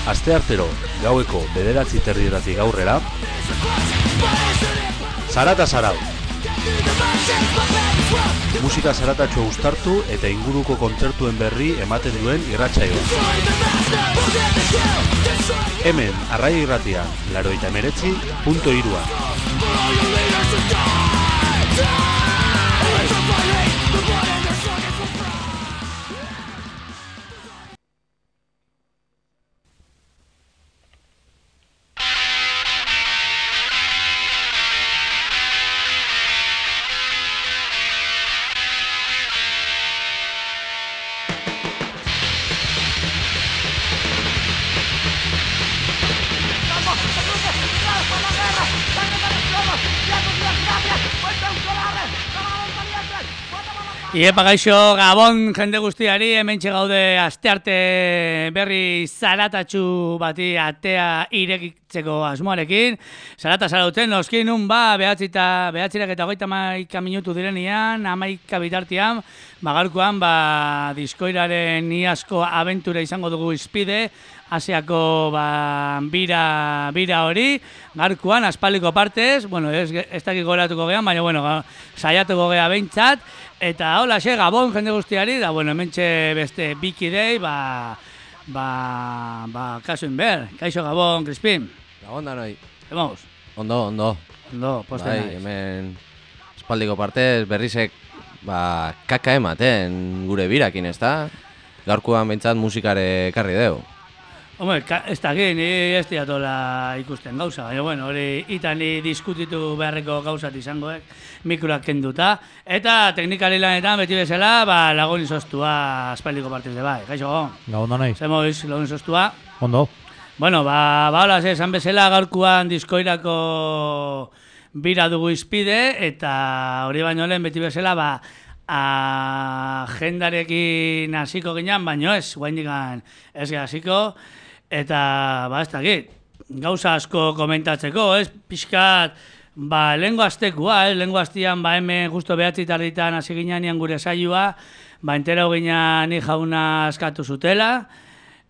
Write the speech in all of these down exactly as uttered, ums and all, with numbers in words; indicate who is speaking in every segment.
Speaker 1: Asteartero gaueko bederatzi terdietatik aurrera, Zarata Zarau. Musika zaratatxo uztartu eta inguruko kontzertuen berri ematen duen irratsaioa. Hemen, Arraia Irratian, laurogeita hemeretzi puntu hiru.
Speaker 2: Iepa gaixo, Gabon jende guztiari, hementxe gaude astearte berri zaratatxu bati atea irekitzeko asmoarekin. Zarata zarauten, noskin nun ba, behatzita, behatzirak eta hogeita hamaika minutu direnian, hamaika bitartian, bagarkoan, ba, diskoiraren iazko abentura izango dugu izpide, Asiako ba, bira, bira hori, garkuan, aspaliko partez, bueno, ez, ez dakik goratuko gehan, baina, bueno, saiatuko geha behintzat, eta hola, xe, Gabon jende guztiari, da, bueno, hementxe beste bikidei, ba, ba, ba, kasuin ber, kaixo Gabon, Crispin.
Speaker 3: Gabon da noi.
Speaker 2: Emoz?
Speaker 3: Ondo, ondo.
Speaker 2: Ondo, poste
Speaker 3: bai,
Speaker 2: naiz.
Speaker 3: Hemen espaldiko partez berrizek, ba, kaka ematen gure birakin, ez da? Gaurkoan behintzat musikare ekarri deu.
Speaker 2: Hombre, ez dakit, ni ez diatola ikusten gauza, baina, bueno, hori itan ni diskutitu beharreko gauzat izangoek, mikroak kenduta, eta teknikari lanetan beti bezala, ba, lagun izostua aspaldiko partiz de bai. Kaixo, Gabon?
Speaker 4: Gabon da nahi.
Speaker 2: Zemoiz, lagun izostua.
Speaker 4: Ondo.
Speaker 2: Bueno, ba, ba, hola, esan bezala gaurkuan diskoirako bira dugu izpide, eta hori baino lehen beti bezala, ba, agendarekin hasiko ginen, baino ez, guaindikan ez ge hasiko, eta, ba, ez dakit, gauza asko komentatzeko, ez, pixkat, ba, lehengo aztekua, ez, lehengo aztian, ba, hemen justo behatzi tarditan hasi ginean gure saioa, ba, entera ginean ni jauna askatu zutela,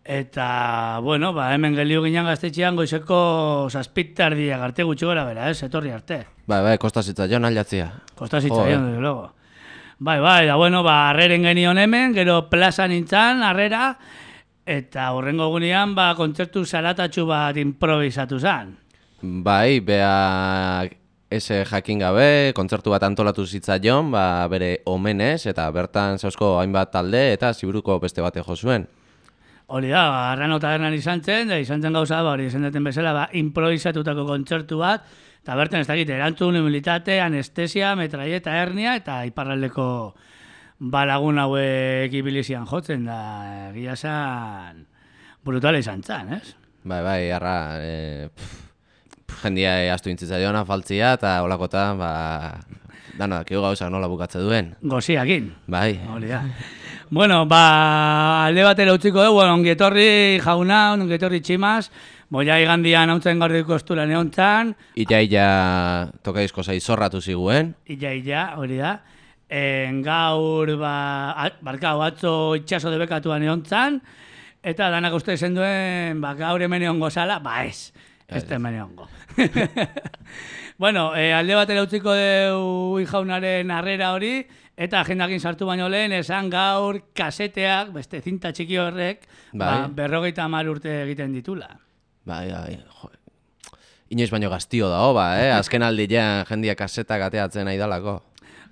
Speaker 2: eta, bueno, ba, hemen gelio ginean gaztetxean goizeko zazpit tardiak arte gutxi gora bera, ez, etorri arte.
Speaker 3: Bai, bai, kostasitza joan aldatzia.
Speaker 2: Kostasitza joan, desde luego. Bai, bai, da, bueno, ba, harreren genion hemen, gero plaza nintzen, harrera, eta horrengo gunean, ba, kontzertu zaratatxu bat improvisatu zen.
Speaker 3: Bai, bea ese jakin gabe, kontzertu bat antolatu zitzaion, ba, bere omenez, eta bertan zauzko hainbat talde, eta ziburuko beste bate jo zuen.
Speaker 2: Hori da, ba, Arrano tabernan izan zen, da izan zen gauza, ba, hori izan deten bezala, ba, improvisatutako kontzertu bat, eta bertan ez dakit, erantzun, humilitate, anestesia, metraieta, hernia, eta iparraldeko balagun hauek ibilizian jotzen, da egia zan brutala izan zen, ez?
Speaker 3: Bai, bai, arra, e, pff, jendia astu intzitzaiona, faltzia, eta holakotan, ba, dano, dakigu gauzak nola bukatze duen.
Speaker 2: Goziakin.
Speaker 3: Bai.
Speaker 2: Hori da. Bueno, ba, alde batera utziko dugu, bueno, ongietorri jauna, ongietorri tximaz, boia igandian hauntzen gaur dugu ostura neontzan.
Speaker 3: Illa, illa, toka disko zai zorratu ziguen.
Speaker 2: Illa, illa, hori da. En gaur, ba, barkau, atzo itxaso debekatuan neontzan, eta danak uste zen duen, ba, gaur hemen egongo zala, ba ez, ez da hemen egongo. Bueno, eh, alde batera utziko dugu jaunaren harrera hori, eta agendakin sartu baino lehen, esan gaur kaseteak, beste zinta txiki horrek,
Speaker 3: bai.
Speaker 2: ba, berrogeita hamar urte egiten ditula.
Speaker 3: Bai, bai, jo. Inoiz baino gaztio da, ba, eh? Azken aldian jendia kasetak ateatzen nahi dalako.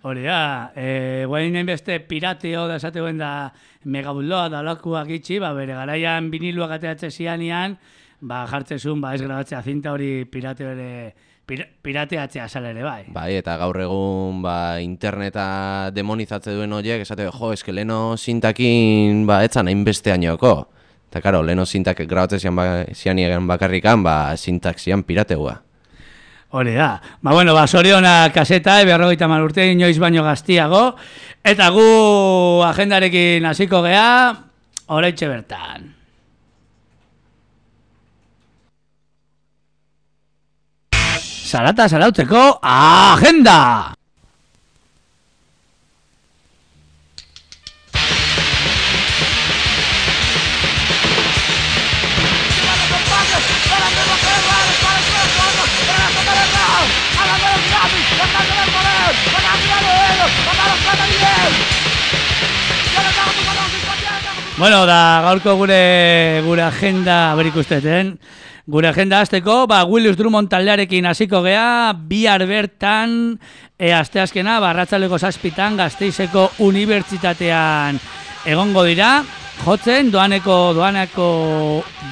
Speaker 2: Hori da, e, guain beste pirateo da esategoen da megabulloa da lakuak itxi, ba, bere garaian viniluak ateatze zianian, ba, jartzezun, ba, ez grabatzea zinta hori pirate bere, pir, pirateatzea sala ere, bai.
Speaker 3: Bai, eta gaur egun, ba, interneta demonizatze duen horiek, esate, jo, eske leno zintakin, ba, etzan hainbeste añoko. Eta, karo, leno zintak grabatzea zian, ba, zian bakarrikan, ba, zintak zian pirateua.
Speaker 2: Hori da. Ba, bueno, ba, soriona kaseta, berrogeita hamar urte, inoiz baino gaztiago, eta gu agendarekin hasiko gea, oraintxe bertan. Zarata zarautzeko agenda! Bueno, da gaurko gure gure agenda ber ikusteten. Gure agenda hasteko, ba Willis Drummond taldearekin hasiko gea, bihar bertan e, asteazkena barratzaleko zazpitan Gasteizeko Unibertsitatean egongo dira. Jotzen doaneko doaneko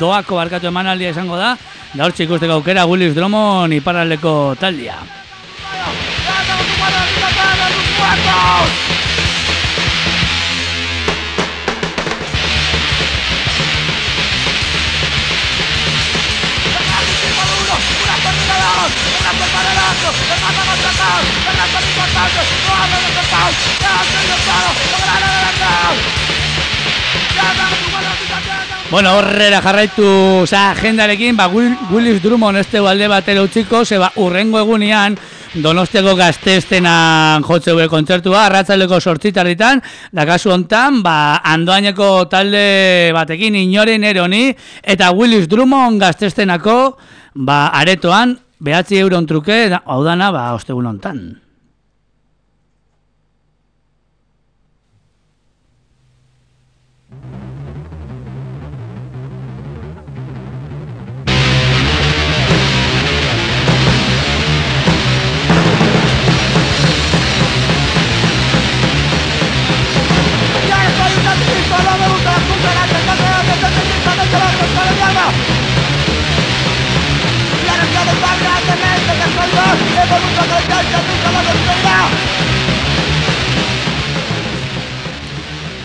Speaker 2: doako barkatu emanaldia izango da. Da hortxe ikusteko aukera Willis Drummond iparraldeko taldea. Bueno, horrela jarraitu oza, agendarekin, ba, Willis Drummond este alde batera utziko, ze ba, urrengo egunean Donostiako Gazteiztenan jotze gure kontzertua, arratzaldeko sortzitarritan, da kasu hontan, ba, Andoaineko talde batekin inoren eroni, eta Willis Drummond Gazteiztenako, ba, aretoan, behatzi euron truke, hau dana, ba, ostegun hontan.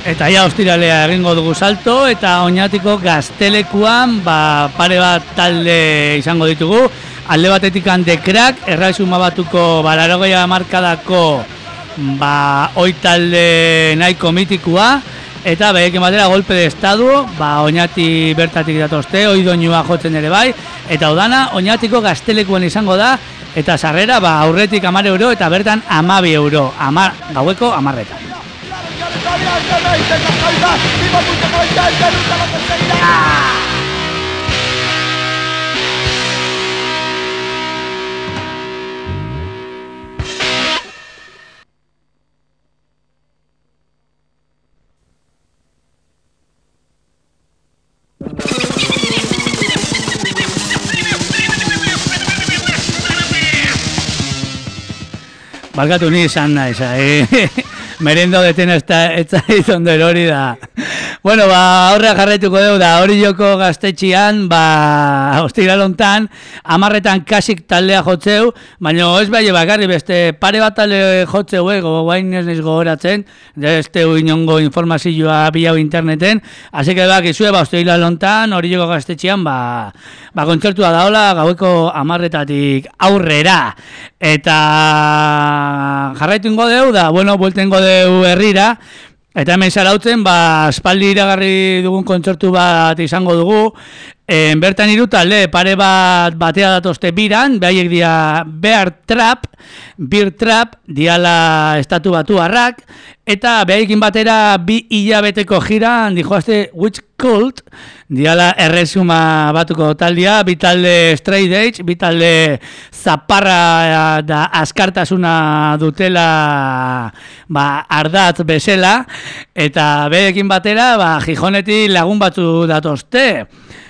Speaker 2: Eta ja ostiralea egingo dugu salto eta Oñatiko Gaztelekuan ba, pare bat talde izango ditugu. Alde batetik The Crack, errazuma batuko balarogeia markadako ba, oi talde nahiko mitikua. Eta behekin batera golpe de estadu, ba, Oñati bertatik datozte, oi doinua jotzen ere bai. Eta udana Oñatiko Gaztelekuan izango da, eta sarrera ba, aurretik hamar euro eta bertan hamabi euro, amar, gaueko hamarretan. Balkatu ni izan naiz, eh? Merendo deten ez da ondo erori da. Bueno, ba, aurrea jarraituko dugu da, hori joko Gaztetxian, ba, ostiral hontan, hamarretan kasik taldea jotzeu, baina ez bai bakarri beste pare bat talde jotzeu, ego, guain ez niz gogoratzen, ez teu inongo informazioa bilau interneten, hasi que bak izue, ba, ostiral hontan, hori joko Gaztetxian, ba, ba, kontzertua daola, gaueko hamarretatik aurrera, eta jarraitu ingo dugu da, bueno, buelten ingo dugu herrira, eta hemen zarautzen, ba, aspaldi iragarri dugun kontzertu bat izango dugu. E, bertan hiru talde, pare bat batea datozte biran, behaiek dia Bear Trap, Bear Trap, diala estatu batu harrak, eta behaiekin batera bi hilabeteko jiran, dijoazte Witch Cult, diala erresuma batuko taldea, bi talde straight edge, bi talde zaparra da askartasuna dutela ba, ardatz bezala, eta behaiekin batera ba, Gijonetik lagun batzu datozte.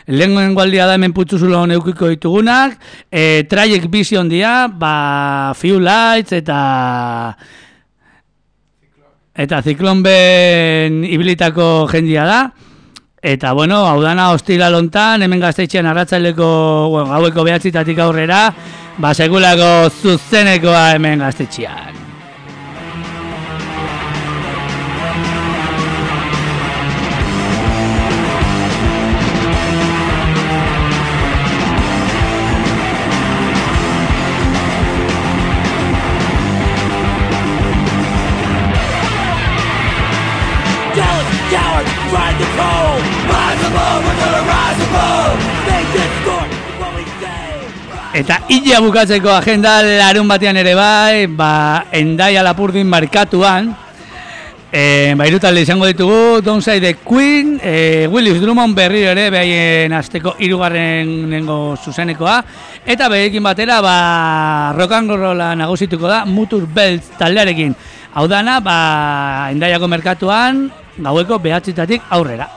Speaker 2: Lehenengo aldia da hemen putzuzulo neukiko ditugunak, e, Trajek Vision dia, ba, Few Lights eta eta Ziklon ben ibilitako jendia da. Eta, bueno, hau dana ostiral hontan, hemen Gazteitxean arratsaleko bueno, gaueko behatzitatik aurrera, ba, sekulako zuzenekoa hemen Gazteitxean. Eta hila bukatzeko agenda larun batean ere bai, ba, Hendaia Lapurdin markatuan, e, ba, hiru talde izango ditugu, Downside the Queen, e, Willis Drummond berriro ere, behaien azteko hirugarren nengo zuzenekoa, eta behaiekin batera, ba, rock and rolla nagusituko da, Mutur Belts taldearekin. Hau dana, ba, Hendaiako merkatuan, gaueko behatzitatik aurrera.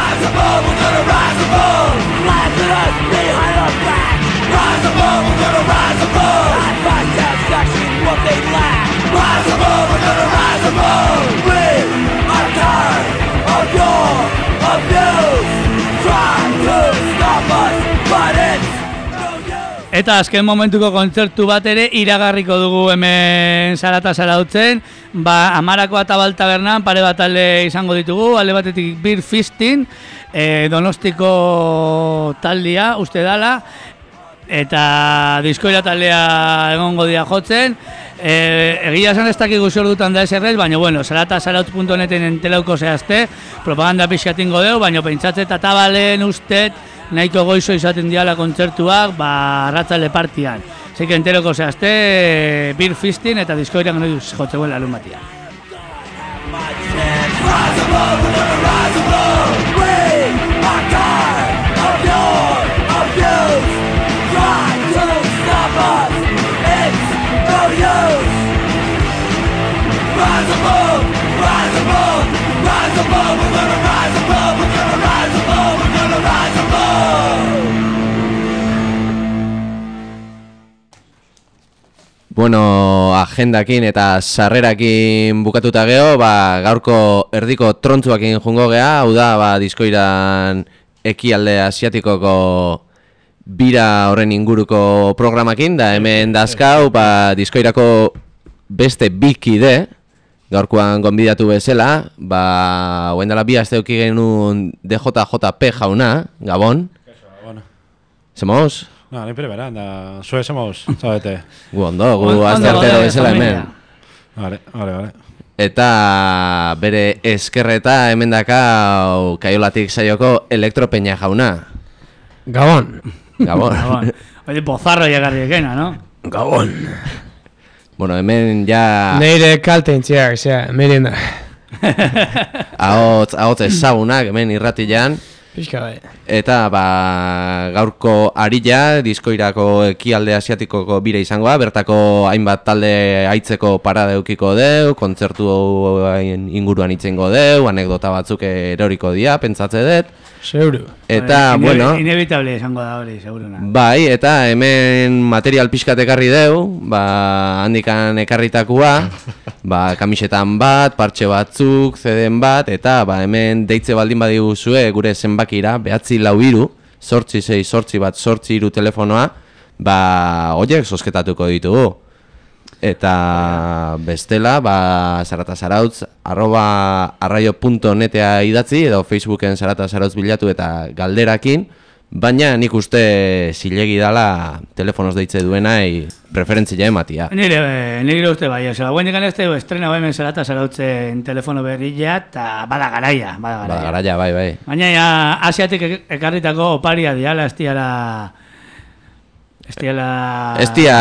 Speaker 4: Rise above, we're gonna rise above. Laugh at us behind our back. Rise above, we're gonna rise above. Not fight down section what they lack. Rise above, we're gonna rise above. We are tired of your abuse. Try to stop us, but it's no use.
Speaker 2: Eta azken momentuko kontzertu bat ere iragarriko dugu hemen Zarata Zarautzen. Ba, Amarako Atabal Tabernan pare bat alde izango ditugu, alde batetik Beer Fistin, e, Donostiko taldia, uste dala, eta diskoira taldea egongo dira jotzen. E, egia esan ez dakigu zer dutan da eserrez, baina bueno, zarata zarautz puntu neten entelauko zehazte, propaganda pixatingo deu, baina pentsatzet Atabalen ustet nahiko goizo izaten diala kontzertuak, ba, arratzale partian. Así que enteroko zehazte, Beer Fistin eta diskoiran gano duz jotzeuen larun batia.
Speaker 4: Rise above, we're gonna rise above. We are tired of your abuse. Try to stop us, it's no use. Rise above, rise above, rise above. We're gonna rise above, we're gonna rise above, we're gonna rise above.
Speaker 3: Bueno, agendakin eta sarrerakin bukatuta geho, ba, gaurko erdiko trontzuakin jungo geha, hau da, ba, diskoiran ekialde asiatikoko bira horren inguruko programakin, da hemen dazkau, ba, diskoirako beste bikide, gaurkoan gonbidatu bezala, ba, hoen dela bi aste euki genuen D J J P jauna, Gabon.
Speaker 5: Bueno.
Speaker 3: Semoz?
Speaker 5: No, ni primera, da, zue somos, zabete.
Speaker 3: Gu ondo, gu azte artero bezala hemen.
Speaker 5: Vale, vale, vale.
Speaker 3: Eta bere eskerreta hemen dakau Kaiolatik saioko Elektropeña jauna.
Speaker 6: Gabon.
Speaker 3: Gabon.
Speaker 2: Gabon. Oye, pozarro llegarri ekena, no?
Speaker 6: Gabon.
Speaker 3: Bueno, hemen ja...
Speaker 6: Neire kalte intziak, zera, merienda.
Speaker 3: Ahotz, ahotz ezagunak hemen irratian.
Speaker 6: Pixka bai.
Speaker 3: Eta ba, gaurko arilla, diskoirako ekialde asiatikoko bira izangoa, bertako hainbat talde aitzeko parada eukiko deu, kontzertu inguruan itzengo deu, anekdota batzuk eroriko dia, pentsatze dut.
Speaker 6: Seguru.
Speaker 3: Eta,
Speaker 2: Ine
Speaker 3: bueno...
Speaker 2: Inevitable izango da hori, seguruna.
Speaker 3: Bai, eta hemen material pixkat ekarri deu, ba, handikan ekarritakua, ba, kamisetan bat, partxe batzuk, zeden bat, eta ba, hemen deitze baldin badiguzue gure zenbakira, behatzi lau iru, sortzi sei, sortzi bat, sortzi iru telefonoa, ba, horiek sosketatuko ditugu. Eta bestela, ba, Zarata Zarautz, arroba arraio punto netea idatzi, edo Facebooken Zarata Zarautz bilatu eta galderakin, baina nik uste zilegi dala telefonoz deitze duenai preferentzia ematia.
Speaker 2: Nire, nire uste bai, oza, guen digan ez tegu estrena bai men Zarata Zarautzen telefono berria, eta bada garaia, bada garaia.
Speaker 3: Bada garaia, bai, bai.
Speaker 2: Baina ja, asiatik ekarritako oparia diala, ez diala... Ez diala...
Speaker 3: Ez dia...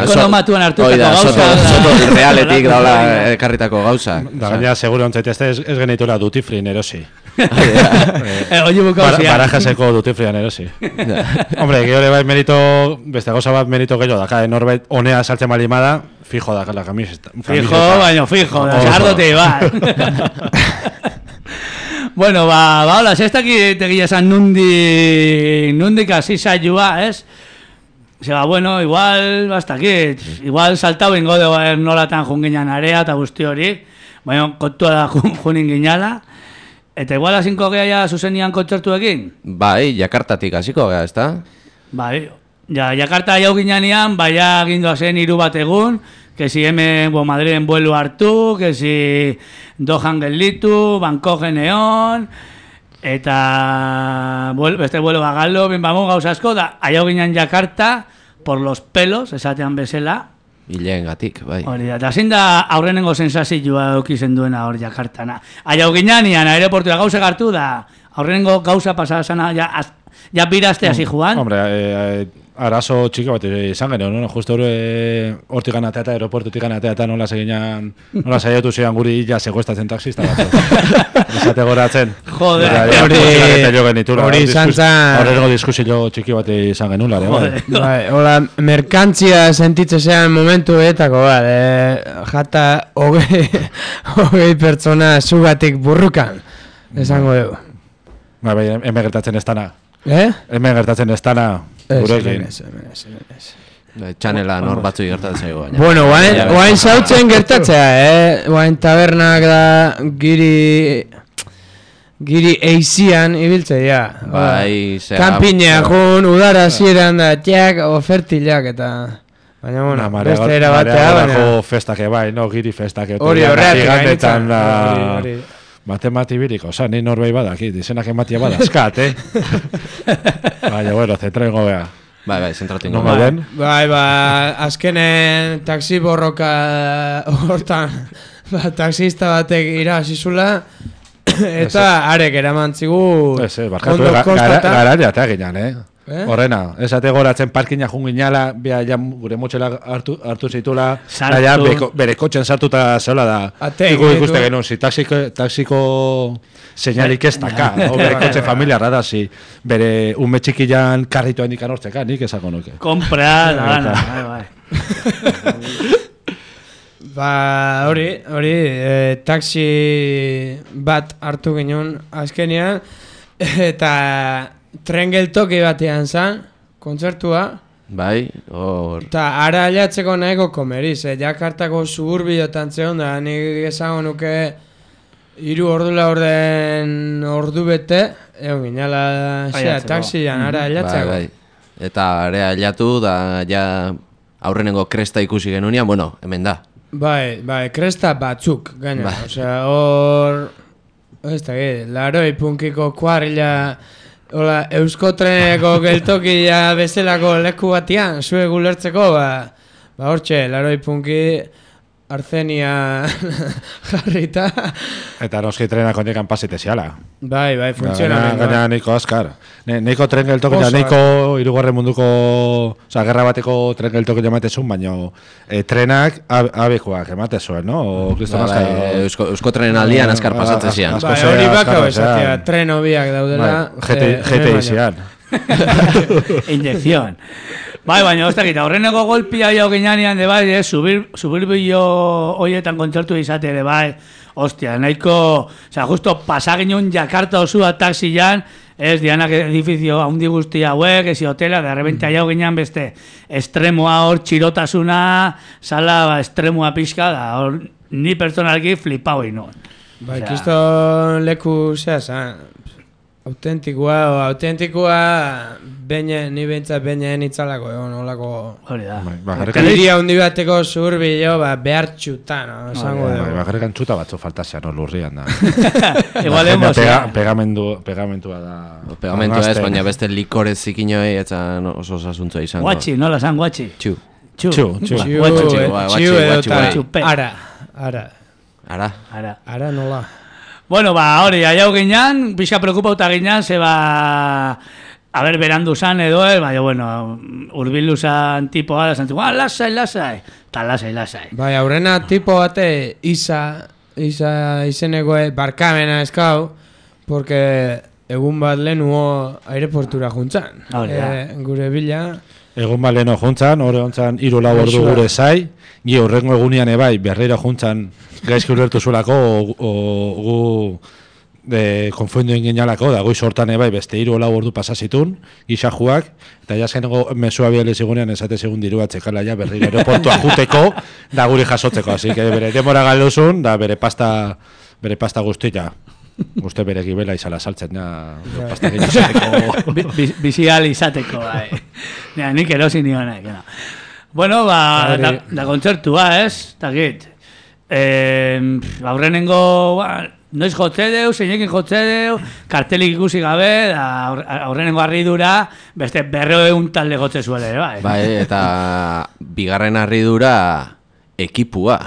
Speaker 2: Ekonomatuan hartutako gauza.
Speaker 3: Soto realetik daula ekarritako gauza.
Speaker 5: Da gaina, seguro ontzait, ez, ez genitula duty free erosi.
Speaker 2: Oye, bukauzian.
Speaker 5: Barajaseko duty free erosi. Hombre, gehiore bai merito, beste gauza bat merito gehiago daka, norbait honea saltzen malimada, fijo daka la camiseta.
Speaker 2: Fijo, baina fijo, sardote bat. Bueno, ba, ba, hola, ez dakit egia esan nundi, nundik hasi saioa, ez? Zeba, bueno, igual, basta aquí, igual saltau ingo de nolatan junginan area eta guzti hori, baina kontua da junin ginala, eta igual asinko geha ja zuzenian kontzertuekin?
Speaker 3: Bai, Jakartatik hasiko geha, ezta?
Speaker 2: Bai, ja, Jakarta jau ginanean, bai, agindoa zen hiru bat egun, que si hemen bo, Madriden vuelo hartu, que si Dohan gelditu, Bangkoken egon, eta beste vuelo bagalo, bin bamu gauza asko, da, aiau ginen Jakarta, por los pelos, esatean bezala.
Speaker 3: Hileen gatik, bai.
Speaker 2: Hori da, eta zein da aurrenengo sensazioa eukizen duena hor Jakartana. Aiau ginean, aeroportua gauza gartu da, aurrenengo gauza pasada sana, ja, ja birazte hasi joan.
Speaker 5: Hombre, eh, arazo txiki bat izan genuen, no? Justo hori hortik ganatea eta aeroportutik ganatea eta nola seginan, nola saietu zian guri ja segoestatzen taxista bat. Esate goratzen.
Speaker 2: Joder.
Speaker 6: Hori izan zan...
Speaker 5: Horrego diskusio txiki bat izan genuen, lare.
Speaker 6: Bai, hola, merkantzia sentitzezean momentu etako, bat, eh, jata hogei, hogei pertsona zugatik burrukan, esango dugu.
Speaker 5: Ba, bai, hemen gertatzen ez dana.
Speaker 6: Eh?
Speaker 5: Hemen gertatzen ez dana gurekin.
Speaker 6: Ez, ez, ez, ez.
Speaker 3: Txanela nor batzu gertatzen zaigu baina.
Speaker 6: Bueno, guain, guain zautzen gertatzea, eh? Guain tabernak da giri... Giri eizian ibiltzea.
Speaker 3: Bai, zera...
Speaker 6: Kanpinea jun, udara zieran da, txak, ofertilak eta... Baina, bueno, beste era batea, baina...
Speaker 5: Mareagorako festake, bai, no, giri festake.
Speaker 6: Hori horreatik
Speaker 5: gainditzen da...
Speaker 6: hori.
Speaker 5: Matemati biriko, oza, ni norbei badakit, izenak ematia badazkat, eh? Baina, bueno, zentraingo beha.
Speaker 3: Bai, bai, zentratu
Speaker 5: No
Speaker 3: ingo.
Speaker 5: den?
Speaker 6: Bai, ba, azkenen taxi borroka hortan, ba, taxista batek irabazizula, eta arek eraman zigu...
Speaker 5: Ez, ez, barkatu,
Speaker 6: ondo
Speaker 5: ga- gara-
Speaker 6: kostata.
Speaker 5: garari atea ginen, eh?
Speaker 6: Eh?
Speaker 5: Horrena, ez ate goratzen parkina junginala, bea ja gure motxela hartu, hartu zitula,
Speaker 2: Sartu.
Speaker 5: ja beko, bere kotxen sartuta zeola da.
Speaker 6: Ate,
Speaker 5: Iku
Speaker 6: egin
Speaker 5: ikuste
Speaker 6: ditu.
Speaker 5: genuen, si taxiko, taxiko seinalik ez daka, o bere kotxe familiarra da, si bere ume txikian karritoa indikan hortzeka, nik esako nuke.
Speaker 2: Kompra, da gana, bai, bai.
Speaker 6: Ba, hori, hori, e, taxi bat hartu ginen azkenean, eta tren geltoki batean zan, kontzertua,
Speaker 3: Bai, hor...
Speaker 6: eta ara alatzeko nahiko komeriz, eh? Jakartako suburbiotan zeon da, nik esango nuke hiru ordu laurden ordu bete, egon ginala, xea,
Speaker 2: Ailatzeko.
Speaker 6: taxian, ara
Speaker 3: Bai,
Speaker 6: alatzeko.
Speaker 3: bai. Eta area hilatu da, ja aurrenengo kresta ikusi genunean, bueno, hemen da.
Speaker 6: Bai, bai, kresta batzuk, gaina,
Speaker 3: Bai.
Speaker 6: osea, hor, ez da, laroi punkiko kuarrila, hola, euskotreneko geltokia bezalako leku batian, zue gulertzeko, ba, ba hortxe, laroi punki, arzenia jarrita,
Speaker 5: Eta noski trenak ondikan pasite ziala.
Speaker 6: bai, bai,
Speaker 5: Gaina,
Speaker 6: funtzionamendu.
Speaker 5: gaina niko askar. Ne, niko tren geltokia,
Speaker 6: Oso,
Speaker 5: niko irugarren munduko, oza, gerra bateko tren geltokia ematezun, baina e, trenak ab, abekoak ematezuen, no? O, kriston
Speaker 3: Ba,
Speaker 5: askar.
Speaker 3: bai, eusko, euskotren aldian azkar
Speaker 5: Ah,
Speaker 3: pasatzen
Speaker 5: ah,
Speaker 3: zian.
Speaker 5: asko
Speaker 6: Bai,
Speaker 5: zea,
Speaker 6: hori
Speaker 5: askar
Speaker 6: bakau
Speaker 5: pasean.
Speaker 6: esatea, tren hobiak daudela.
Speaker 5: Bai,
Speaker 6: eh,
Speaker 5: G T
Speaker 6: hemen
Speaker 5: I
Speaker 6: baino.
Speaker 5: zian.
Speaker 2: Inyección. Bai, baina, ez dakit, aurreneko golpia jau ginean, de bai, eh, subir, subir bilo hoietan kontzertu izate ere bai, ostia, nahiko, oza, justo pasaginun Jakarta osua taxian, ez, dianak edifizio handi guzti hauek, ezi hotela, de repente jau ginean beste, estremoa hor, txirotasuna, sala, ba, estremoa pixka, da, hor, ni personalki flipau inoen.
Speaker 6: Bai,
Speaker 2: Osea,
Speaker 6: kiston leku, zea, zan, autentikoa, o, autentikoa, beine, ni behintzat beinean itzalako, egon, olako...
Speaker 2: Hori da.
Speaker 5: Bai, bakarrik-
Speaker 6: Hiria handi bateko zurbilo, ba, behartxuta, no, esango
Speaker 5: Bai,
Speaker 6: dugu.
Speaker 5: bakarrik antxuta batzu faltazian, no, lurrian da.
Speaker 2: Igual
Speaker 5: Baina
Speaker 2: hemos,
Speaker 5: pega, pegamendu, pegamentua da.
Speaker 3: Pegamentua ez,
Speaker 5: Angazten.
Speaker 3: baina beste likorez zikinoi eta oso osasuntzua izango.
Speaker 2: guatxi, nola zan, guatxi.
Speaker 3: Txu.
Speaker 2: Txu.
Speaker 5: Txu, txu.
Speaker 2: Ba,
Speaker 6: Txiu,
Speaker 2: guatxi.
Speaker 6: eh,
Speaker 3: guatxi,
Speaker 6: txiu
Speaker 3: guatxi,
Speaker 6: edo
Speaker 3: bai.
Speaker 6: eta
Speaker 2: Txupe.
Speaker 6: ara, ara,
Speaker 3: Ara.
Speaker 2: Ara.
Speaker 6: ara nola.
Speaker 2: Bueno, ba, hori, aiau ginean, pixa preokupauta ginean, ze ba... A ber, berandu zan edo, eh, baina, bueno, urbildu zan tipoa, da zantziko, ah, lasai, lasai, eta lasai, lasai.
Speaker 6: Bai, aurrena tipo bate, Isa, Isa izenekoe barkamena eskau, porque egun bat lehenuo aireportura juntzan.
Speaker 2: Hori da.
Speaker 6: Eh, gure bila,
Speaker 5: Egun baleno juntzan, hori hontzan hiru lau ordu
Speaker 6: Gaixoa.
Speaker 5: gure zai, gi horrengo egunean ebai, berreira juntzan gaizki ulertu zulako, o, o, gu de, konfundu inginalako, da goiz hortan ebai beste hiru lau ordu pasazitun, gisa juak, eta jaskeneko mesua bialez egunean esate segun diru atzekala ja berreira aeroportua juteko, da guri jasotzeko, así que bere demora galduzun, da bere pasta, bere pasta guztia. Uste bere gibela izala saltzen, ja, pasta gizateko.
Speaker 2: Bi- bi- Bizial izateko, bai. Ja, nik erosi nionek, no. Bueno, ba,
Speaker 6: Hori.
Speaker 2: da, da kontzertua, ez? Takit. Eh, aurrenengo, ba, noiz jotze deu, zeinekin jotze deu, kartelik ikusi gabe, da, aur- aurrenengo harridura, beste berreun talde gotze zuele, bai.
Speaker 3: Bai, eta bigarren harridura ekipua.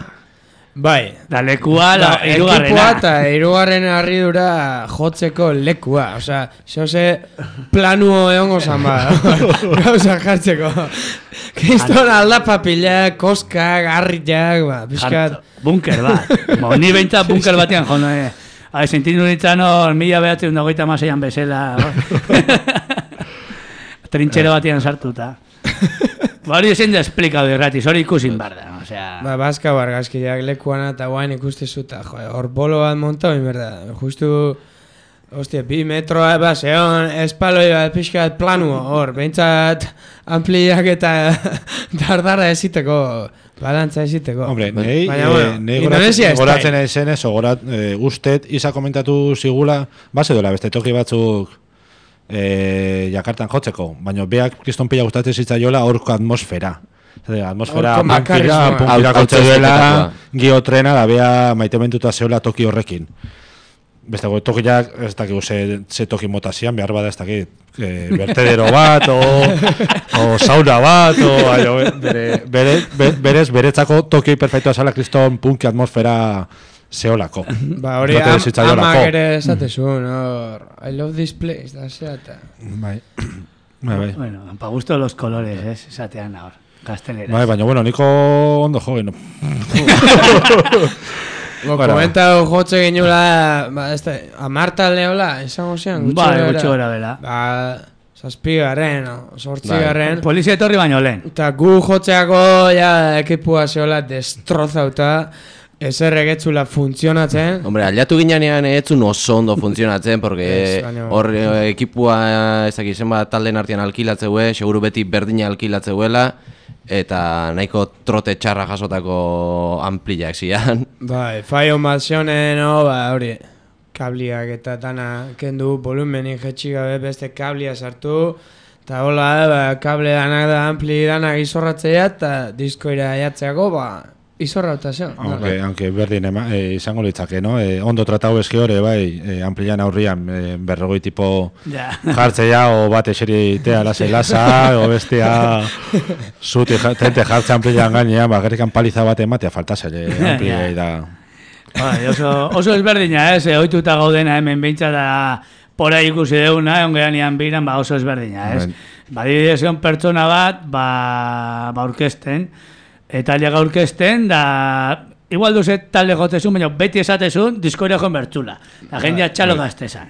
Speaker 6: bai,
Speaker 2: Da lekua, la,
Speaker 6: da, ekipua
Speaker 2: irugarrena.
Speaker 6: eta irugarren harridura jotzeko lekua, osea, zoze planuo egongo zan ba, gauza jartzeko. Kriston aldapapilak, koskak, harriak, ba, pixkat.
Speaker 2: Bunker bat. Bo, ni behintzat bunker batean, jo, no, eh. Hai, sentindu nintzen hor, mila behatzen dagoita maseian bezala. Trintxero batean sartuta. Ba, hori ezin da esplikatu irratiz, hori ikusin bar da, osea...
Speaker 6: Ba, bazka bargazkiak lekuana eta guain ikuste zuta, jo, hor bolo bat montau, inberda, justu Hostia, bi metroa eba zeon, espaloi bat pixkat planu hor, behintzat ampliak eta dardara eziteko, balantza eziteko.
Speaker 5: Hombre, nahi,
Speaker 6: Baina, bueno,
Speaker 5: nahi
Speaker 6: Indonesia ez
Speaker 5: goratzen ezen ez, ogorat, e, ustet, isa komentatu zigula, base dola, beste toki batzuk e, Jakartan jotzeko, baina beak kriston pila gustatzen zitzaiola horko atmosfera. Zer, atmosfera
Speaker 6: Horko
Speaker 5: punkira,
Speaker 6: makarismoa.
Speaker 5: punkira
Speaker 3: Hau-
Speaker 5: kotxe duela,
Speaker 3: hau-
Speaker 5: giotrena, da bea maitementuta zeola toki horrekin. Beste go, tokiak, ez dakigu ze, ze toki mota zian, behar bada ez dakit, e, vertedero bat, o, o sauna bat, o, aio, bere, bere, bere, berez, beretzako toki perfektua zala kriston punki atmosfera zeolako.
Speaker 6: Ba, hori
Speaker 5: Gustatzen
Speaker 6: am,
Speaker 5: zitzaiolako.
Speaker 6: amak ere esatezun, hor, I love this place, da zeata.
Speaker 5: Bai, bai, bai.
Speaker 2: Bueno, pa gusto los colores, ez, esatean ahor, gazteleraz.
Speaker 5: Bai, baina, bueno, niko ondo jo, no.
Speaker 6: Bo,
Speaker 5: Bueno.
Speaker 6: komentau jotze ginula, ba, ez da, amarta leola, esango zian, gutxi
Speaker 2: Bai,
Speaker 6: gara.
Speaker 2: gutxi gora bela.
Speaker 6: Ba, zazpigarren, o, sortzigarren.
Speaker 2: Polizia etorri baino lehen.
Speaker 6: Eta gu jotzeako, ja, ekipua zeola destrozauta, ezer egetzula funtzionatzen.
Speaker 3: Hombre, aliatu ginean etzun oso ondo funtzionatzen, porque
Speaker 6: Ez, baina-
Speaker 3: hor eh, ekipua ez dakit zenbat talden artean alkilatzeue, seguru beti berdina alkilatzeuela, eta nahiko trote txarra jasotako ampliak zian.
Speaker 6: Bai, faio mazionen, no, ba, hori, kabliak eta dana kendu, volumenik jetxi gabe beste kablia sartu, eta hola, ba, kable danak da ampli danak izorratzea, eta diskoira jatzeako, ba, izorrauta zeo.
Speaker 5: Aunque, aunque berdin ema, e, izango litzake, no? E, ondo tratau eski hori, bai, e, amplian aurrian e, berrogoi tipo
Speaker 2: Ja.
Speaker 5: jartzea, o bat eseritea lasa lasa, o bestea zuti ja- tente jartze amplian gainean, bakarrikan paliza bat ematea faltasele ampliei da.
Speaker 2: Bai, oso, oso ezberdina, ez, eh, ohituta gaudena hemen behintzat da pora ikusi deuna, ongeanian biran, ba oso ezberdina, ez.
Speaker 3: Bai.
Speaker 2: Badibidez egon pertsona bat, ba, ba orkesten, eta lega orkesten, da, igual duze talde jotezun, baina beti esatezun, diskoria joan bertzula. La jendea txalo gaztezan.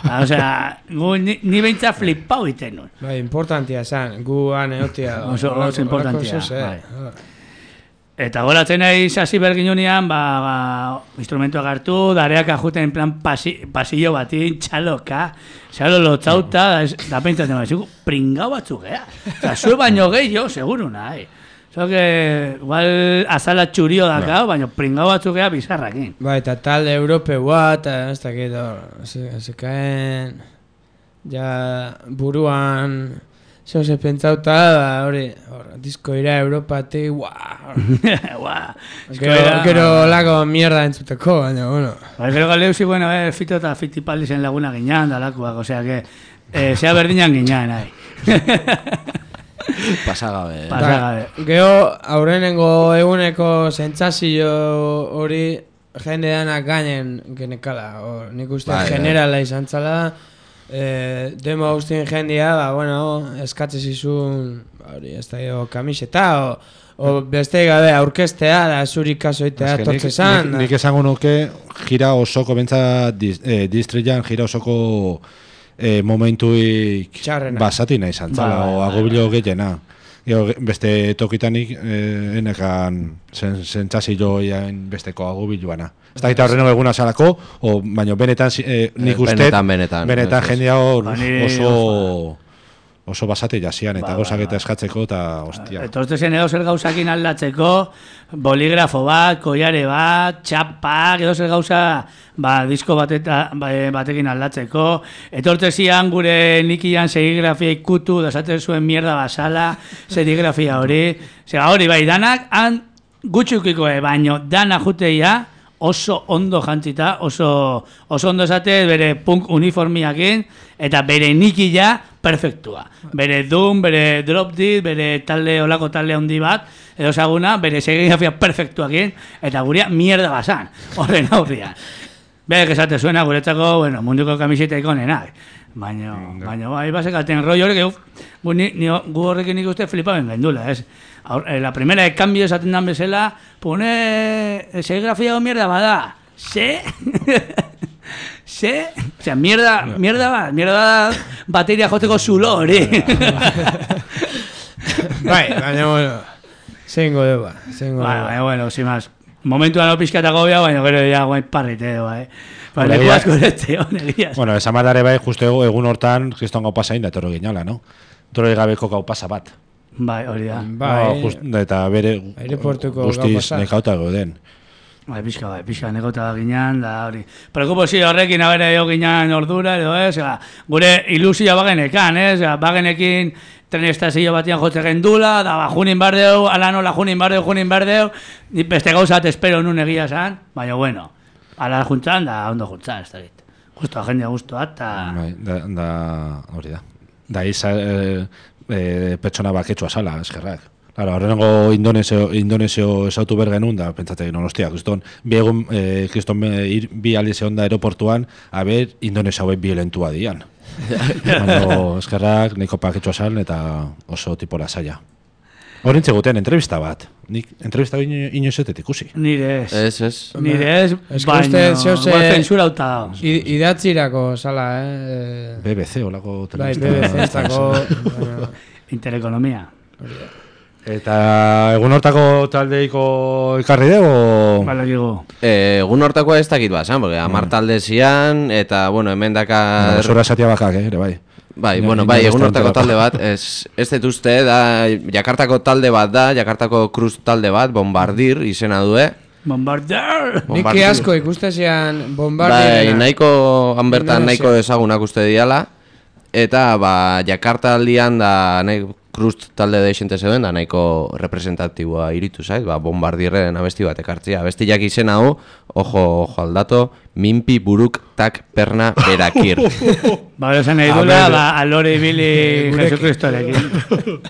Speaker 2: Ba, osea, gu, ni, ni behintzat flipau iten nun.
Speaker 6: Bai, importantia zan, gu han eotia.
Speaker 2: Oso- oso
Speaker 6: horrelako-
Speaker 2: importantia,
Speaker 6: horrelako zuz,
Speaker 2: bai.
Speaker 6: eh.
Speaker 2: Eta goratzen nahi hasi berginunean, ba, ba, instrumentuak hartu, dareak ajuten en plan pasi, pasillo batin, txaloka, txalo lotzauta, da, ez- da pentsatzen bat, pringau batzuk, gea. Osa, zue baino gehiago, seguru nahi. Zo que, igual, azala txurio dakau, baina pringau batzuk gea bizarrakin.
Speaker 6: Bai, eta talde europeua, eta ez dakit hor, se, se caen, ja, buruan, zeo se pentsauta, ba, hori, hor, diskoira Europatik, guau,
Speaker 2: Ua,
Speaker 6: gero, gero lako mierda entzuteko, baina, bueno.
Speaker 2: Ba, gero galeu zi, bueno, eh, fito eta fitipaldizen laguna ginean, dalakoak, osea que, eh, zea berdinan ginean, nahi.
Speaker 3: Pasagabe.
Speaker 2: Pa- Pasagabe.
Speaker 6: Gero, aurrenengo eguneko sentsazio hori jende danak gainen genekala, hor, nik uste
Speaker 3: Bai, bai.
Speaker 6: generala izan zala, eh, demo guztien jendia, ba, bueno, eskatze zizun, ba, hori, ez da jo, kamiseta, o, o beste gabe aurkestea, da zuri kasoitea
Speaker 5: Eske nik-
Speaker 6: tortze zan,
Speaker 5: nik, nik esango nuke gira osoko bentsa dis, eh, distrian gira osoko eh, momentuik
Speaker 6: Txarrena.
Speaker 5: basati nahi zantzala,
Speaker 2: Bai, bai,
Speaker 5: o
Speaker 2: bai,
Speaker 5: agobilo gehiena. Gero, ge- beste tokitanik eh, enekan zen, zentzazio iain besteko agobiluana. Ez da gita horreno eguna salako, o, baina benetan eh, nik
Speaker 3: Eh,
Speaker 5: uste
Speaker 3: benetan, benetan.
Speaker 5: benetan
Speaker 3: Ez, ez.
Speaker 5: jendea hor
Speaker 2: Ba, ni
Speaker 5: oso oso basate jasian eta
Speaker 2: Ba,
Speaker 5: gauzak
Speaker 2: ba,
Speaker 5: eta
Speaker 2: ba.
Speaker 5: eskatzeko eta hostia.
Speaker 2: Etortzen edo zer gauzakin aldatzeko, boligrafo bat, koiare bat, txapak, edo zer gauza ba, disko bateta, ba, batekin aldatzeko. Etortzezian gure nikian serigrafia ikutu, da esaten zuen mierda basala, serigrafia hori. Zega hori bai, danak han gutxukikoe, baino dana juteia oso ondo jantzita, oso, oso ondo esate bere punk uniformiakin, eta bere nikila perfektua. Bere Doom, bere Drop Dead, bere talde, olako talde handi bat, edo saguna, bere serigrafia perfektuakin, eta gurea mierda basan, horren aurrian. Berek esate zuena guretzako, bueno, munduko kamiseta ikonenak. Baina, baina, bai, basekaten roi horrek, uf, gu, ni, ni, gu horrekin nik uste flipaben gendula, ez? Aur, eh, la primera de cambio esaten dan bezala, pone serigrafia o mierda bada, se? Se? O sea, mierda, mierda bat, mierda bat, bateria joteko zulo hori.
Speaker 6: bai, baina, bueno, zeingo dugu, zeingo
Speaker 2: Bai,
Speaker 6: dugu.
Speaker 2: bai, bueno, sin más. Momentuan hau pixkatako bia, baina gero ja guain parrite edo, bai. Ba,
Speaker 5: Hora,
Speaker 2: leku
Speaker 5: ja-
Speaker 2: asko eretzeo, negiaz.
Speaker 5: Bueno, esan badare bai, justo egu- egun hortan, kriston gau pasa inda, etorro ginala, no? Etorro gabeko gau pasa bat.
Speaker 2: Bai, hori da.
Speaker 6: Bai,
Speaker 5: No, just, eta bere
Speaker 6: aireportuko gau
Speaker 5: guztiz
Speaker 6: pasa.
Speaker 5: nekauta gauden.
Speaker 2: Bai, pixka, bai, pixka negota ginean, da hori. Prekupozio horrekin abere jo ginean ordura, edo ez, ega, gure ilusioa bagenekan, ez, ega, bagenekin tren estazio batian jotzen gendula, da, ba, junin bardeu, ala nola junin bardeu, junin bardeu, ni beste gauzat espero nun egia zan, baina bueno, ala juntzan, da, ondo juntzan, ez da dit. Justo, jendea guztua, eta...
Speaker 5: Bai, da, da, hori da. Da, iza, e, e, pertsona baketsua sala, eskerrak. Claro, horrengo Indonesio, Indonesio esautu bergenun, da, pentsatek, non, ostia, kriston, bi egun, e, kriston e, ir, bi alize onda aeroportuan, haber, Indonesia hauek violentua dian. Baina, eskerrak, nahiko paketsua sal, eta oso tipo lasaia. Horintze guten, entrevista bat. Nik entrevista ino, inoizetet ikusi.
Speaker 2: Nire ez.
Speaker 3: Ez, ez.
Speaker 2: Nire ez,
Speaker 6: Ez que
Speaker 2: baina,
Speaker 6: uste zeose-
Speaker 2: igual zensurauta da.
Speaker 6: I- Idatzirako, sala, eh?
Speaker 5: B B C, olako
Speaker 6: Bai,
Speaker 5: telebista.
Speaker 6: B B C-estako... bueno,
Speaker 2: Interekonomia.
Speaker 5: Eta egun hortako taldeiko ekarri dugu?
Speaker 2: Balakigu.
Speaker 3: Eh, egun hortakoa ez dakit bazan, porque amar talde zian, eta, bueno, hemen dakar...
Speaker 5: Zora esatia bakak, eh, ere, bai.
Speaker 3: Bai,
Speaker 5: Ino-
Speaker 3: bueno,
Speaker 5: ino
Speaker 3: bai,
Speaker 5: ez
Speaker 3: egun
Speaker 5: da
Speaker 3: hortako
Speaker 5: enterako.
Speaker 3: talde bat, ez, ez dut uste, da, Jakartako talde bat da, Jakartako Cruz talde bat, Bombardir izena due.
Speaker 2: Bombarder!
Speaker 6: Nik
Speaker 3: Bombardir.
Speaker 6: asko ikustezian
Speaker 3: Bai,
Speaker 6: bombardirena.
Speaker 3: nahiko, han bertan
Speaker 6: Indonesia.
Speaker 3: nahiko ezagunak uste diala, eta, ba, Jakarta aldian da, nahi, Cruz talde deixente zeuden, da nahiko representatiboa iritu zait, ba, Bombardirren abesti bat ekartzia. Abestiak izena hau, ojo, ojo aldato, minpi buruk tak perna berakir.
Speaker 2: Ba, gero esan nahi
Speaker 5: A
Speaker 2: dula,
Speaker 5: ver.
Speaker 2: ba, alore ibili
Speaker 6: Gurekin.
Speaker 2: Jesucristorekin.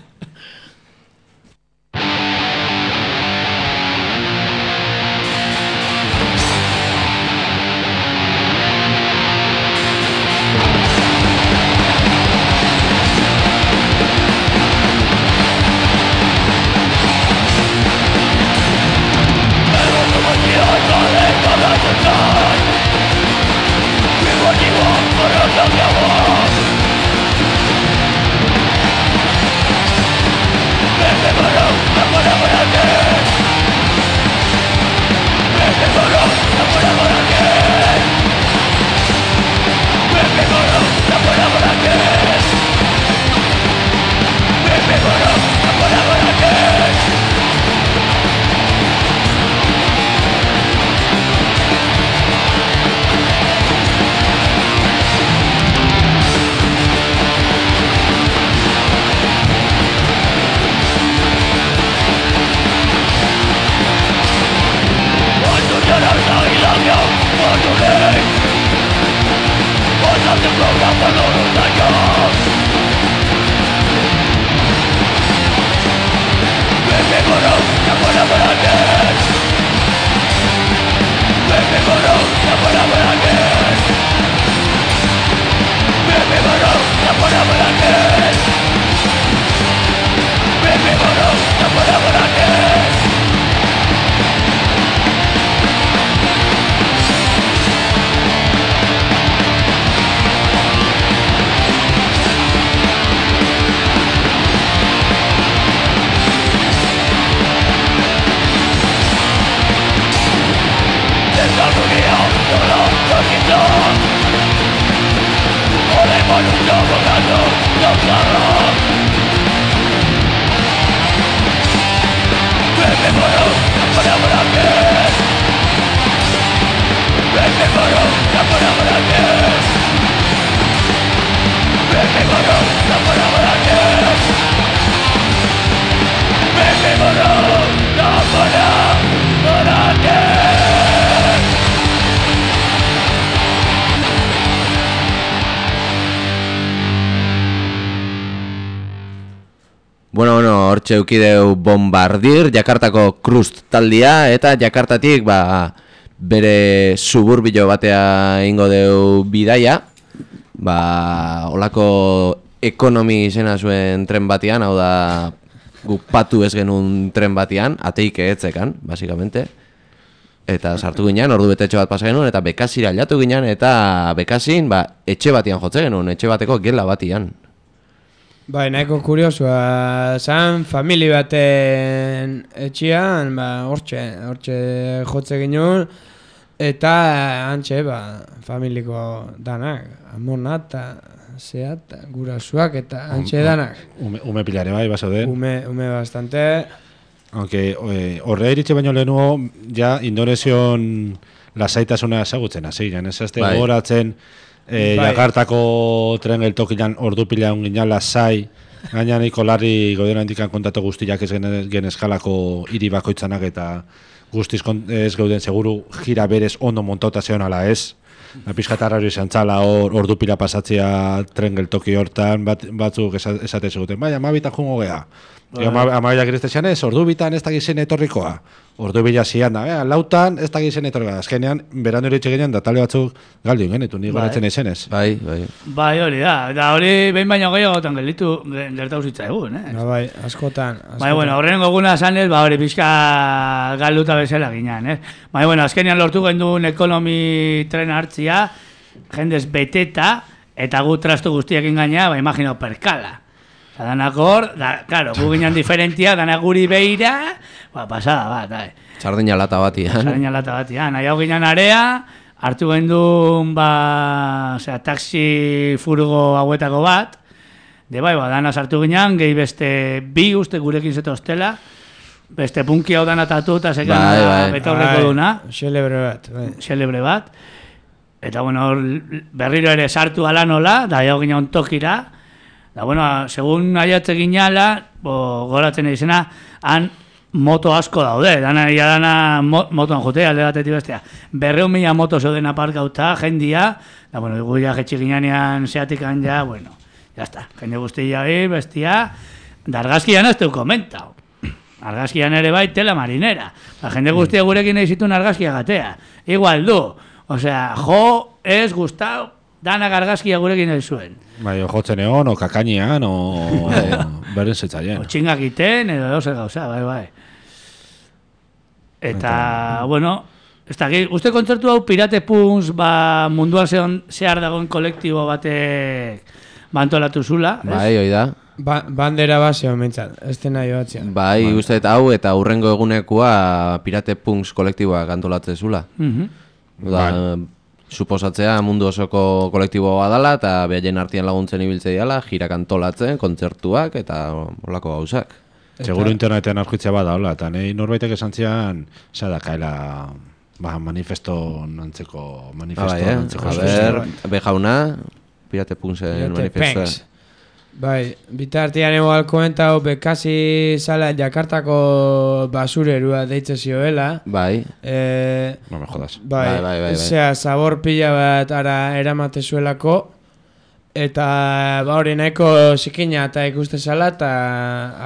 Speaker 3: Bueno, bueno, hortxe eukideu Bombardir, Jakartako Cruz taldia, eta Jakartatik, ba, bere suburbio batea ingo deu bidaia, ba, olako ekonomi izena zuen tren batean, hau da, gu patu ez genuen tren batean, ateike etzekan, basikamente. Eta sartu ginen, ordu betetxo bat pasa genuen, eta bekasira aldatu ginen, eta bekasin, ba, etxe batean jotze genuen, etxe bateko gela batean.
Speaker 6: Bai, nahiko kuriosua zan, famili baten etxian, ba, hortxe, hortxe jotze ginen, eta antxe, ba, familiko danak, amona eta zeat, gurasuak eta antxe danak.
Speaker 5: Ume, ume pilare bai, basaude.
Speaker 6: Ume, ume bastante.
Speaker 5: Aunque horre iritxe baino lehenuo, ja, Indonesion lasaitasuna ezagutzen hasi ginen, ez azte
Speaker 3: Bai.
Speaker 5: gogoratzen, E,
Speaker 6: Bai.
Speaker 5: Jakartako tren geltokian ordu pila ungin lasai, gaina niko larri godera indikan kontatu guztiak ez gen, gen eskalako hiri bakoitzanak eta guztiz ez geuden seguru gira berez ondo montauta zeon ala ez. Pizkatarra hori zantzala hor ordu pila pasatzea tren geltoki hortan, bat, batzuk esate zeguten, bai, amabitan jungo geha. Amabitak ireztezian ez, ordu bitan ez dakizen etorrikoa. Ordu bila zian da, eh, lautan ez dakizen etorrikoa. Azkenean, beran hori txegenean da tale batzuk galdu ingenitu, ni goratzen izenez.
Speaker 3: Bai, bai.
Speaker 2: Bai, hori da. Da hori behin baino gehiagotan gelditu gertatu zitza egun, eh?
Speaker 6: Ba, bai, askotan. askotan.
Speaker 2: Bai, bueno, horren goguna zanez, ba, hori pixka galduta bezala ginean, eh? Bai, bueno, azkenean lortu genduen ekonomi tren hartzia, jendez beteta, eta gu trastu guztiak ingaina, ba, imagino, perkala. Eta danak hor, da, claro, gu ginen diferentia, danak guri beira, ba, pasada bat, eh?
Speaker 3: Sardina lata batian.
Speaker 2: Sardina lata batian, nahi hau ginen area, hartu gendun, ba, osea, taxi furgo hauetako bat, de bai, ba, dana sartu ginen, gehi beste bi uste gurekin zetostela, beste punki hau dana tatu eta sekan
Speaker 3: Bai, bai.
Speaker 2: betorreko duna,
Speaker 6: Xelebre bat, bai.
Speaker 2: xelebre bat, eta bueno, hor berriro ere sartu ala nola, da hau ginen tokira, da bueno, segun aiatze ginala, bo, goratzen izena, han moto asko daude, dana ia dana mo, motoan jotea, alde batetik bestea. Berreun mila moto zeuden aparkauta, jendia, da bueno, gu ja jetxik ginean zeatikan ja, bueno, ya está, jende guztia hori, bestia, da argazkian ez teu komentau. Argazkian ere bai tela marinera. La jende guztia gurekin nahi zituen argazkia gatea. Igual du, osea, jo, ez gustau, danak argazkia gurekin nahi zuen.
Speaker 5: Bai, o jotzen egon, o kakainean, o beren zetzaien.
Speaker 2: O txingak iten, edo edo zer gauza, bai, bai. Eta, bueno, ez da, uste kontzertu hau Pirate Punks, ba, munduan zehon, zehar dagoen kolektibo batek bantolatu zula, ez?
Speaker 3: Bai, hoi da.
Speaker 6: Ba, bandera baseo mentzat, ez dena joatzen.
Speaker 3: Bai, uste eta hau eta hurrengo egunekoa Pirate Punks kolektiboak antolatzen zula.
Speaker 2: Mhm.
Speaker 3: Da, suposatzea mundu osoko kolektiboa dala eta behaien artean laguntzen ibiltzea diala, jirak antolatzen, kontzertuak eta holako gauzak.
Speaker 5: Seguro internetean aurkitzea bada, hola, eta nahi norbaitek esan zian, zara kaela, ba, manifesto nantzeko, manifesto
Speaker 3: Bai, eh?
Speaker 5: nantzeko.
Speaker 3: A ber, be jauna, Pirate Punksen
Speaker 6: Pirate
Speaker 3: manifestua.
Speaker 6: Punks. Bai, bitartian egoal komentau, bekasi zala Jakartako basurerua deitze zioela.
Speaker 3: Bai,
Speaker 6: Eh,
Speaker 5: No me jodas.
Speaker 6: bai,
Speaker 3: Bai, bai, bai, bai.
Speaker 6: zera, zabor pila bat ara eramate zuelako, eta ba hori nahiko zikina eta ikuste zala, eta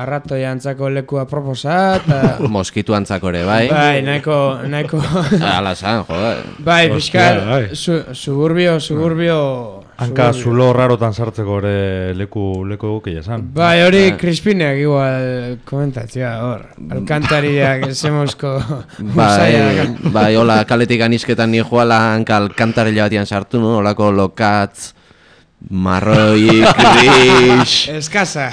Speaker 6: arrato jantzako lekua proposa, eta
Speaker 3: moskitu antzako ere, bai.
Speaker 6: bai, nahiko, nahiko,
Speaker 3: Ala zan, joder.
Speaker 6: bai,
Speaker 5: Hostia,
Speaker 6: pixkal,
Speaker 5: bai.
Speaker 6: su, suburbio, suburbio,
Speaker 7: Hanka
Speaker 6: suburbio.
Speaker 7: zulo rarotan sartzeko ere leku leku egokia esan.
Speaker 6: Bai, hori Crispinek igual komentatzea hor, alkantariak esemozko
Speaker 3: Bai, bai, hola, kaletik anisketan ni joala hanka alkantarela batian sartu, no? Holako lokatz, marroi, gris.
Speaker 6: Eskasa.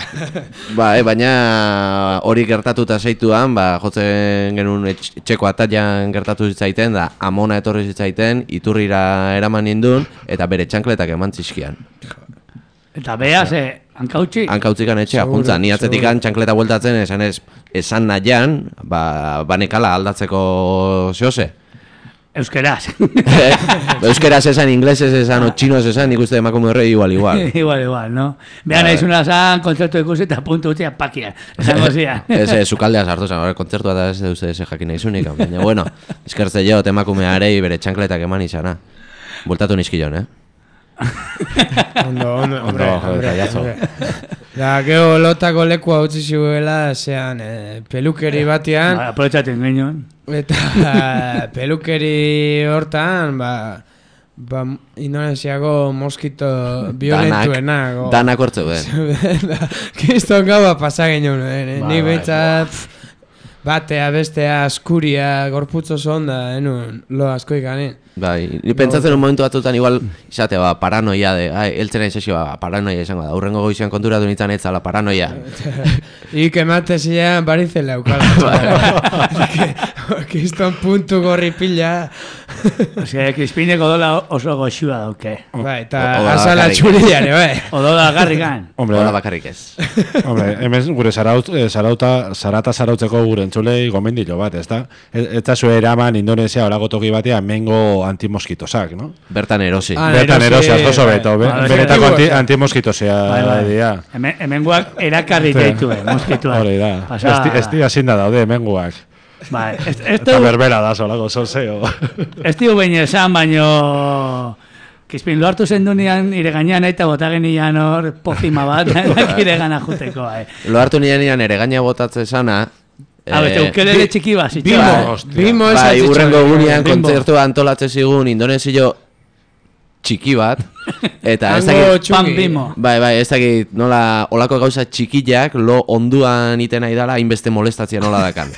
Speaker 3: Bai, baina hori gertatuta zeituan, ba, jotzen genuen etx- etxeko ataian gertatu zitzaiten, da amona etorri zitzaiten, iturrira eraman nindun, eta bere txankletak eman zizkian.
Speaker 2: Eta bea, ze, hankautxi,
Speaker 3: Hankautzikan etxea,
Speaker 6: Seguro,
Speaker 3: juntza, ni atzetikan txankleta bueltatzen, esan ez, esan nahian, ba, banekala aldatzeko zehose.
Speaker 2: euskeraz.
Speaker 3: Euskeraz esan, inglesez esan, o txinos esan, nik uste emakume horrei igual, igual.
Speaker 2: igual, igual, no? Behan
Speaker 3: Bai.
Speaker 2: naizuna zan, kontzertu ikusi eta puntu utzia pakian. Esango zian.
Speaker 3: Ez, ez, sukaldea sartu zen, hori kontzertua da ez duzte ez jakin nahizunik, baina, bueno, eskertze jo, emakumearei bere txankletak eman izana. Bultatu nizkillon, eh?
Speaker 6: Ondo, ondo, hombre,
Speaker 5: Ondo,
Speaker 6: hombre,
Speaker 5: detallazo.
Speaker 6: hombre. Da, gero lotako lekua utzi ziuela, zean, eh, pelukeri batean,
Speaker 2: Ba, aprobetxaten genion.
Speaker 6: eta pelukeri hortan, ba, ba, Indonesiako moskito violentuena. go.
Speaker 3: Danak hortze ben.
Speaker 6: Kriston gaua pasa genuen, eh?
Speaker 5: Bai,
Speaker 6: Ni
Speaker 5: bai,
Speaker 6: behintzat, pff, batea, bestea, askuria, gorputz oso onda, enun, lo asko ikanen.
Speaker 3: Bai, ni pentsatzen un momentu batzutan igual izate, ba, paranoia de, ai, eltzen nahi sesio, ba, paranoia izango da, urrengo goizean konturatu nintzen etzala paranoia.
Speaker 6: Ik emate zilean barizela eukala. Kiston puntu gorri pila.
Speaker 2: Osea, Crispineko odola oso goxua dauke.
Speaker 6: Bai, eta
Speaker 3: Odola
Speaker 6: azala
Speaker 3: bakarrik.
Speaker 6: txuriare, bai.
Speaker 2: Odola garrikan.
Speaker 5: Hombre,
Speaker 3: Hola bakarrik ez.
Speaker 5: hombre, hemen gure zaraut, eh, zarauta, zarata zarautzeko gure entzulei gomendilo bat, ezta? Eta zue eraman Indonesia olago toki batean mengo antimoskitosak, no?
Speaker 3: Bertan erosi.
Speaker 6: Ah,
Speaker 5: Bertan
Speaker 6: erosi,
Speaker 5: erosi asko
Speaker 6: bai.
Speaker 5: beto, be-
Speaker 2: Bai,
Speaker 5: benetako
Speaker 6: bai.
Speaker 5: anti, antimoskitosea
Speaker 2: Bai, bai.
Speaker 5: dira.
Speaker 2: Hemen, hemengoak erakarri
Speaker 5: Sí.
Speaker 2: deitu, eh, moskituak.
Speaker 5: Hori da.
Speaker 2: Pasa...
Speaker 5: Esti, esti azinda daude hemengoak.
Speaker 2: Bai, ez, ez,
Speaker 5: Eta
Speaker 2: du,
Speaker 5: berbera da solako solseo.
Speaker 2: ez diu behin esan, baino... Kispin, lo hartu zendunean, ire gainean eta bota genian hor pozima bat, ire gana juteko, eh.
Speaker 3: Lo hartu nian nian ere gaina botatze sana.
Speaker 2: A bete, ukelele txiki bat, zitxo.
Speaker 6: Bimo,
Speaker 5: hostia.
Speaker 6: bimo
Speaker 3: Bai,
Speaker 6: esatitxo.
Speaker 3: urrengo gunean
Speaker 2: Bimbo.
Speaker 3: kontzertua antolatze zigun indonesio txiki bat. Eta ez
Speaker 6: Hango
Speaker 3: dakit...
Speaker 2: Pan
Speaker 6: txungi.
Speaker 2: bimo.
Speaker 3: Bai, bai, ez dakit nola olako gauza txikiak lo onduan iten nahi dala hainbeste molestatzia nola dakan.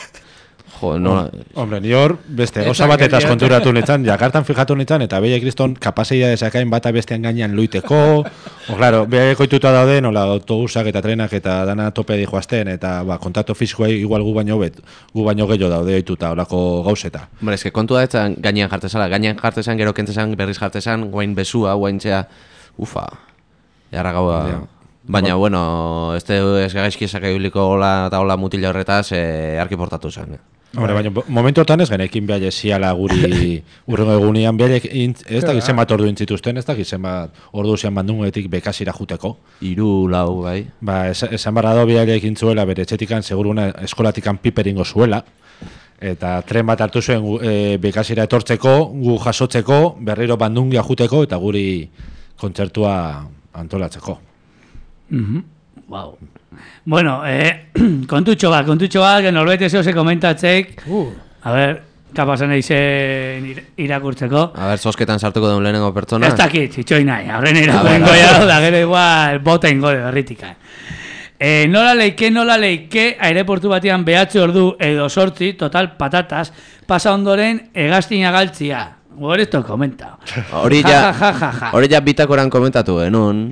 Speaker 3: Jo, nola...
Speaker 5: Hombre, ni hor, beste,
Speaker 6: Eta
Speaker 5: gauza batetaz
Speaker 6: geldiatu.
Speaker 5: konturatu nintzen, jakartan fijatu nintzen, eta beia kriston kapazeia desakain bata bestean gainean luiteko, o, claro, beha koituta daude, nola, autobusak eta trenak eta dana tope di joazten, eta ba, kontakto fisikoa igual gu baino bet, gu baino gehiago daude oituta, olako gauzeta.
Speaker 3: Hombre, eske kontua etzan gainean jartezala, gainean jartezan, gero kentzezan, berriz jartezan, guain besua, guaintzea, ufa, jarra gaua...
Speaker 5: Ja.
Speaker 3: Baina, bueno, ez ez gaizki esak ibiliko hola eta hola mutila horretaz, eh, arki portatu zen.
Speaker 5: Hombre, baina momentu hortan ez genekin behar ziala guri urrengo egunean behar ez da gizen bat ordu intzituzten, ez da gizen bat ordu zian bandungetik bekasira juteko.
Speaker 3: Hiru lau, bai.
Speaker 5: Ba, es, esan barra do behar egin zuela bere etxetikan, seguruna eskolatikan piperingo zuela, eta tren bat hartu zuen e, bekasira etortzeko, gu jasotzeko, berriro bandungia juteko, eta guri kontzertua antolatzeko.
Speaker 2: Mhm. Wow. Bueno, eh, kontutxo bat, kontutxo bat, que norbait ezeo se komentatzek.
Speaker 6: Uh.
Speaker 2: A ver, kapasan eizen ir- irakurtzeko.
Speaker 3: A ber, zosketan sartuko duen lehenengo pertsona.
Speaker 2: Ez dakit, itxoi nahi, horren irakurrengo ya, da gero igual bota ingo de berritikan. Eh, nola leike, nola leike, aireportu batean behatzi ordu edo sortzi, total patatas, pasa ondoren egaztina galtzia. Hor esto komenta.
Speaker 3: Hori
Speaker 2: Ja,
Speaker 3: ja,
Speaker 2: ja, ja, ja, ja.
Speaker 3: hori ja bitakoran komentatu genuen.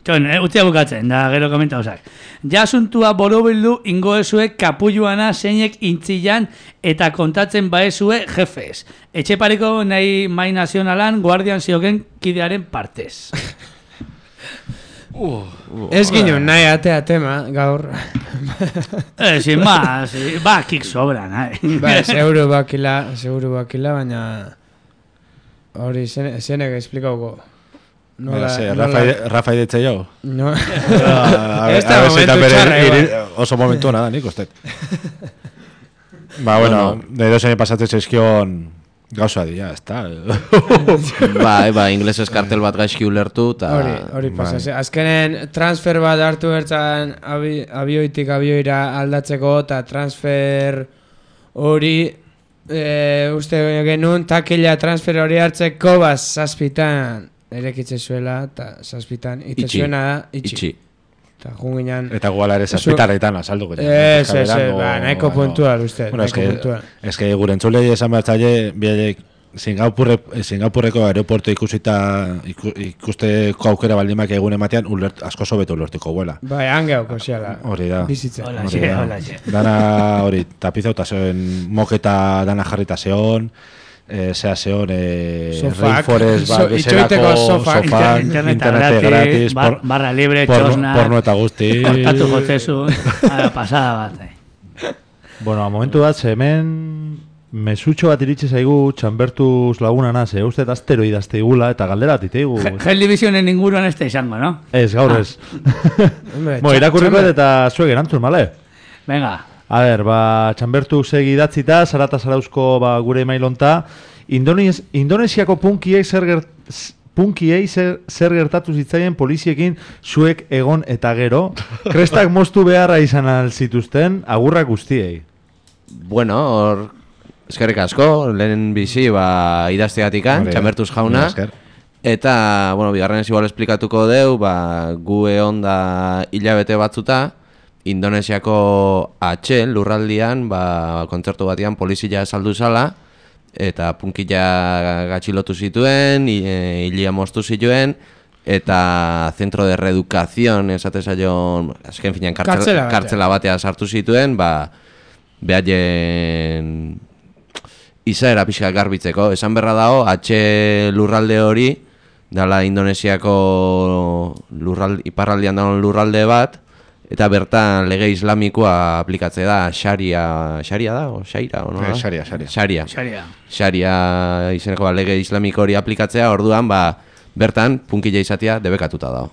Speaker 2: Txon, eh, utzia bukatzen, da gero komenta osak. Ja asuntua borobildu ingoezuek kapulluana zeinek intzilan eta kontatzen baezue jefes. Etxepareko nahi mai nazionalan guardian zioken kidearen partez.
Speaker 6: Ez ginen nahi atea tema, gaur.
Speaker 2: eh, sin más, eh, ba, kik sobran, eh.
Speaker 6: Ba, seguru bakila, seguru bakila, baina... Hori, zene- zenek esplikauko.
Speaker 5: Nola, ze, Rafa, Rafa idetze jo?
Speaker 6: No.
Speaker 5: A
Speaker 6: Ez da
Speaker 5: ver,
Speaker 6: momentu
Speaker 5: bere,
Speaker 6: txarra,
Speaker 5: iri-
Speaker 6: igual.
Speaker 5: oso momentu nada, nik ustet. Ba, bueno, edo zein pasatzen zaizkion gauza dira, ez da.
Speaker 3: Bai, ba, inglesez kartel bat gaizki ulertu, eta...
Speaker 6: Hori, hori pasase. Azkenen transfer bat hartu bertzan abi, abioitik abioira aldatzeko, eta transfer hori e, uste genuen takila transfer hori hartzeko bat zazpitan erekitze zuela, eta zazpitan ite
Speaker 3: Itxi.
Speaker 6: zuena da itxi.
Speaker 3: Itxi.
Speaker 6: Eta junginan...
Speaker 5: Eta guala ere zazpitaretan azalduko.
Speaker 6: Ez, ez, ez, ba, nahiko puntual uste,
Speaker 5: Bueno, es
Speaker 6: nahiko
Speaker 5: que,
Speaker 6: puntual.
Speaker 5: es que gure entzulei esan behar zaile, bialek Singapurre, Singapurreko aeroportu ikusita iku, ikusteko aukera baldimak egun ematean ulert, asko sobeto ulertuko guela.
Speaker 6: Bai, hangeauko ziala.
Speaker 5: Hori da.
Speaker 6: Bizitza.
Speaker 2: Hola,
Speaker 5: Hori
Speaker 2: xe,
Speaker 5: da.
Speaker 2: hola, xe.
Speaker 5: Dana hori, tapizauta zeon, moketa dana jarrita zeon, eh, zea zeon, eh,
Speaker 6: Sofak.
Speaker 5: Rainforest, ba,
Speaker 6: So-
Speaker 5: bezalako
Speaker 6: itxoiteko sofak.
Speaker 5: sofak,
Speaker 2: Internet
Speaker 5: internet
Speaker 2: gratis,
Speaker 5: gratis,
Speaker 2: bar-
Speaker 5: por-
Speaker 2: barra libre,
Speaker 5: porno,
Speaker 2: txosna.
Speaker 5: porno eta guzti.
Speaker 2: Kortatu jotzezun, ara, pasada bat, eh.
Speaker 7: Bueno, a momentu bat, ze hemen mesutxo bat iritsi zaigu Txanbertuz laguna ze uste astero idazte igula eta galdera bat iteigu.
Speaker 2: Gel Divisionen inguruan ez da izango, no?
Speaker 7: Ez, gaur ez.
Speaker 6: Hombre,
Speaker 7: Bueno,
Speaker 6: txa-
Speaker 7: irakurriko
Speaker 6: txanda.
Speaker 7: eta zuek erantzun, bale?
Speaker 2: Venga,
Speaker 7: A ber, ba, Txanbertu segi idatzita, Zarata Zarauzko ba, gure emailonta, Indonez, Indonesiako punkiei zer, gert, punkiei zer, zer gertatu zitzaien poliziekin zuek egon eta gero, krestak moztu beharra izan alzituzten, agurrak guztiei.
Speaker 3: Bueno, hor, eskerrik asko, lehen bizi, ba, idazteatikan,
Speaker 5: Hori da.
Speaker 3: Txanbertuz jauna.
Speaker 5: Esker.
Speaker 3: Eta, bueno, bigarren ez igual esplikatuko deu, ba, gu egon da hilabete batzuta, Indonesiako H lurraldian, ba, kontzertu batean polizia saldu zala, eta punkila gatxilotu zituen, e, hilia moztu zituen, eta Centro de Reeducación, esate zaion, azken finean kartzela, kartzela batea sartu zituen, ba, behaien izaera pixka garbitzeko. Esan berra dago, H lurralde hori, dala Indonesiako lurralde, iparraldean dagoen lurralde bat, eta bertan lege islamikoa aplikatzea da, Sharia, Sharia da, o Shaira, o no da?
Speaker 5: Sharia, Sharia.
Speaker 3: Sharia.
Speaker 2: Sharia.
Speaker 3: Sharia izeneko ba, lege islamiko hori aplikatzea, orduan, ba, bertan punkila izatea debekatuta dago.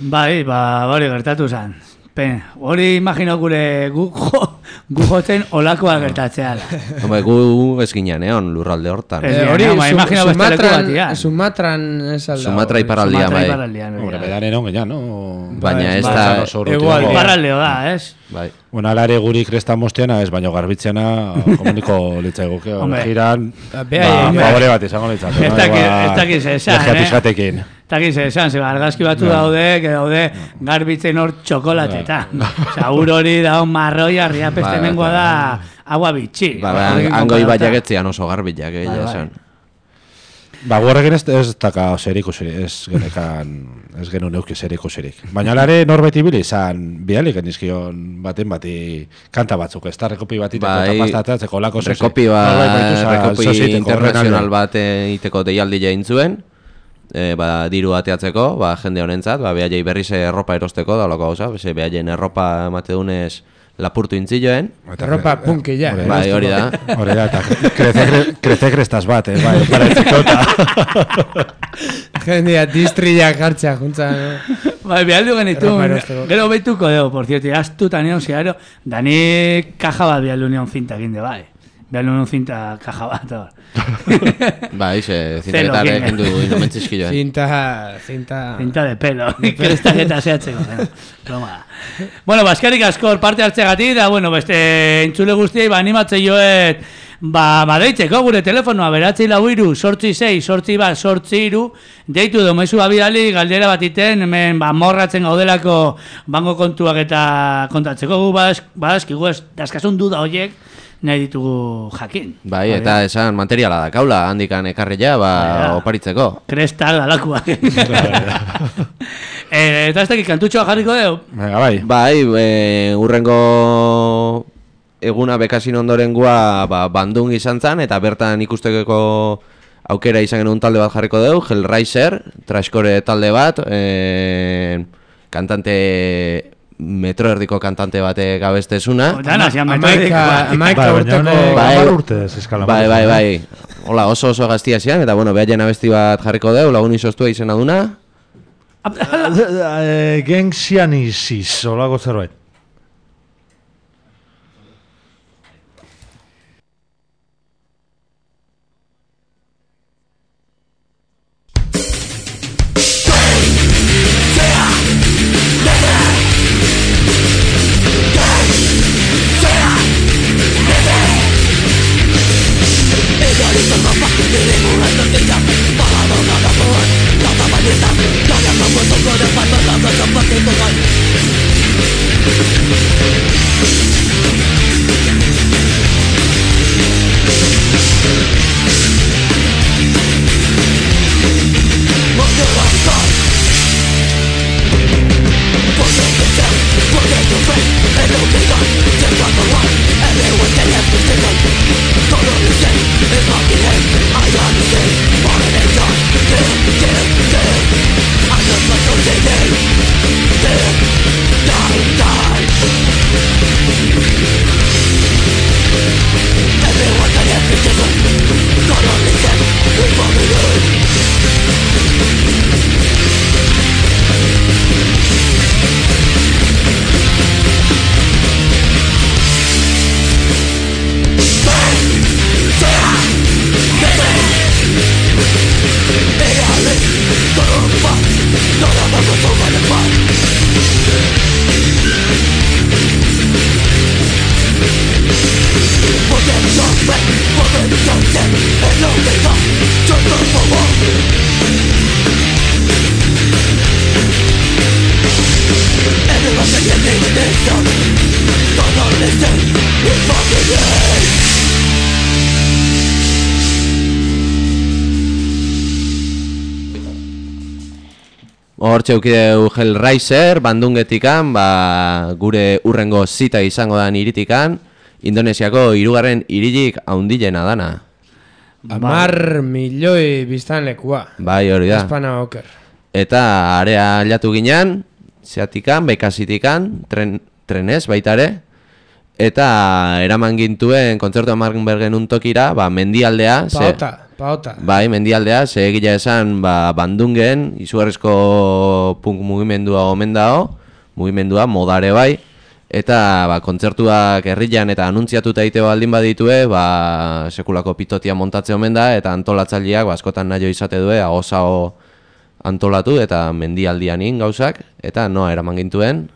Speaker 2: Bai, ba, hori gertatu zen. Pen, hori imagino gure gu, jo, gu jotzen olakoa gertatzea da.
Speaker 3: Hombre, gu ez ginean egon lurralde hortan.
Speaker 2: Ez
Speaker 6: Eh,
Speaker 2: hori,
Speaker 6: hori,
Speaker 2: ma, imagino beste leku
Speaker 6: Sumatran,
Speaker 2: batian.
Speaker 6: Sumatran ez alda.
Speaker 3: Sumatra iparraldia,
Speaker 2: Sumatra
Speaker 3: bai.
Speaker 2: iparraldean, hori
Speaker 5: Hombre,
Speaker 2: da.
Speaker 5: bedan eron gehiago, no?
Speaker 3: Baina ez
Speaker 2: bai,
Speaker 3: da...
Speaker 5: Zan oso urruti
Speaker 6: Hegoaldean.
Speaker 5: dago.
Speaker 2: Iparraldeo da, ez?
Speaker 3: Bai.
Speaker 5: Bueno, alare guri kresta mosteana, ez baino garbitzeana, komuniko litzaigoke.
Speaker 2: Hombre.
Speaker 5: Giran,
Speaker 6: Bea,
Speaker 5: ba,
Speaker 6: bea.
Speaker 5: favore bat izango litzake.
Speaker 2: Ez dakit- ez dakit ze esan,
Speaker 5: Lejea
Speaker 2: eh?
Speaker 5: pixkatekin.
Speaker 2: Eta gize esan, ze argazki batzu daude, que daude garbitzen hor txokolateta. Osa, ur hori da marroia, riapeste
Speaker 3: Bai,
Speaker 2: mengoa
Speaker 3: bai,
Speaker 2: da agua bitxi.
Speaker 3: Ba, ba,
Speaker 2: Horrekin
Speaker 3: hango
Speaker 2: konparatuta.
Speaker 3: ibaiagetzean oso garbilak, eh,
Speaker 2: Bai,
Speaker 3: ja
Speaker 2: bai.
Speaker 3: esan.
Speaker 5: Ba, guarrekin ez, ez daka zer ikusirik, ez genekan, ez genu neuki zer ikusirik. Baina alare norbeti bili izan, bidalik genizkion baten bati kanta batzuk, ez da, rekopi bat iteko
Speaker 3: Bai,
Speaker 5: eta pasta atatzeko lako zoze.
Speaker 3: Rekopi ba,
Speaker 5: Norbait baitu za-
Speaker 3: rekopi
Speaker 5: zoze iteko,
Speaker 3: internazional
Speaker 5: horren
Speaker 3: bat eh, iteko deialdi jain zuen, e, ba, diru ateatzeko, ba, jende honentzat, ba, behaiei berriz erropa erosteko, da loko gauza, beze behaien erropa emate dunez lapurtu intzioen.
Speaker 5: alde.
Speaker 6: Erropa punkila.
Speaker 5: Hori
Speaker 3: Bai, hori da.
Speaker 5: Hori da, eta krece, kre- krece krestas bat, eh, bai, paratzeko eta...
Speaker 6: Jendia, distrilla jartzea, juntza.
Speaker 2: Bai, behaldu genitu,
Speaker 6: Erropa erosteko.
Speaker 2: gero beituko dugu, por cierto, astuta nion zeharo, dani kaja bat behaldu nion finta ginde, bai. Behaldu nion finta kaja bat, hor.
Speaker 3: Ba, ize,
Speaker 2: Zero,
Speaker 3: zintaketare
Speaker 2: kin.
Speaker 3: kendu inomentzizkioen.
Speaker 6: Cinta, cinta...
Speaker 2: Finta de pelo, krestak eta zehatzeko. eh. Broma. Bueno, baskarik askor parte hartzeagatik, da, bueno, beste entzule guztiei, ba, animatzei joet, ba, ba, deitzeko gure telefonoa, beratzei lau iru, sortzi sei, sortzi bat, sortzi iru, deitu domezu abidali, galdera bat iten, hemen, ba, morratzen gaudelako bango kontuak eta kontatzeko, gu badaz- badazkigu ez, daskasun duda horiek, nahi ditugu jakin.
Speaker 3: Bai, eta esan materiala da kaula, handikan ekarria, ba,
Speaker 2: Bai, da.
Speaker 3: oparitzeko.
Speaker 2: Krestak dalakuak. eh, eta ez dakit kantutxoa jarriko dugu?
Speaker 5: Venga, bai.
Speaker 3: Bai, e, urrengo eguna bekasin ondorengoa ba, Bandung izan zen, eta bertan ikusteko aukera izan genuen talde bat jarriko dugu, Hellraiser, trashcore talde bat, e, kantante metro erdiko kantante bate gabestezuna.
Speaker 2: Otan, hasian
Speaker 6: Amaika,
Speaker 2: metodikoa.
Speaker 6: amaika
Speaker 7: Bai, baina
Speaker 6: urteko...
Speaker 7: honek
Speaker 3: Bai.
Speaker 7: hamar urte ez eskala.
Speaker 3: Bai, bai, bai. Hola, oso oso gaztia zian, eta bueno, behaien abesti bat jarriko dugu, lagun izostua izena duna.
Speaker 7: Eh, Gengxianisis, olako zerbait.
Speaker 4: Everyone can have to take it. Don't understand, it's not the end. I understand, but
Speaker 3: hor txeukideu Hellraiser, Bandungetikan, ba, gure urrengo zita izango dan iritikan, Indonesiako hirugarren hiririk haundilena dana.
Speaker 6: Amar milioi biztanlekua.
Speaker 3: Bai, hori da.
Speaker 6: Espana oker.
Speaker 3: Eta area aldatu ginen, zeatikan, bekazitikan, tren, trenez baita ere, eta eraman gintuen kontzertu Amargenbergen untokira, ba, mendialdea.
Speaker 6: Paota,
Speaker 3: ze,
Speaker 6: paota.
Speaker 3: Bai, mendialdea, ze egila esan, ba, Bandungen, izugarrizko punk mugimendua omen dao, mugimendua modare bai, eta ba, kontzertuak herrian eta anuntziatuta egiteko baldin baditue, ba, sekulako pitotia montatze omen da, eta antolatzaileak ba, askotan nahi izate due, agosao antolatu eta mendialdianin gauzak, eta noa eraman gintuen.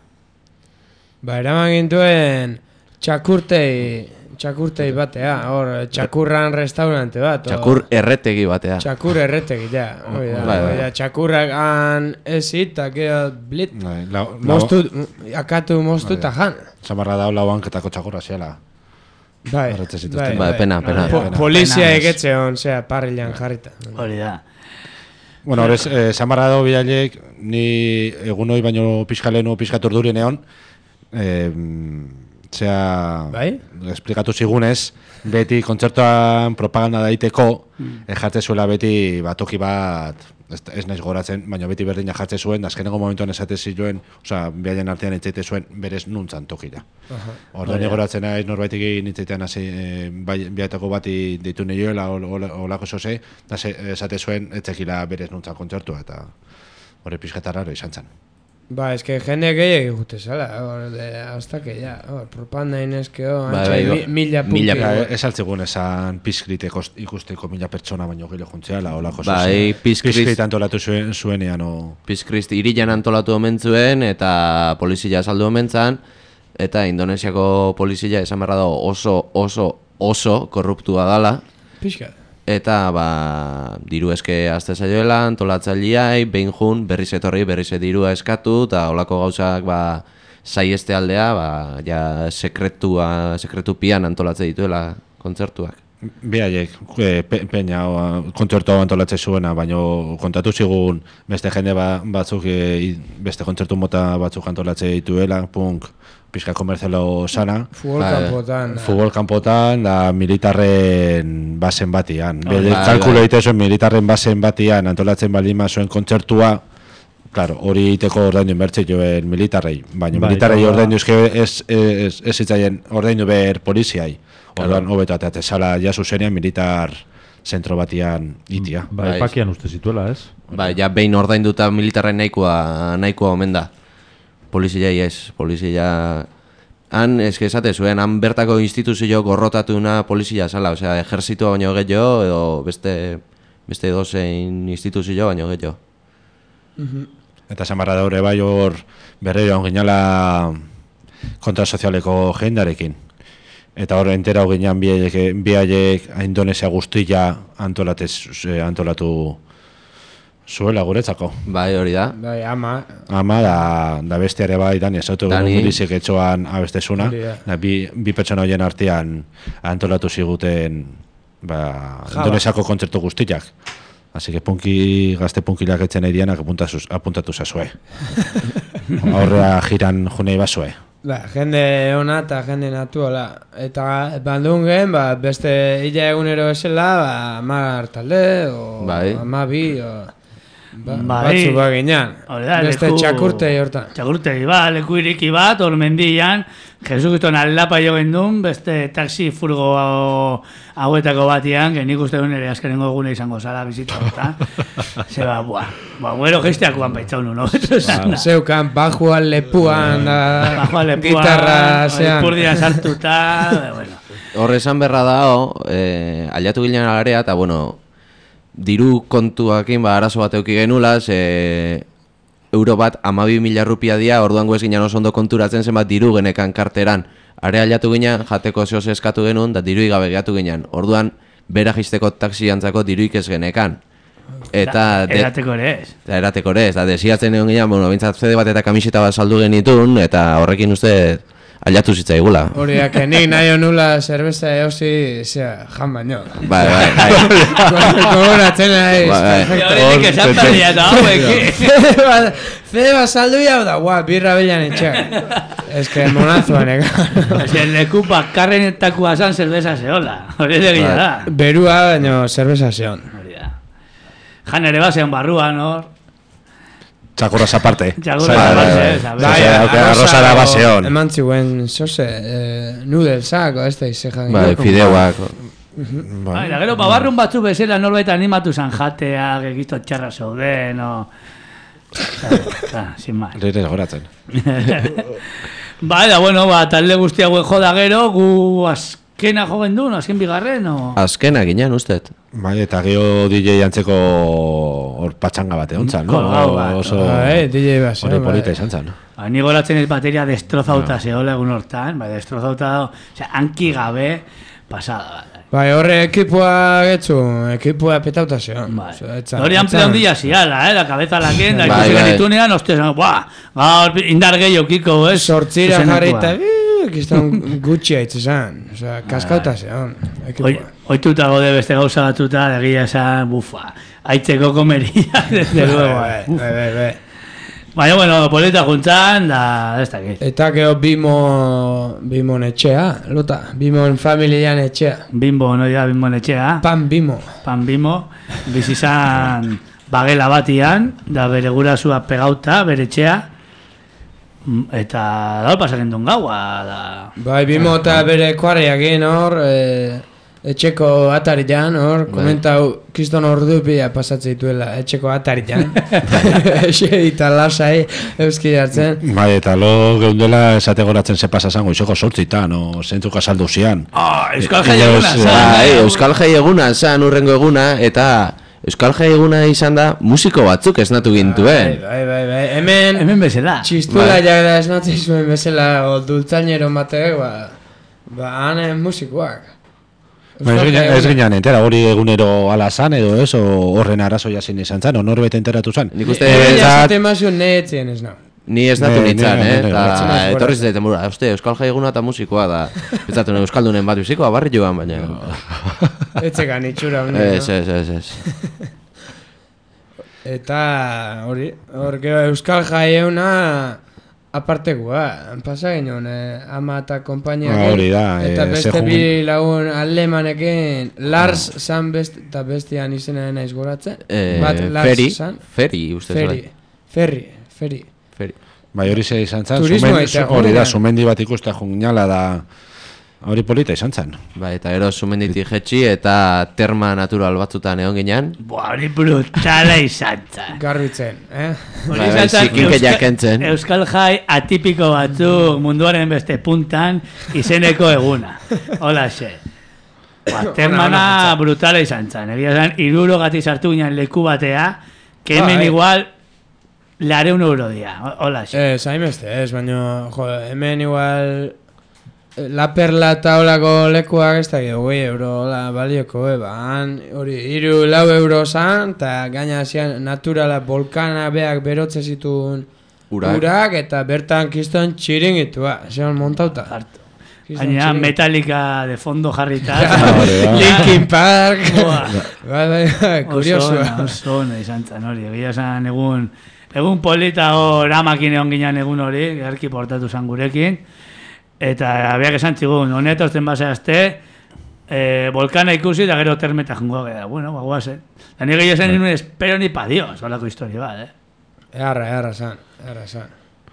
Speaker 6: Ba, eraman gintuen txakurtei, txakurtei batea, hor, txakurran restaurante bat.
Speaker 3: Txakur erretegi batea.
Speaker 6: Txakur erretegi, ja, hori da,
Speaker 3: Bai, bai.
Speaker 6: hori da, txakurrak han ezit, eta gero blit,
Speaker 5: Bai, lau- lau-
Speaker 6: moztu, akatu moztu eta jan.
Speaker 5: Zamarra da lau hanketako txakurra ziela.
Speaker 6: Bai,
Speaker 5: Erretzen zituzten.
Speaker 3: Bai, pena, pena.
Speaker 6: Po-
Speaker 5: Pena.
Speaker 6: Polizia
Speaker 2: Pena.
Speaker 6: egetxe hon, zera, parrilan jarrita.
Speaker 2: Hori da.
Speaker 5: Bueno, horrez, eh, Zamarra dago bidalek, ni egun hori baino pixkalenu pixkatur durien egon, eh, zea,
Speaker 6: Bai?
Speaker 5: esplikatu zigunez, beti kontzertuan propaganda daiteko, mm. jartze zuela beti batoki bat, ez, ez naiz goratzen, baina beti berdina jartze zuen, da azkenengo momentuan esate zituen, osea, bihaien artean entzaite zuen, berez nuntzan tokira. Orduan ni goratzen naiz norbaitik nintzaitean hasi, e, bai, bihatako bati ditu nioela, olako zoze, da ze- esate zuen, etzekila berez nuntzan kontzertua, eta hori pixkatarraro izan zen.
Speaker 6: Ba, eske jende gehiagik gute zala, hor, de, hasta que ya, hor, propanda inezkeo,
Speaker 3: Bai,
Speaker 6: antxa,
Speaker 3: bai,
Speaker 6: mi,
Speaker 3: go-
Speaker 6: mila punki.
Speaker 3: mila
Speaker 5: Ja, ez altzigun esan pizkrit ikusteko mila pertsona baino gile juntzeala, olako zoze.
Speaker 3: Bai, Pizkrit-
Speaker 5: Pizkrit antolatu zuen, zuenean, o...
Speaker 3: Pizkrist irian antolatu omen zuen, eta polizia saldu omen zan, eta Indonesiako polizia esan beharra dago oso, oso, oso korruptua dala,
Speaker 6: Pixka.
Speaker 3: eta ba, diru eske azte zaioela, antolatzaileai, behin jun, berriz etorri, berriz dirua eskatu, eta olako gauzak ba, saieste aldea, ba, ja sekretua, sekretupian antolatze dituela kontzertuak.
Speaker 5: Bihaiek, e, pe, peña, o, kontzertu hau antolatzen zuena, baino kontatu zigun beste jende ba, batzuk, e, beste kontzertu mota batzuk antolatzen dituela, punk, pixka komerzialo sana,
Speaker 6: Futbol
Speaker 3: Bai.
Speaker 6: kanpotan. da.
Speaker 5: futbol kanpotan, da militarren basen batian. Bede
Speaker 3: bai,
Speaker 5: kalkulo
Speaker 3: bai.
Speaker 5: egite zuen militarren basen batian antolatzen baldin zuen kontzertua, claro, hori egiteko ordaindu inbertze joen militarrei, baina
Speaker 7: Bai,
Speaker 5: militarrei
Speaker 7: eta-
Speaker 5: ordaindu eske ez, ez, ez zitzaien ordaindu ber poliziai. Orduan hobeto ateatzen zala ja zuzenean militar zentro batian itia.
Speaker 7: Ba,
Speaker 3: Bai.
Speaker 7: epakian uste zituela, ez?
Speaker 3: Ba, ja behin ordainduta militarren nahikoa, nahikoa omen da. Poliziai ez, polizia... Han, eske esate zuen, han bertako instituzio gorrotatuna polizia zala, osea, ejerzitua baino gehiago, edo beste, beste dozein instituzio baino gehiago.
Speaker 5: Eta zamarra daure bai hor berriro hon ginala kontrasozialeko jendarekin. Eta hor entera hon ginean biaiek Indonesia guztia antolatez, eh, antolatu zuela guretzako.
Speaker 3: Bai, hori da.
Speaker 6: Bai, ama,
Speaker 5: Ama da, da beste ere bai, Dani, esautu
Speaker 3: Dani.
Speaker 5: milizik etxoan abestezuna,
Speaker 6: Hori da.
Speaker 5: da, bi, bi pertsona horien artean antolatu ziguten ba,
Speaker 6: Jaba.
Speaker 5: Indonesiako kontzertu guztiak. Así que punki, gazte punkilak etzen nahi dianak apuntatu, apuntatu zazue. Aurrea jiran junei bazue.
Speaker 6: ba, jende ona eta jende natuala. Eta bandungen, ba, beste hila egunero esela, ba, amar talde, o
Speaker 3: Bai.
Speaker 6: ama bi, o... Ba,
Speaker 2: Bai.
Speaker 6: batzu ba ginean.
Speaker 2: Hori da,
Speaker 6: Beste
Speaker 2: leku-
Speaker 6: txakurtei hortan.
Speaker 2: Txakurtegi bat, leku iriki bat, hor mendian, Jesukiston aldapa jo gendun, beste taxi furgo hauetako batian, que nik uste duen ere azkenengo egune izango zara bizita hortan. Zeba, buah, buah, guero gestiakoan baitzaunu, no? Ba,
Speaker 6: Zeukan, bajuan, lepuan, da,
Speaker 2: Bajoa lepuan,
Speaker 6: gitarra, zean.
Speaker 2: ipurdia sartuta, bueno.
Speaker 3: Horre esan berra dao, eh, aliatu gilean agarea, eta bueno, diru kontuakin ba, arazo bat euki genula, ze euro bat amabi mila rupia dia, orduan guez ginen oso ondo konturatzen zenbat diru genekan karteran. Are aliatu ginen, jateko zehoz eskatu genuen, da diru gabe gehatu ginen. Orduan, bera jisteko taxi antzako diruik ez genekan. Eta... de-
Speaker 2: Erateko ere ez.
Speaker 3: Eta erateko ere, eta desiatzen egon ginen, bueno, bintzat zede bat eta kamiseta bat saldu genitun, eta horrekin uste Aliatu zitzaigula.
Speaker 6: Horiak, nik nahi honula zerbeza eosi, zera, jan baino.
Speaker 3: Bai, bai, bai.
Speaker 6: Gogoratzen nahi.
Speaker 2: Horiek esan berria da hauek.
Speaker 6: Fede basaldu jau da, guau, birra belan etxeak. Ez que monazoan, eka.
Speaker 2: Ez que leku bakarrenetakoa zan zerbeza zehola. Hori egia da.
Speaker 6: Berua, baino, zerbeza zeon.
Speaker 2: Hori da. Jan ere basean barruan, hor.
Speaker 5: Txakurras aparte.
Speaker 2: Txakurras
Speaker 5: Bai,
Speaker 2: aparte,
Speaker 5: bai,
Speaker 2: ez,
Speaker 5: bai.
Speaker 2: a ver.
Speaker 5: Bai, bai, arroza da baseon.
Speaker 6: Eman ziguen, zoze, nudelsak, ez da izejan.
Speaker 3: Bai, fideuak.
Speaker 2: Bai, da gero, babarrun batzu bezala norbait animatu zan jateak, egizto txarra zauden, o... Sin más.
Speaker 5: Leire goratzen.
Speaker 2: Bai, da, bueno, ba, talde guztia guen joda gero, gu azkena jogen duen, azken bigarren, o...
Speaker 3: Azkena ginen, ustet.
Speaker 5: Bai, eta gero D J antzeko hor patxanga bate ontzan, no?
Speaker 2: Kolgau bat.
Speaker 5: Oso...
Speaker 6: Bai, D J bat,
Speaker 5: Hori polita izan zan.
Speaker 2: Ba, ni goratzen ez bateria destrozauta zehola egun hortan, bai, destrozauta, osea, hanki gabe, pasada bat.
Speaker 6: Bai, horre ekipoa getzu, ekipoa petauta zeon.
Speaker 2: Bai. Hori amplio handia ziala, eh, da kabeza laken, da
Speaker 3: Bai,
Speaker 2: ikusi
Speaker 3: bai.
Speaker 2: genitunean, ostia, zan, buah, gaur indar gehiago kiko, ez?
Speaker 6: Sortzira
Speaker 2: Zuzenekoa.
Speaker 6: jarri eta kiston gutxi haitz esan. Osea, kaskauta zeon.
Speaker 2: Oi, oituta gode beste gauza batuta, egia esan, bufa, aitzeko komeria, desde luego.
Speaker 6: Bai, bai, bai, bai.
Speaker 2: Baina, bueno, polita juntzan, da, ez dakit.
Speaker 6: Eta gero bimo, bimon etxea, lota, bimon familian etxea.
Speaker 2: Bimbo, no ya, bimbo etxea.
Speaker 6: Pan bimo.
Speaker 2: Pan bimo, bizizan bagela batian, da bere gurasua pegauta, bere etxea, eta da pasaren duen gaua, da...
Speaker 6: Bai, bimo eta bere kuarriak egin hor, e, etxeko atarian, hor, komentau, kriston ordupia pasatzen dituela, etxeko atarian. Ese eta lasai, euski hartzen.
Speaker 5: Bai, eta lo geundela esate goratzen ze pasa zango, izoko sortzitan, o zentzuk asaldu zian.
Speaker 2: Ah, Euskal Jai
Speaker 5: Bai,
Speaker 2: eguna, zan.
Speaker 3: Bai, Euskal Jai eguna, zan urrengo eguna, eta Euskal Jai eguna izan da musiko batzuk esnatu gintuen.
Speaker 6: Bai, bai, bai, bai, hemen,
Speaker 2: Hemen bezala.
Speaker 6: txistula
Speaker 3: Bai.
Speaker 6: jagda esnatzen zuen bezala, o dultzainero batek, ba, ba, hane musikoak.
Speaker 5: Ba, ez ginen- ez ginen entera, hori egunero ala zan edo ez, o horren arazoia zin izan zan, o norbait enteratu zan.
Speaker 3: Nik uste,
Speaker 6: Ega
Speaker 5: Behintzat-
Speaker 6: jasaten mazuen neetzien ez nau.
Speaker 3: ni ez natu
Speaker 5: Ne-
Speaker 3: nintzen,
Speaker 5: ne-
Speaker 3: eh?
Speaker 5: ne-
Speaker 6: ne-
Speaker 3: Eta
Speaker 6: ne-
Speaker 3: etorri zidaten burua, uste, Euskal Jai eguna eta musikoa da. Pentsatu, Euskaldunen bat bizikoa, barri joan, baina...
Speaker 6: Etxekan itxura honen.
Speaker 3: Ez, ez, ez, ez.
Speaker 6: Eta hori, hor gero Euskal Jai euna apartekoa, pasa ginen, eh, ama eta konpainiak.
Speaker 5: Ah, hori da,
Speaker 6: eta
Speaker 5: eh,
Speaker 6: beste
Speaker 5: sejun-
Speaker 6: bi lagun alemanekin, Lars zan best, eta bestian izena naiz goratzen.
Speaker 3: Eh,
Speaker 6: Bat Lars
Speaker 3: Feri,
Speaker 6: zan.
Speaker 3: Feri, uste
Speaker 6: Ferri,
Speaker 3: zuen.
Speaker 6: Ferri, Ferri.
Speaker 3: Feri.
Speaker 5: Bai, hori ze izan zan,
Speaker 6: Turismo
Speaker 5: zumen-
Speaker 6: eta
Speaker 5: hori da,
Speaker 6: gurean.
Speaker 5: sumendi bat ikusta junginala da, hori polita izan zan.
Speaker 3: Bai, eta ero sumenditik jetxi eta terma natural batzutan egon ginen.
Speaker 2: Buah, hori brutala izan zan.
Speaker 6: Garbitzen, eh?
Speaker 2: Hori
Speaker 3: Bai,
Speaker 2: izan
Speaker 3: bai,
Speaker 2: zan
Speaker 3: zikinke
Speaker 2: Euskal-
Speaker 3: jakentzen.
Speaker 2: Euskal Jai atipiko batzuk munduaren beste puntan izeneko eguna. Hola xe. Ba, termana brutala izan zan. Egia zan, iruro gati sartu ginen leku batea, que hemen
Speaker 6: Bai.
Speaker 2: igual lareun euro dia. Hola xe.
Speaker 6: Ez, hainbeste, ez, baina, jo, hemen igual eh, La Perla eta holako lekuak ez da goi euro, hola, balioko, eh, ba, han, hori, iru lau euro zan, eta gaina zian naturala, volkana beak berotze zituen
Speaker 3: Urak.
Speaker 6: urak, eta bertan kiston txiringitua, zeon montauta.
Speaker 2: Hartu.
Speaker 6: Kiston
Speaker 2: Baina
Speaker 6: txiringit-
Speaker 2: Metallica de fondo jarrita.
Speaker 5: hori da.
Speaker 6: Linkin Park,
Speaker 2: Buah.
Speaker 6: bai, bai, bai,
Speaker 2: Oso ona,
Speaker 6: kuriosua.
Speaker 2: oso ona izan zan hori. Egia zan egun, egun polita hor amakin egon ginen egun hori, gerki portatu zan gurekin. Eta abiak esan txigun, honetan ozten baseazte, eh, volkana ikusi eta gero termeta jungo gara. Bueno, ba, guazen. Da nire gehiago zen nuen espero ni pa Dios, holako historia bat, eh?
Speaker 6: Earra, earra zan, earra zan.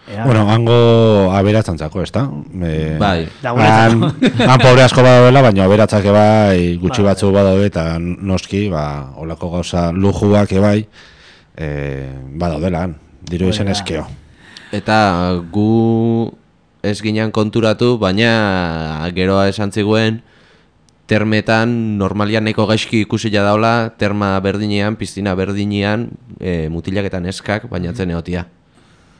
Speaker 2: Ea,
Speaker 5: Bueno, hango aberatzantzako, ez da? E,
Speaker 3: Bai.
Speaker 2: Da
Speaker 5: Han,
Speaker 2: guretzako.
Speaker 5: han pobre asko badaudela, baina aberatzak bai gutxi
Speaker 2: Bai.
Speaker 5: batzu badaude eta noski, ba, olako gauza lujuak ebai, e, badaudela, han, diru
Speaker 2: Hori
Speaker 5: izen
Speaker 2: da.
Speaker 5: eskeo.
Speaker 3: Eta gu ez ginen konturatu, baina geroa esan ziguen termetan normalian nahiko gaizki ikusila daula, terma berdinean, piztina berdinean, e, mutilak eta neskak bainatzen egotia.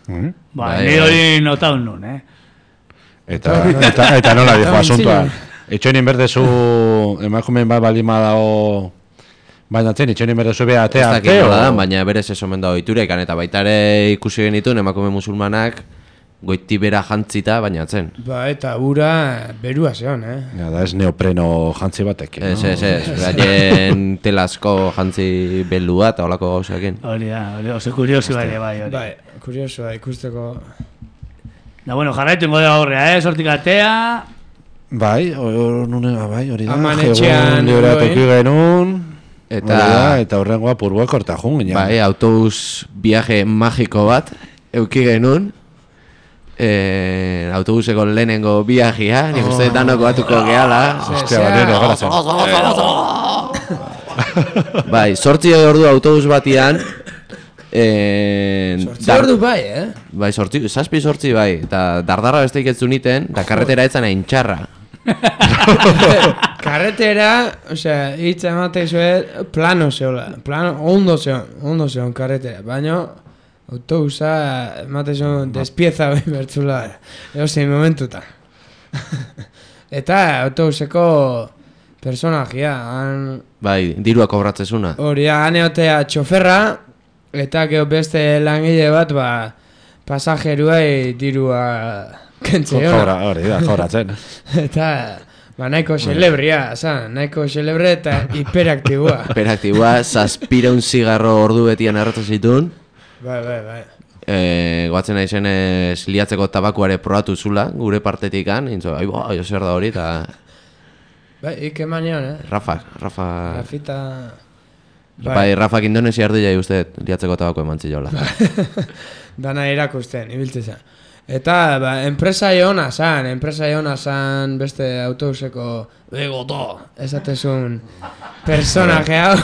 Speaker 5: Mhm.
Speaker 2: Ba,
Speaker 3: Bai,
Speaker 2: ni
Speaker 3: bai.
Speaker 2: hori notaun nun, eh?
Speaker 5: Eta, eta, eta nola dijo asuntoa. Itxoinin berdezu emakumeen bat baldin badao bainatzen, itxoinin berdezu beha
Speaker 3: Ez
Speaker 5: atea
Speaker 3: dakit
Speaker 5: arte,
Speaker 3: nola da,
Speaker 5: o-
Speaker 3: baina berez ez omen dago iturek, eta baita ere ikusi genituen emakume musulmanak goitibera jantzita bainatzen.
Speaker 6: Ba, eta ura berua zeon, eh?
Speaker 5: Ja, da ez neopreno jantzi batek.
Speaker 3: Ez, ez, ez, gaien telasko jantzi belua eta holako gauzekin.
Speaker 2: Hori da, hori oso kuriosu ere bai, hori.
Speaker 6: Bai, kuriosoa ikusteko.
Speaker 2: Da, bueno, jarraitu ingo da horrea, eh, sortik atea.
Speaker 5: Bai, hor nune, bai, hori da.
Speaker 6: Aman etxean,
Speaker 5: librea
Speaker 6: bai.
Speaker 5: toki genuen.
Speaker 3: Eta,
Speaker 5: Hori da, eta horrengoa purua kortajun ginen.
Speaker 3: bai, autobus viaje magiko bat, euki genuen. Eh, autobuseko lehenengo viajea, nik uste danoko batuko gehala.
Speaker 5: Ostia, banero, gara zen.
Speaker 3: Bai, sortzi ordu autobus batian. Eh,
Speaker 6: Sortzi ordu bai, eh?
Speaker 3: Bai, sortzi, zazpi sortzi bai, eta dardarra beste iketzu niten, eta karretera etzan hain txarra.
Speaker 6: Karretera, osea, hitz emate zuen plano zeola. Plano, ondo zeon, ondo zeon karretera. Baina, autobusa emate zuen despieza behin bertzula. Ego zein momentuta. Eta autobuseko personajia. Han,
Speaker 3: Bai, dirua kobratzezuna.
Speaker 6: hori, han eotea txoferra, eta gero beste langile bat, ba, pasajeruai dirua kentzeona.
Speaker 5: Kobra, hori da, kobratzen.
Speaker 6: Eta, ba, nahiko celebria, zan, nahiko celebre eta hiperaktiboa.
Speaker 3: Hiperaktiboa, zazpireun zigarro ordu betian erratzen zituen.
Speaker 6: Bai, bai, bai.
Speaker 3: E, goatzen nahi zen ez liatzeko tabakuare probatu zula, gure partetikan, intzo, ai, bai, zer da hori, eta
Speaker 6: Bai, ike manion, eh?
Speaker 3: Rafa, Rafa...
Speaker 6: Rafita...
Speaker 3: Bai, Rafak Indonesia erdila uste liatzeko tabako eman ziola.
Speaker 6: Dana irakusten, ibiltzen zen. Eta, ba, enpresa ona zan, enpresa ona zan beste autobuseko begoto, esatezun personaje hau.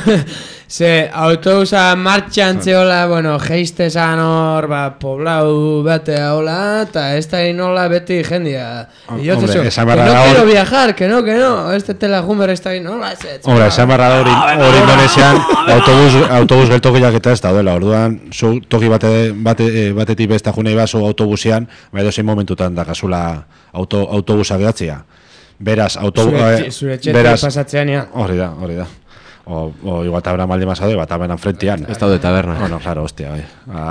Speaker 6: Ze autobusa martxan zeola, bueno, geiste zan hor, ba, poblau bate haula, eta ez da inola beti jendia.
Speaker 5: Hombre,
Speaker 6: Iotezu, que
Speaker 5: esan
Speaker 6: no
Speaker 5: barra da
Speaker 6: quiero
Speaker 5: hor-
Speaker 6: viajar, que no, que no, ez tetela jumber ez da inola, ez ez.
Speaker 5: Hombre, esan barra da hori, hori Indonesian autobus, autobus geltokiak eta ez daudela, orduan, zu toki bate, bate, eh, batetik besta junei bazu autobusian, ba edo zein momentutan dakazula auto, autobusa gehatzia. Beraz, autobusa...
Speaker 6: Zure, zure txetik pasatzean, ja.
Speaker 5: Hori da, hori da. O, o igual tabera maldi masado, bat taberan frentian.
Speaker 3: Ez daude taberna.
Speaker 5: Bueno, claro, hostia, bai. Ba,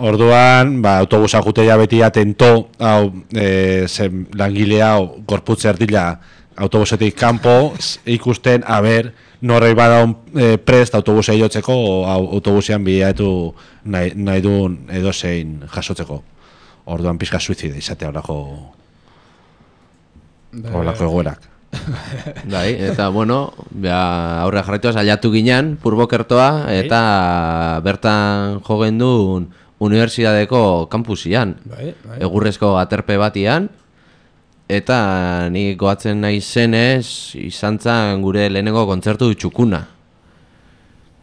Speaker 5: orduan, ba, autobusa juteia beti atento, hau, e, zen langile hau, gorputze erdila, autobusetik kanpo, s- ikusten, a ber, norrei badaun e, prest autobusei jotzeko, o au, autobusean bilatu nahi, nahi duen edozein jasotzeko. Orduan pizka suizida izatea horako, horako egoerak.
Speaker 3: Bai, eta bueno, ba, aurre jarraitu saiatu ginen purbokertoa eta bertan jo gendun unibertsitateko kampusian.
Speaker 6: Bai, bai.
Speaker 3: Egurrezko aterpe batian eta ni goatzen nahi zenez izan zen gure lehenengo kontzertu txukuna,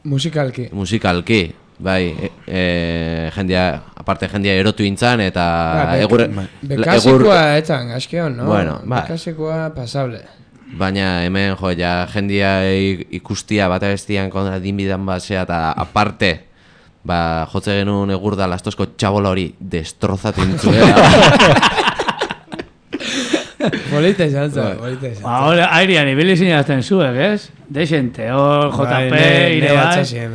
Speaker 6: Musikalki.
Speaker 3: musikalki. Bai, e, e, jendia, aparte jendia erotu intzan eta
Speaker 6: Ba, be-
Speaker 3: egurre...
Speaker 6: Bekasikoa etzan, askeon, no?
Speaker 3: Bueno, bai.
Speaker 6: Bekasikoa pasable.
Speaker 3: Baina hemen jo, ja, jendia i- ikustia bat abestian kontra dinbidan basea eta aparte ba, jotze genuen egurda lastozko txabola hori destrozatu intzuela.
Speaker 6: Polita izan zen, polita izan
Speaker 2: Ba, hori airean ibili zinazten zuek, ez? Dexente, hor J P, ire bai.
Speaker 6: Nire altzazien.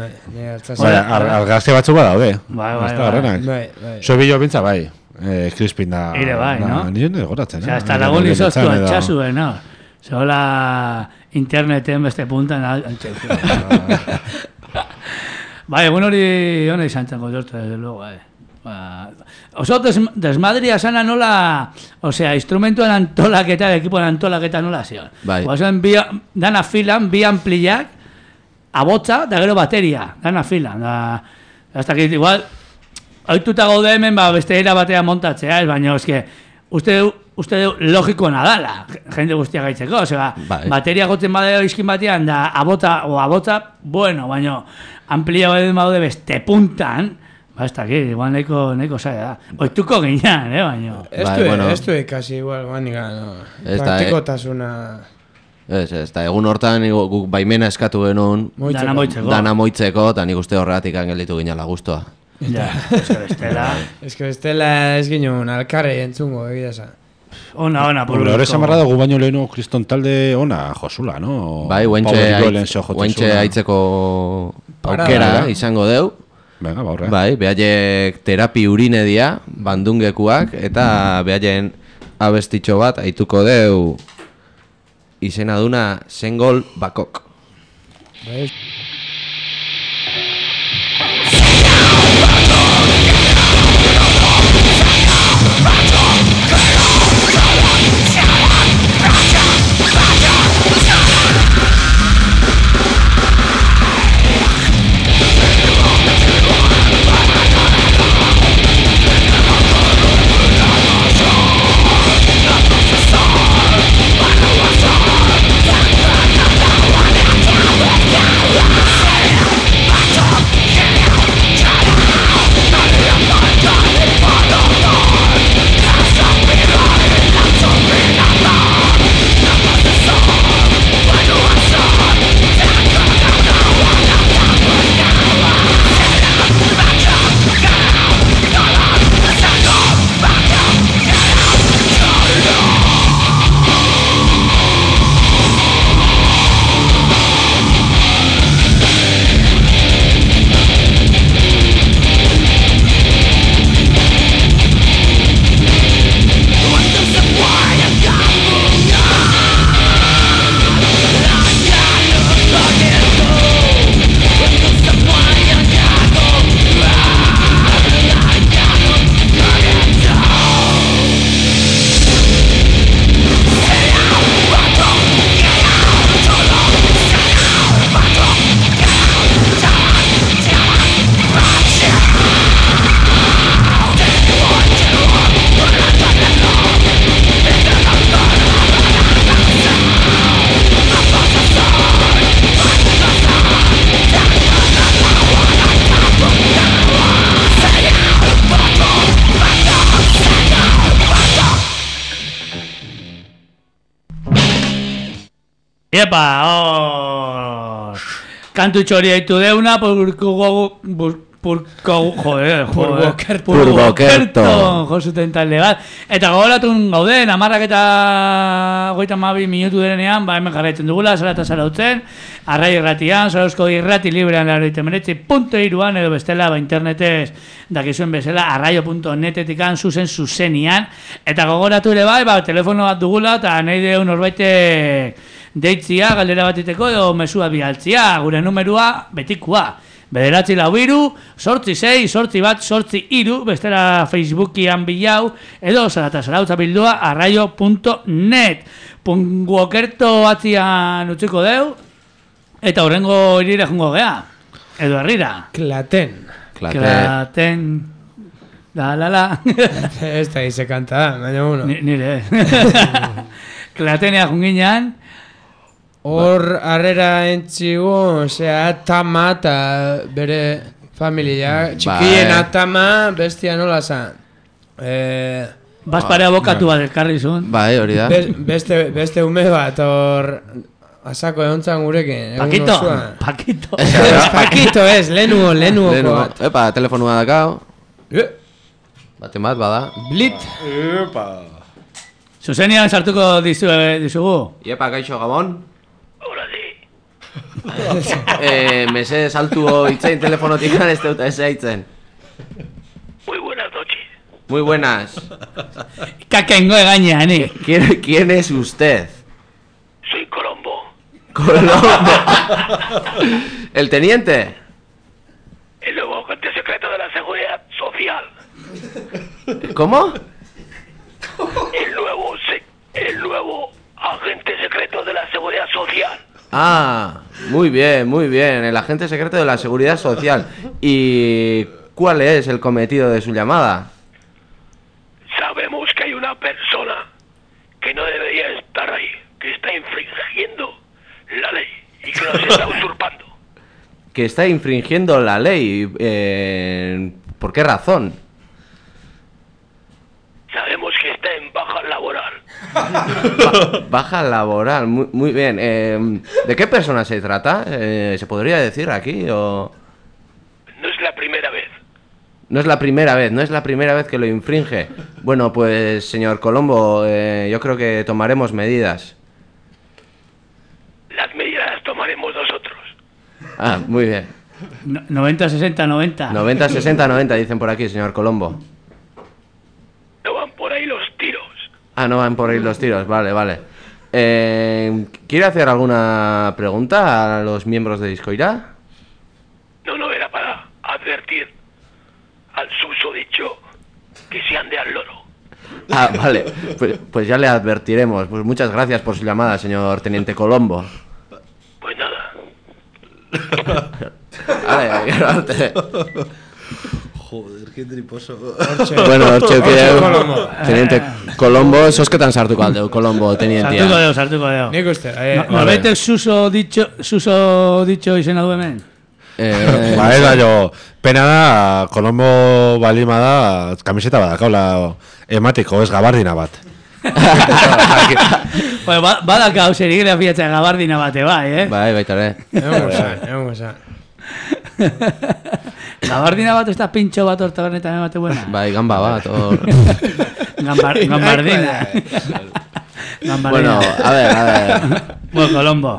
Speaker 5: Bai, ar, argazte batzu badaude.
Speaker 2: Bai, bai,
Speaker 5: Ez da
Speaker 2: bai.
Speaker 5: horrenak.
Speaker 6: Bai, bai.
Speaker 5: Zo bilo bintza bai, eh, Crispin da...
Speaker 2: Ire bai,
Speaker 5: da-
Speaker 2: no?
Speaker 5: Nire goratzen,
Speaker 2: Osea,
Speaker 5: eh?
Speaker 2: hasta
Speaker 5: Nire
Speaker 2: lagun
Speaker 5: nire
Speaker 2: izoztu
Speaker 5: nintzen edo-
Speaker 2: altxasuen, no? Zola interneten beste puntan altxasuen. Bai, egun hori hona izan zen kontzertu, desde luego, eh. Ba, oso des, desmadria sana nola, osea, instrumentuen antolaketa, ekipoen antolaketa nola zion.
Speaker 3: Bai.
Speaker 2: Oazen, bi, dana filan, bi ampliak, abotza, da gero bateria, dana filan. Da, hasta que igual, oituta gaude hemen, ba, beste era batean montatzea, ez, baina, eske, uste, uste du logiko nadala, jende guztia gaitzeko, osea,
Speaker 3: Bai.
Speaker 2: bateria gotzen badeo izkin batean, da abota, o abotza, bueno, baina, amplia baden badaude beste puntan, ba, ez dakit, igual nahiko, nahiko zaila da. Oituko ginean, eh, baina.
Speaker 6: Ez
Speaker 3: Bai,
Speaker 6: du,
Speaker 3: bueno.
Speaker 6: ez du ikasi igual, baina, no.
Speaker 3: Ez da,
Speaker 6: Praktikotasuna...
Speaker 3: Ez, ez, eta egun hortan igo- guk baimena eskatu genuen
Speaker 6: moitzeko.
Speaker 2: Dana moitzeko.
Speaker 3: dana moitzeko, eta nik uste horregatik gelditu ginala guztua.
Speaker 2: Ja, eske bestela.
Speaker 6: Ez que bestela ez ginen alkarrei entzungo, egia esan.
Speaker 2: Ona, ona,
Speaker 5: Hombre, hori esan barra dugu baino lehenu kriston talde ona josula, no?
Speaker 3: Bai,
Speaker 5: Power
Speaker 3: guentxe
Speaker 5: Violence
Speaker 3: aitz,
Speaker 5: jotzen
Speaker 3: guentxe
Speaker 5: zuela.
Speaker 3: aitzeko
Speaker 6: Parada,
Speaker 3: aukera
Speaker 5: da.
Speaker 3: izango deu.
Speaker 5: Venga, ba, horre.
Speaker 3: Bai, behaiek terapi urine dia, bandungekuak, eta behaien abestitxo bat aituko deu izena duna Sengol Bakok.
Speaker 6: Bai.
Speaker 2: Epa, hor... Kantutxo hori haitu deuna, purko... Purko... Joder, joder...
Speaker 3: Purbokerto.
Speaker 2: Josuten talde bat. Eta gogoratun gauden, amarrak eta... Goita mabi minutu denean, ba hemen jarraitzen dugula, zara eta zara utzen. Arrai irratian, zarauzko irrati librean laroite meretzi punto iruan, edo bestela, ba internetez, dakizuen bezala, arraio punto netetikan, zuzen zuzenian. Eta gogoratu ere bai, ba, telefono bat dugula, eta nahi deun norbaitek deitzia, galdera batiteko, edo mesua bialtzia, gure numerua, betikoa. Bederatzi lau iru, sortzi sei, sortzi bat, sortzi iru, bestela Facebookian bilau, edo zarata zarautza bildua, arraio punto net. Punguokerto atzian utziko deu, eta horrengo irire jungo gea. Edo herrira.
Speaker 6: Klaten.
Speaker 3: Klaten.
Speaker 2: Klaten. La la la.
Speaker 6: Ez da ize kanta, baina uno.
Speaker 2: Ni- Nire. Klatenea junginan.
Speaker 6: Hor harrera entzigu, osea, Tama eta bere familia. Txikien
Speaker 3: Bai.
Speaker 6: Atama, bestia nola zan. Eh,
Speaker 2: Baspare abokatu bat elkarri zuen.
Speaker 3: Bai, hori da.
Speaker 6: be- beste, beste ume bat, hor... Asako egontzan gurekin. egun
Speaker 2: Pakito,
Speaker 6: osoan.
Speaker 2: Pakito.
Speaker 6: Ez, Pakito ez, lehenuo, lehenuoko
Speaker 3: Lehenu,
Speaker 6: bat.
Speaker 3: epa, telefonua dakao.
Speaker 6: Eh,
Speaker 3: Baten bat, bada.
Speaker 6: Blit.
Speaker 2: Zuzenian sartuko dizu, dizugu.
Speaker 3: Iepa, gaixo, Gabon. eh, mese saltu itzain telefonotik ez dut ez aitzen.
Speaker 8: Muy buenas noches.
Speaker 3: Muy buenas.
Speaker 2: Kakengo gainean, eh.
Speaker 3: ¿Quién, quién es usted?
Speaker 8: Soy Colombo.
Speaker 3: Colombo. ¿El teniente?
Speaker 8: El nuevo agente secreto de la Seguridad Social.
Speaker 3: ¿Cómo?
Speaker 8: El nuevo, se- el nuevo agente secreto de la Seguridad Social.
Speaker 3: Ah, muy bien, muy bien. El agente secreto de la Seguridad Social. ¿Y cuál es el cometido de su llamada?
Speaker 8: Sabemos que hay una persona que no debería estar ahí, que está infringiendo la ley y que nos está usurpando.
Speaker 3: Que está infringiendo la ley. Eh, ¿por qué razón?
Speaker 8: Sabemos que está en baja laboral.
Speaker 3: Ba- baja laboral, muy, muy bien. Eh, ¿de qué persona se trata? Eh, ¿Se podría decir aquí o...?
Speaker 8: No es la primera vez.
Speaker 3: No es la primera vez, no es la primera vez que lo infringe. Bueno, pues, señor Colombo, eh, yo creo que tomaremos medidas.
Speaker 8: Las medidas las tomaremos nosotros.
Speaker 3: Ah, muy bien.
Speaker 2: No- noventa, sesenta, noventa.
Speaker 3: noventa, sesenta, noventa, dicen por aquí, señor Colombo.
Speaker 8: No van por ahí los tiros.
Speaker 3: Ah, no van por ahí los tiros, vale, vale. Eh, ¿Quiere hacer alguna pregunta a los miembros de Discoira?
Speaker 8: No, no, era para advertir al susodicho que se ande al loro.
Speaker 3: Ah, vale, pues, pues ya le advertiremos. Pues muchas gracias por su llamada, señor Teniente Colombo.
Speaker 8: Pues nada.
Speaker 3: Vale, quédate.
Speaker 5: Joder, qué triposo.
Speaker 3: Bueno, Orche, que
Speaker 6: Colombo.
Speaker 3: Teniente Colombo, sosketan sartuko aldeu, Colombo, tenientia.
Speaker 2: Sartuko deo, sartuko deo.
Speaker 6: Nik uste, eh,
Speaker 2: No, norbaitek suso dicho, suso dicho izena du hemen?
Speaker 3: Eh,
Speaker 5: Ba, ez da jo, pena da, Kolombo balima da, kamiseta badakaula ematiko, ez gabardina bat.
Speaker 2: Bueno, ba, badaka hau serigrafiatza gabardina bate bai, eh?
Speaker 3: Bai, baita ere.
Speaker 6: egongo zan, egongo zan.
Speaker 2: Gabardina bat ez da pintxo bat hor tabernetan emate buena.
Speaker 3: Bai, gamba bat, hor.
Speaker 2: Gambar, gambardina. Gambardina.
Speaker 3: Bueno, a ver, a ver.
Speaker 2: Bueno, Colombo.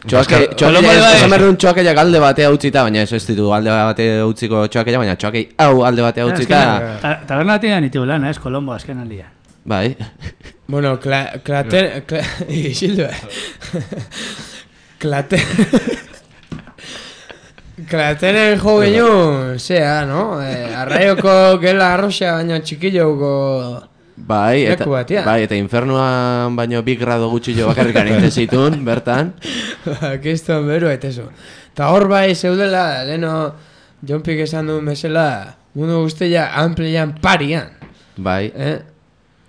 Speaker 3: Txoake,
Speaker 2: Colombo
Speaker 3: txoake,
Speaker 2: bai.
Speaker 3: esan behar duen txoakeiak alde batea utzita, baina ez ez ditu alde batea utziko txoakeia, baina txoakei hau alde batea utzita.
Speaker 2: Ta- Taberna batean ditu lan, ez, Colombo azken aldia.
Speaker 3: Bai.
Speaker 6: Bueno, kla, klaten... Kla, Isildu, eh? Klaten... Klatenen jo gehiun, zea, no? Eh, arraioko gela arroxa, baina txikilloko...
Speaker 3: Bai, eta,
Speaker 6: Leku batean.
Speaker 3: bai, eta infernuan baino bi grado gutxillo bakarrikan egiten zituen, bertan.
Speaker 6: Kiston beru etezu. Ta hor bai zeudela, leno Jonpik esan duen bezala, mundu guztia amplian parian.
Speaker 3: Bai.
Speaker 6: Eh?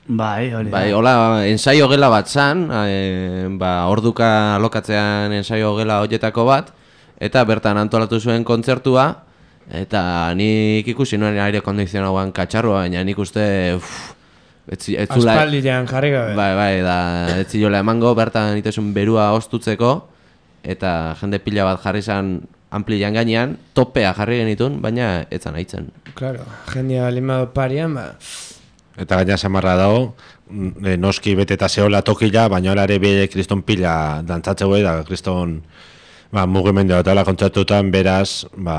Speaker 2: Bai, hori da.
Speaker 3: Bai, hola, ensaio gela bat zan, e, ba, orduka alokatzean ensaio gela horietako bat, eta bertan antolatu zuen kontzertua, eta nik ikusi nuen aire kondizionauan katxarroa, baina nik uste, uff, etzi, etzula...
Speaker 6: Aspaldian jarri gabe.
Speaker 3: Bai, bai, da, ez ziola emango, bertan itezun berua ostutzeko, eta jende pila bat jarri zan amplian gainean, topea jarri genitun, baina etzan haitzen.
Speaker 6: Claro, jendia limado parian, ba...
Speaker 5: Eta gaina samarra dago, e, noski beteta zehola tokila, baina ere bide kriston pila dantzatzeu da, kriston ba, mugimendu eta kontzertutan beraz, ba,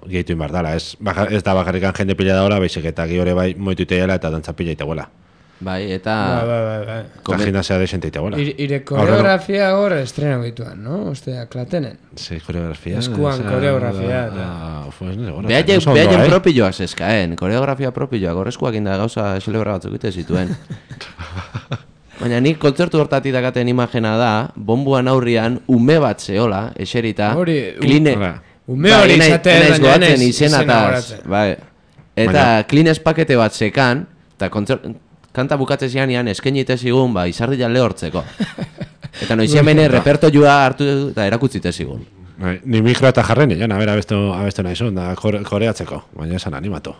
Speaker 5: gehitu inbar dala. Ez, baka, ez da bakarrikan jende pila daola, baizik eta gihore bai moitu iteela eta dantza pila iteguela.
Speaker 3: Bai, eta...
Speaker 6: Ba, ba, ba, ba.
Speaker 5: Eta gimnasia desente iteguela.
Speaker 6: Ir, ire koreografia hor estrena gituan, no? Ostea, Klatenen.
Speaker 5: Sí, koreografia.
Speaker 6: Eskuan
Speaker 5: esa-
Speaker 6: koreografia,
Speaker 5: da-
Speaker 6: eta-
Speaker 5: pues, no, seguro,
Speaker 3: Behaien
Speaker 5: oso ondo,
Speaker 3: behaien
Speaker 5: eh?
Speaker 3: propioak zeskaen, koreografia propioak, horrezkoak inda gauza celebra batzuk ite zituen. Baina nik kontzertu hortatik dakaten imagena da, bombuan aurrian ume bat zehola, eserita,
Speaker 6: Hori, u-
Speaker 3: kline...
Speaker 5: Hala.
Speaker 6: Ume hori
Speaker 3: Bai,
Speaker 6: izaten,
Speaker 3: enaiz
Speaker 6: baina
Speaker 3: goatzen
Speaker 6: enaiz izena
Speaker 3: izenataz,
Speaker 6: goratzen.
Speaker 3: bai. Eta
Speaker 5: Baina-
Speaker 3: klines pakete bat zekan, eta kontzert, kanta bukatze zianean eskaini zigun, ba, izardian lehortzeko. Eta noiz hemen repertoioa hartu eta erakutzi zigun.
Speaker 5: Bai, ni mikro eta jarren, joan, a ber, abestu, abestu nahi zuen, da kore, koreatzeko, baina esan animatu.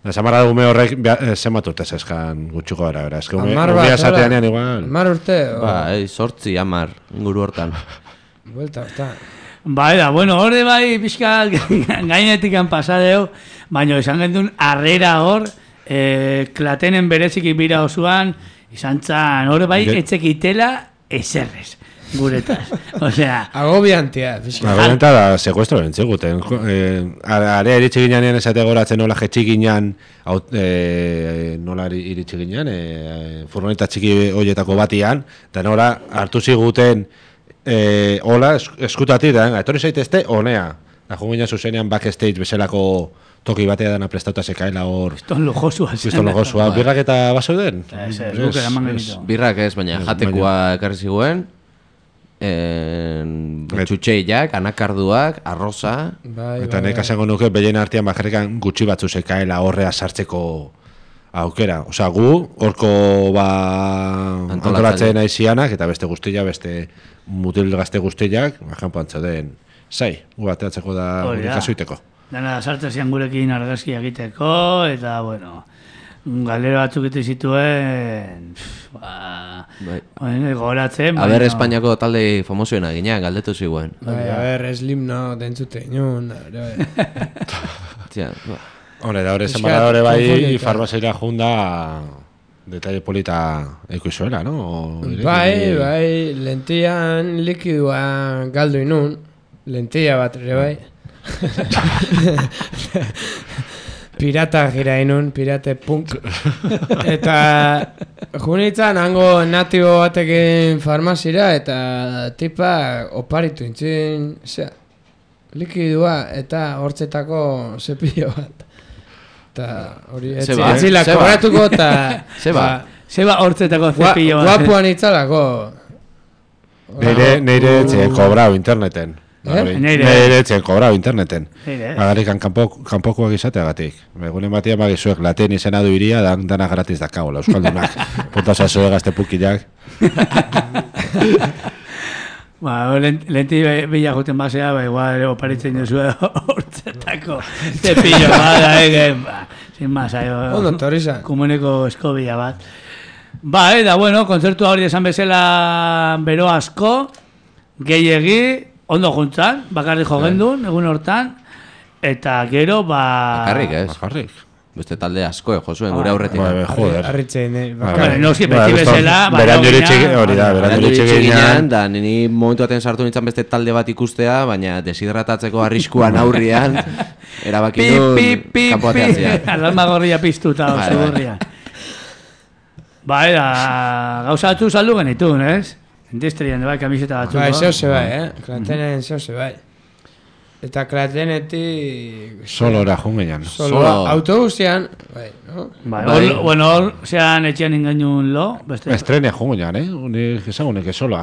Speaker 5: Da, samarra ume horrek eh, zenbat urte zeskan gutxuko gara, bera, eske ume,
Speaker 6: Hamar
Speaker 5: umea
Speaker 6: bat,
Speaker 5: esatean
Speaker 6: hola.
Speaker 5: igual.
Speaker 6: Hamar urte, o...
Speaker 3: Ba, ei, sortzi, amar, inguru hortan.
Speaker 6: Buelta, horta.
Speaker 2: Bai da, bueno, hori bai pixka gainetik pasadeu, baina esan gendun harrera hor, e, Klatenen bereziki bira osoan, izan zan, hori bai
Speaker 5: Ge-
Speaker 2: etzekitela eserrez, guretaz. Osea,
Speaker 6: Agobiantia, pixka.
Speaker 5: Agorenta da, sekuestro bentziguten. Eh, area iritsi ginean esate goratzen nola jetxi ginean, aut, eh, nola iri- iritsi ginean, eh, furgoneta txiki hoietako batian, eta nola hartu ziguten, eh, hola, es, eskutatik da, etorri zaitezte, honea. Da, jo ginen zuzenean backstage bezalako toki batea dana prestauta zekaela hor,
Speaker 2: ton lujosua zen.
Speaker 5: kriston logosua, birrak eta basoden?
Speaker 2: Ez, ez, guk eraman genitu.
Speaker 3: Birrak ez, baina
Speaker 5: Ez,
Speaker 3: jatekoa ekarri ziguen, en, txutxeiak, anakarduak, arroza,
Speaker 6: Bai,
Speaker 5: Eta
Speaker 6: bai,
Speaker 5: nek
Speaker 6: bai.
Speaker 5: esango nuke behien artean bakarrikan gutxi batzu zekaela horrea sartzeko aukera. Osea, gu, horko ba,
Speaker 3: Antolatzaile.
Speaker 5: antolatzen aizianak, eta beste guztia, beste mutil gazte guztiak, bajan pantza den, zai, gu bateatzeko da
Speaker 2: Hori
Speaker 5: gure
Speaker 2: da.
Speaker 5: kasuiteko.
Speaker 2: Dana sartzen zian gurekin argazki egiteko, eta, bueno, galera batzuk ite zituen, pff, ba,
Speaker 3: bai.
Speaker 2: bueno, gogoratzen,
Speaker 3: Aber Espainiako talde famosoena ginean, galdetu ziguen.
Speaker 6: Bai, a ber, Slim no, dentzute, inun, bai.
Speaker 3: Tia, ba.
Speaker 5: Hore, da hori
Speaker 6: Pixkat
Speaker 5: zenbara hori bai,
Speaker 6: konfundita.
Speaker 5: farmaziera junda detalle polita ekuizuela, no? O,
Speaker 6: Bai, bai, lentian likidua galdu inun, lentia bat ere bai. Pirata gira inun, pirate punk. Eta junitzan hango natibo batekin farmazira eta tipa oparitu intzin, zera, likidua eta hortzetako zepillo bat. Eta hori etzila kobratuko eta...
Speaker 3: Zeba.
Speaker 2: Zeba hortzetako zepillo bat.
Speaker 6: Guapuan itzalako.
Speaker 5: Neire, neire etxe kobrau interneten.
Speaker 6: Eh?
Speaker 5: Neire etxe kobrau interneten.
Speaker 2: Neire.
Speaker 5: Bagarrikan kanpokoak izateagatik. Egunen batia magizuek laten izena du iria, dan, dana gratis dakagola, euskaldunak. Punta zazue gazte pukilak.
Speaker 2: Ba, lenti bila juten basea, ba, igual oparitzen duzu hortzetako zepillo bat, egin, ba, sin más, aio,
Speaker 6: Ondo, torriza.
Speaker 2: komuneko eskobila bat. Ba, eta, bueno, kontzertu hori esan bezala bero asko, gehiegi, ondo juntzan, bakarrik jogendun, egun hortan, eta gero, ba...
Speaker 3: Bakarrik, ez?
Speaker 5: Bakarrik.
Speaker 3: Beste talde asko, eh, josuen gure aurretik.
Speaker 5: Ba, joder.
Speaker 6: Arritzen, eh?
Speaker 2: Bueno, noski, beti bezala,
Speaker 5: beran joritxe hori da, beran
Speaker 3: Berandu
Speaker 5: joritxe
Speaker 3: ginen,
Speaker 5: ginean.
Speaker 3: da nini momentu baten sartu nintzen beste talde bat ikustea, baina deshidratatzeko arriskuan aurrian, erabaki
Speaker 2: Pi,
Speaker 3: du
Speaker 2: pi, pi,
Speaker 3: kanpo
Speaker 2: pi,
Speaker 3: ateatzea.
Speaker 2: alarma gorria piztuta,
Speaker 3: Bai,
Speaker 2: oso
Speaker 3: bai.
Speaker 2: gorria. Ba, era, gauza batzu saldu genitun, ez? Industrian, bai, kamiseta batzu.
Speaker 6: Bai, zeu ze bai, eh? Klatenen zeu ze bai. Eta klatenetik...
Speaker 5: Solora jungean.
Speaker 6: Solo,
Speaker 3: Solo.
Speaker 6: autobusian, bai, no?
Speaker 2: Bai,
Speaker 3: Bai.
Speaker 2: hor- bueno, hor, zean etxean ingainun lo, beste...
Speaker 5: Estrenia jungean, eh? Unik ezagunek sola.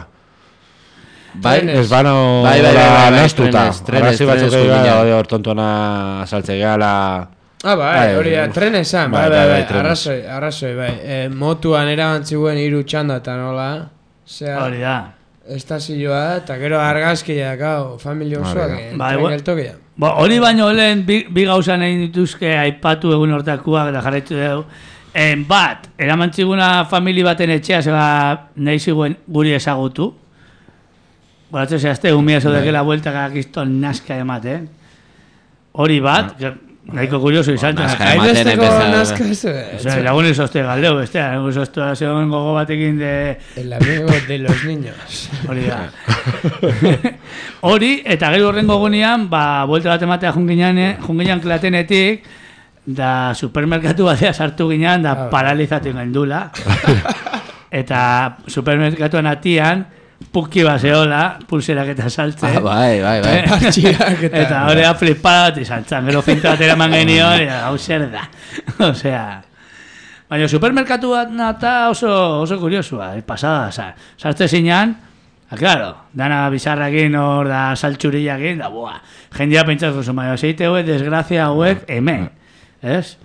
Speaker 3: Bai,
Speaker 6: Trenes.
Speaker 5: Ez bano
Speaker 3: Bai, bai, bai, bai, bai,
Speaker 5: nastuta.
Speaker 3: trenes, trenes,
Speaker 5: Arrazi batzuk
Speaker 3: trenes
Speaker 5: egin
Speaker 3: jungean.
Speaker 5: gara, hor tontona saltze gala...
Speaker 6: Ah, bai,
Speaker 5: Bai,
Speaker 6: hori da,
Speaker 5: uf.
Speaker 6: tren esan, bai,
Speaker 5: Bai,
Speaker 6: bai,
Speaker 5: bai,
Speaker 6: bai,
Speaker 5: bai, trenes.
Speaker 6: arrazoi, arrazoi, bai. E, motuan erabantziguen hiru txanda eta nola, zera,
Speaker 2: Hori da.
Speaker 6: estazioa, eta gero argazkia, gau, familia osoak,
Speaker 5: Hori
Speaker 6: eh,
Speaker 2: Bai,
Speaker 6: tren
Speaker 2: bai.
Speaker 6: geltokia.
Speaker 2: Ba, hori baino lehen bi, bi gauza nahi dituzke aipatu egun hortakuak da jarraitu dugu. En bat, eramantziguna famili baten etxea zeba nahi ziguen guri ezagutu. Boratzen zehazte, umia zodekela bueltakak izton naska ematen. Hori bat, que, nahiko kurioso izan.
Speaker 3: naska
Speaker 2: zen.
Speaker 3: ematen
Speaker 6: Hainbesteko
Speaker 3: empezar-
Speaker 6: nazka ez,
Speaker 2: Osea, lagun izozte galdeu, bestea, lagun izozte zegoen gogo batekin de...
Speaker 6: el amigo de los niños.
Speaker 2: Hori da. Hori, eta gero horrengo egunean, ba, buelta bat ematea junginan, junginan klatenetik, da supermerkatu batea sartu ginean, da
Speaker 6: Ah,
Speaker 2: paralizatu gendula. Eta supermerkatuan atian, puki baseola, pulserak eta saltzen.
Speaker 3: Ah, bai, bai, bai.
Speaker 6: Partxiak eta...
Speaker 2: Eta hori da flipada bat izan zan, gero finta bat eraman genion, eta hau zer da. Osea, baina supermerkatu bat nata oso, oso kuriosua, eh, pasada, sa. Sartze zinean, ah, claro, dana bizarrakin hor da saltxurillakin, da boa, jendia pentsatu zuen, baina zeite hauek, desgrazia hauek, hemen, ez?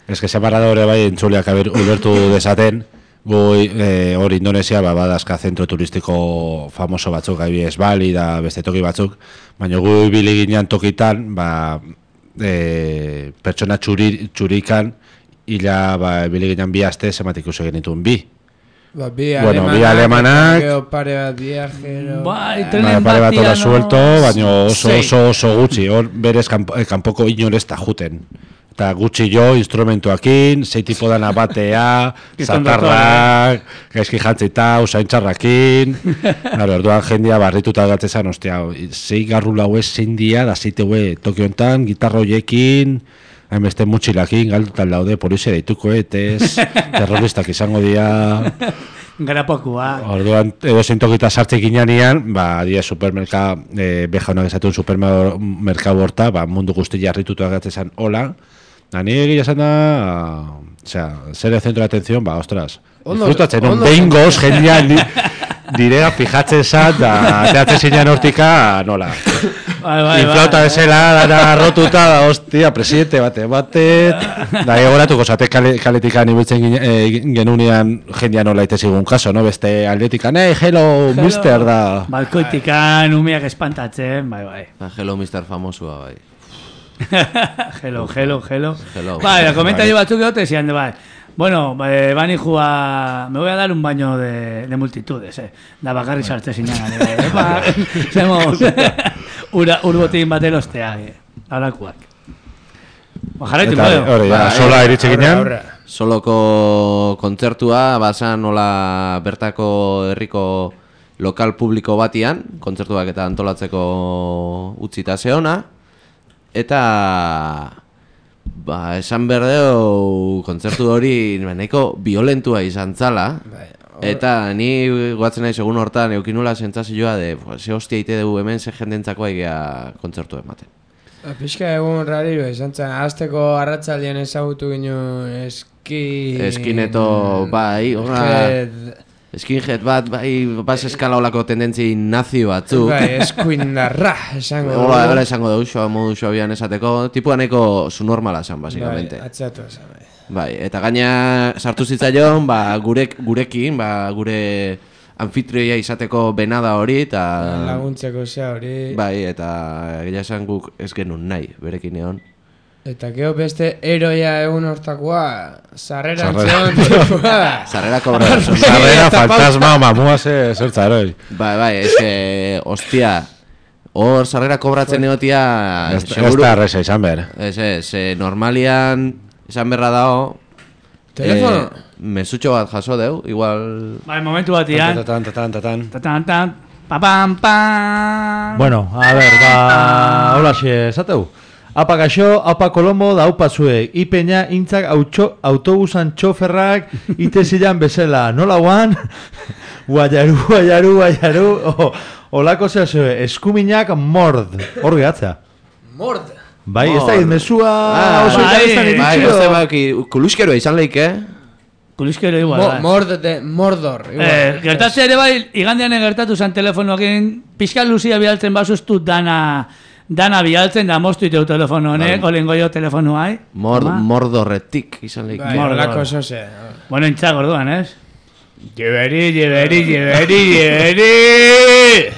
Speaker 5: Ez que separadore bai entzuleak aber ulertu desaten, gu eh, hor Indonesia ba, badazka zentro turistiko famoso batzuk, adibidez Bali da beste toki batzuk, baina gu ibili ginean tokitan, ba, e, pertsona txuri, txurikan, ila ba, ibili ginean bi aste zemat ikusi genituen bi.
Speaker 6: Ba, bi
Speaker 5: Bueno,
Speaker 6: alemanak,
Speaker 5: bi alemanak.
Speaker 6: eta gero pare bat viajero...
Speaker 2: Bai,
Speaker 6: Ah,
Speaker 2: tren-
Speaker 5: Ba, pare bat
Speaker 2: batia,
Speaker 5: hora
Speaker 2: no?
Speaker 5: suelto, baina oso
Speaker 2: Sei.
Speaker 5: oso oso gutxi, hor berez kanpo, eh, kanpoko inorez ta juten. Eta gutxi jo, instrumentuakin, zei tipo dana batea,
Speaker 2: Gizon
Speaker 5: zatarrak, gaizki jantzita, usaintxarrakin. Claro, orduan jendia barrituta gatzezan, ostia, zei garru lau ez zein dia, da zeite hue toki hontan, gitarra hoiekin, hainbeste mutxilakin, galdutan daude, polizia deituko etez, terroristak izango dira.
Speaker 2: Garapokua.
Speaker 5: Orduan, edo zein tokita sartze ginean, ba, dia supermerka, e, bejaunak esatuen supermerkau horta, ba, mundu guzti jarritutu agatzezan hola, da nire egia esan da, osea, zer zentro de atención, ba, ostras,
Speaker 6: Ondo-
Speaker 5: disfrutatzen, non
Speaker 6: ondo-
Speaker 5: behingoz, jendia, ni, direa fijatzen zat, da, teatzen zinean hortika, nola.
Speaker 2: Bai, bai,
Speaker 5: Inflauta
Speaker 2: bai.
Speaker 5: bezala, dana rotuta, da, hostia, presidente bate, bate, da, egoratuko zate kale, kaletikan ibiltzen gine, e, genunean jendia nola itezigun kaso, no? Beste aldetikan, hey, hello, mister, da.
Speaker 2: Balkoitikan umiak espantatzen, bai, bai.
Speaker 3: Ah, Hello, mister Famosua, bai.
Speaker 2: Hello, hello, hello.
Speaker 3: Hello.
Speaker 2: Bai, la comentario batzuk egote zian de bai. Bueno, eh, van a me voy a dar un baño de, de multitudes, eh. Da bakarri sartze zinan, eh. Ba, zemos, ura, urbotin bat elostea, eh. Alakuak. Ba, jarraitu,
Speaker 5: Eta
Speaker 2: bai.
Speaker 5: hori, ja,
Speaker 3: Bai,
Speaker 5: sola iritsi
Speaker 6: Aurra,
Speaker 5: ginean,
Speaker 6: aurra.
Speaker 3: Soloko kontzertua, basan nola bertako herriko lokal publiko batian, kontzertuak eta antolatzeko utzita zeona, eta ba, esan berdeu kontzertu hori nahiko violentua izan zala. Eta ni guatzen nahi segun hortan eukinula sentsazioa de ze hostia ite dugu hemen ze jendentzako aigea kontzertu ematen.
Speaker 6: Pixka egun rariro izan zen, azteko arratzaldean ezagutu ginen eski...
Speaker 3: Eskineto, bai, horra... Skinhead bat, bai, bas eskala olako tendentzi nazio batzu.
Speaker 6: Bai, eskuindarra, esango dugu.
Speaker 3: Hola, hola esango dugu, xoa, modu xoabian esateko, tipua nahiko su normala esan, basikamente.
Speaker 6: Bai, atzatu esan, bai.
Speaker 3: Bai, eta gaina sartu zitzaion, ba, gurek, gurekin, ba, gure anfitrioia izateko benada hori, eta...
Speaker 6: Laguntzeko zea hori...
Speaker 3: Bai, eta egia esan guk ez genuen nahi, berekin egon.
Speaker 6: Eta geho beste eroia egun hortakoa, sarrera antzeon tipua.
Speaker 3: Sarrera kobra.
Speaker 5: Sarrera fantasma, mamua ze zertza eroi.
Speaker 3: Bai, bai, ez que, ostia, hor sarrera kobratzen egotia...
Speaker 5: Ez da arreza izan behar.
Speaker 3: Ez, ez, normalian... Esan berra dao...
Speaker 6: Telefono?
Speaker 3: Eh, mesutxo bat jaso deu, igual...
Speaker 2: Bai, momentu bat ian.
Speaker 5: Tatan, tatan, tatan.
Speaker 2: Tatan, tatan, papam, pam.
Speaker 7: Bueno, a ver, ba, hola xe, esateu. Apa gaixo, apa Kolombo da upa zuek. Ipeña intzak autxo, autobusan txoferrak ite zilan bezala. Nola guan? Guaiaru, guaiaru, guaiaru. Oh, olako zea zue, eskuminak mord. Hor gehatzea.
Speaker 6: Mord.
Speaker 7: Bai, ez da izmezua...
Speaker 3: Ah,
Speaker 7: oso
Speaker 2: bai,
Speaker 7: interestan
Speaker 3: Bai,
Speaker 7: iritxio.
Speaker 3: ez da, bai, kuluskeroa izan leik, eh?
Speaker 2: Kuliskero igual,
Speaker 6: Mo,
Speaker 2: bai.
Speaker 6: mord de Mordor. igual.
Speaker 2: Eh, gertatzea ere bai, igandean gertatu zen telefonoekin, pixka luzia bialtzen basuztu dana, dana bialtzen, da moztu iteu telefono honek, olengo jo telefono hai.
Speaker 3: Mord,
Speaker 2: Ama.
Speaker 3: mordorretik izan leik.
Speaker 6: Bai,
Speaker 2: Mordor.
Speaker 6: olako zose.
Speaker 2: Bueno, intzak orduan, ez? Jeberi, jeberi, jeberi, jeberi!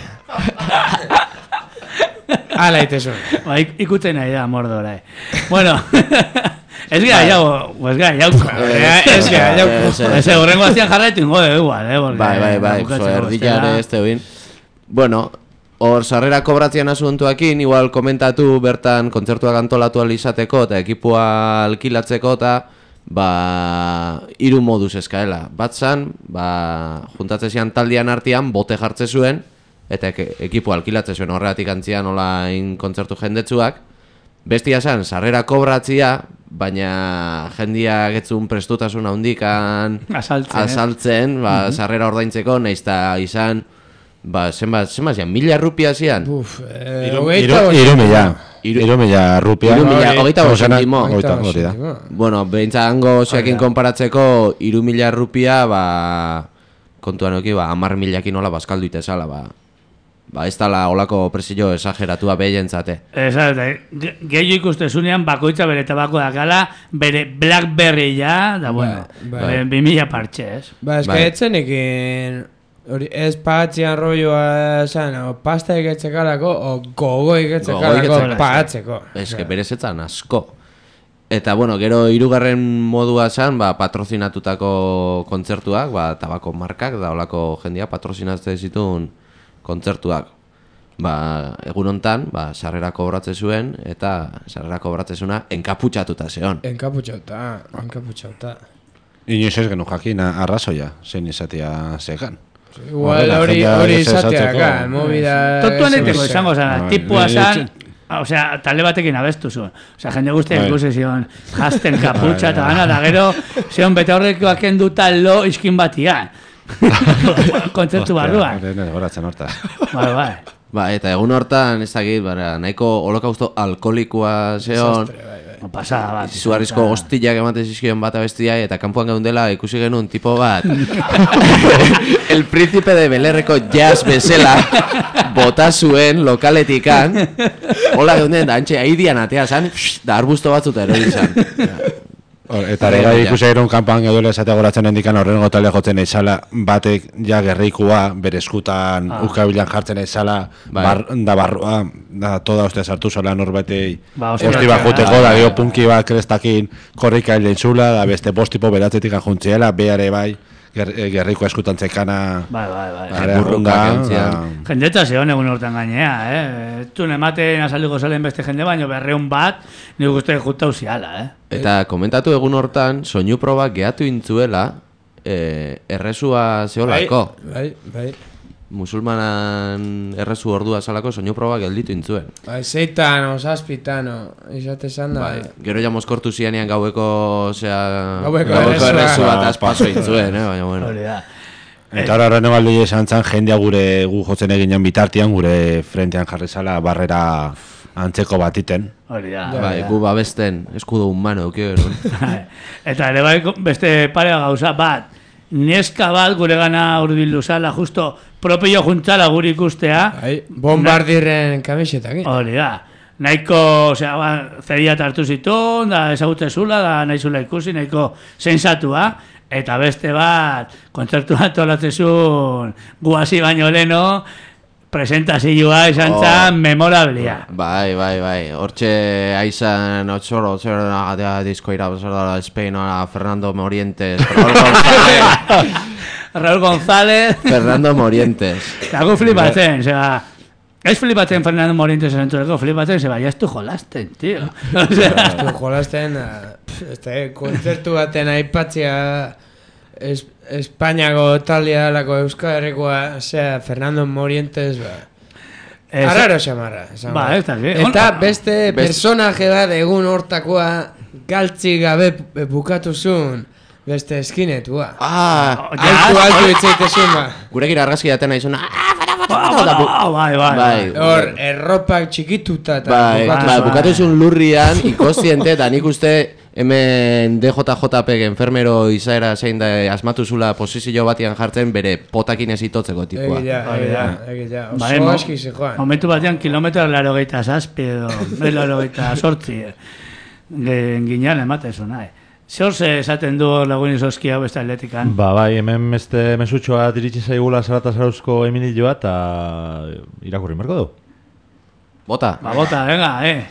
Speaker 6: Ala itezu.
Speaker 2: Ba, ik- ikutzen nahi da mordora, eh. Bueno, ez gara jau, ez gara jauko.
Speaker 6: Ez gara jauko.
Speaker 3: Ez, ez.
Speaker 2: Ez, horrengo aztian jarraitu ingo de igual, eh? porque
Speaker 3: Bai, bai, bai,
Speaker 2: bukatzeko
Speaker 3: zo, erdilare
Speaker 2: bestela-
Speaker 3: ez teuin. Bueno, hor sarrera kobratzean asuntuakin, igual komentatu bertan kontzertuak antolatu alizateko eta ekipua alkilatzeko eta ba, hiru moduz eskaela. Bat zan, ba, juntatze zian taldean artean, bote jartze zuen, eta ek, ekipu alkilatze zuen horregatik antzian olain kontzertu jendetsuak. Bestia zan, sarrera kobratzia, baina jendia getzun prestutasun handikan
Speaker 2: Azaltzen, eh?
Speaker 3: azaltzen, ba, sarrera ordaintzeko, nahiz eta izan, ba, zenbat, zenbat zian, mila rupia zian?
Speaker 6: Uf, eh,
Speaker 5: Iru,
Speaker 6: hogeita
Speaker 5: iru,
Speaker 6: bost.
Speaker 5: iru mila.
Speaker 3: Iru-
Speaker 5: Iru mila rupia.
Speaker 3: Iru mila,
Speaker 6: Hori,
Speaker 3: hogeita bost
Speaker 5: zauzenak,
Speaker 3: zentimo.
Speaker 5: hogeita,
Speaker 6: bost
Speaker 5: hori da.
Speaker 6: zentimo.
Speaker 3: Bueno, behintza hango zeakin konparatzeko, iru mila rupia, ba, kontuan oki, ba, amar milakin nola bazkaldu itezala, ba. Ba, ez dala olako presio esageratua behientzate.
Speaker 2: Esa, ge- gehiago ikustezunean bakoitza bere tabako dakala, bere Blackberry ja, da bueno,
Speaker 6: bai.
Speaker 2: bere bi mila partxe, ez?
Speaker 6: Ba, ez
Speaker 3: Bai.
Speaker 6: que etzenekin... Hori, ez patzian rolloa esan, o pasta egetzekalako, o gogo egetzekalako
Speaker 3: egetzekalako.
Speaker 6: patzeko.
Speaker 3: Ez que berezetzan asko. Eta, bueno, gero hirugarren modua zan, ba, patrozinatutako kontzertuak, ba, tabako markak, da olako jendia patrozinatze zituen kontzertuak. Ba, egun hontan, ba, sarrera kobratze zuen, eta sarrera kobratze zuena enkaputxatuta zeon.
Speaker 6: Enkaputxauta, enkaputxauta.
Speaker 5: Inoiz ez genuen jakin arrazoia, zein izatea zegan.
Speaker 6: Igual
Speaker 5: Horrela,
Speaker 6: hori
Speaker 5: jendea
Speaker 6: hori
Speaker 5: ez
Speaker 6: izatea,
Speaker 5: esatzeko.
Speaker 6: ka, movida...
Speaker 2: Tontuan
Speaker 6: ez-
Speaker 2: eiteko
Speaker 6: ez-
Speaker 2: izango zara,
Speaker 5: Bai,
Speaker 2: tipua
Speaker 5: bai,
Speaker 2: zan,
Speaker 5: etxe-
Speaker 2: osea, talde batekin abestu zuen. Osea, jende guztiak
Speaker 5: Bai.
Speaker 2: ikusi zion, jasten kaputxa
Speaker 5: Bai,
Speaker 2: eta
Speaker 5: bai.
Speaker 2: gana, da gero, zion bete horrekoak enduta lo iskin batian. Kontzertu barruan.
Speaker 5: Hostia, goratzen hortaz.
Speaker 2: Bai, bai.
Speaker 3: Ba, eta egun hortan, ez dakit, bara, nahiko holokausto alkoholikoa zeon,
Speaker 2: No, pasada bat.
Speaker 3: izugarrizko hostilak ematen zizkion bat abestia, eta kanpoan geundela ikusi genuen tipo bat El Príncipe de Belerreko jazz bezala bota zuen lokaletikan, hola geunden, da antxe aidian atea zan, da arbusto batzuta erori zan.
Speaker 5: Hor, Eta ere gai ikusi erun kanpan geduela esatea goratzen hendikan horrengo talde jotzen eizala, batek ja gerrikua bere eskutan
Speaker 2: Ah.
Speaker 5: ukabilan jartzen eizala,
Speaker 3: Bai.
Speaker 5: bar, da barrua, da toda uste sartu zola norbetei,
Speaker 2: Ba, oso
Speaker 5: hosti
Speaker 2: bat,
Speaker 5: bat juteko,
Speaker 2: ah,
Speaker 5: da
Speaker 2: bai,
Speaker 5: dio
Speaker 2: bai.
Speaker 5: punki bat krestakin korrika hilen zula, da beste bostipo beratzetik ajuntziela, beare bai, ger, eh, gerriko eskutan zekana,
Speaker 2: Bai, bai, bai.
Speaker 5: are
Speaker 3: burruka
Speaker 5: arrunda,
Speaker 3: gehuntzian.
Speaker 5: da-
Speaker 2: Jendeta zeon egun hortan gainea, eh? Tun ematen azaliko zalen beste jende baino berreun bat, nik uste jutau ziala, eh?
Speaker 3: Eta komentatu egun hortan, soinu proba gehatu intzuela, eh, erresua zeolako.
Speaker 6: Bai, bai.
Speaker 3: musulmanan errezu ordua salako soinu proba gelditu intzuen.
Speaker 6: Bai, zeitan, osazpitano, izate zan da.
Speaker 3: Bai, gero ja mozkortu zianean gaueko, osea,
Speaker 6: Gaueko
Speaker 3: errezu
Speaker 6: errezua.
Speaker 3: bat azpaso intzuen, eh, baina bueno.
Speaker 2: Hori da.
Speaker 5: Eta hori horren ebaldi esan zan, jendea gure gu jotzen eginen bitartian, gure frentean jarri zala barrera antzeko batiten.
Speaker 2: Hori da.
Speaker 3: Bai, gu babesten, eskudo humano, kio, no?
Speaker 2: Eta ere bai beste parea gauza bat, neska bat gure gana urbildu zala, justo propio juntzala guri ikustea.
Speaker 6: Bai, bombardirren kamisetakin.
Speaker 2: Hori da. Nahiko, osea, ba, zedia hartu zituen, da ezagutze zula, da nahi zula ikusi, nahiko sensatua. Eta beste bat, kontzertu bat tolatzezun guazi baino leno, presentazioa izan zan memorablia.
Speaker 3: Bai, bai, bai. Hortxe aizan otxoro, otxoro, nagatea diskoira, otxoro, Espeinoa, Fernando Morientes, Raúl González.
Speaker 2: Raúl González.
Speaker 3: Fernando Morientes.
Speaker 2: Eta gu flipatzen, zera, ez flipatzen Fernando Morientes entzuleko, flipatzen, zera, ya estu jolasten, tío.
Speaker 6: Estu jolasten, este, kontzertu baten aipatzea es, Espainiako talia lako Euskal Herrikoa, osea, Fernando Morientes, ba.
Speaker 2: Ez-
Speaker 6: Arraro xamarra. esan
Speaker 2: Ba,
Speaker 6: behar.
Speaker 2: ez dakit.
Speaker 6: Eta
Speaker 2: On-
Speaker 6: beste personaje bat egun hortakoa galtzi gabe bukatu zuen beste eskinetua.
Speaker 3: Ah,
Speaker 6: Altu, altu itzaitezun, ba.
Speaker 3: gurekin argazki daten nahi zuna.
Speaker 2: Ah, bai, bai, bai.
Speaker 6: Hor, erropak txikituta eta
Speaker 3: Bai,
Speaker 6: bukatu
Speaker 3: bai,
Speaker 6: zuen.
Speaker 3: bukatu zuen lurrian, ikostiente, eta nik uste hemen D J J P enfermero izaera zein da asmatu zula posizio batian jartzen bere potakin ez itotzeko tipua.
Speaker 6: Egia,
Speaker 2: Hori
Speaker 6: egia,
Speaker 2: da.
Speaker 6: egia.
Speaker 2: Bai,
Speaker 6: Oso
Speaker 2: mo-
Speaker 6: aski zejoan.
Speaker 2: Momentu batean kilometro laro geita zazpi edo, laro geita sortzi. Ginean ematen zuen, nahi. Zer ze esaten du lagun izozki hau beste atletikan?
Speaker 7: Ba, bai, hemen beste mesutxoa diritsi zaigula Zarata Zarauzko Emilioa eta irakurri merko du.
Speaker 3: Bota.
Speaker 2: Ba, bota, venga, eh.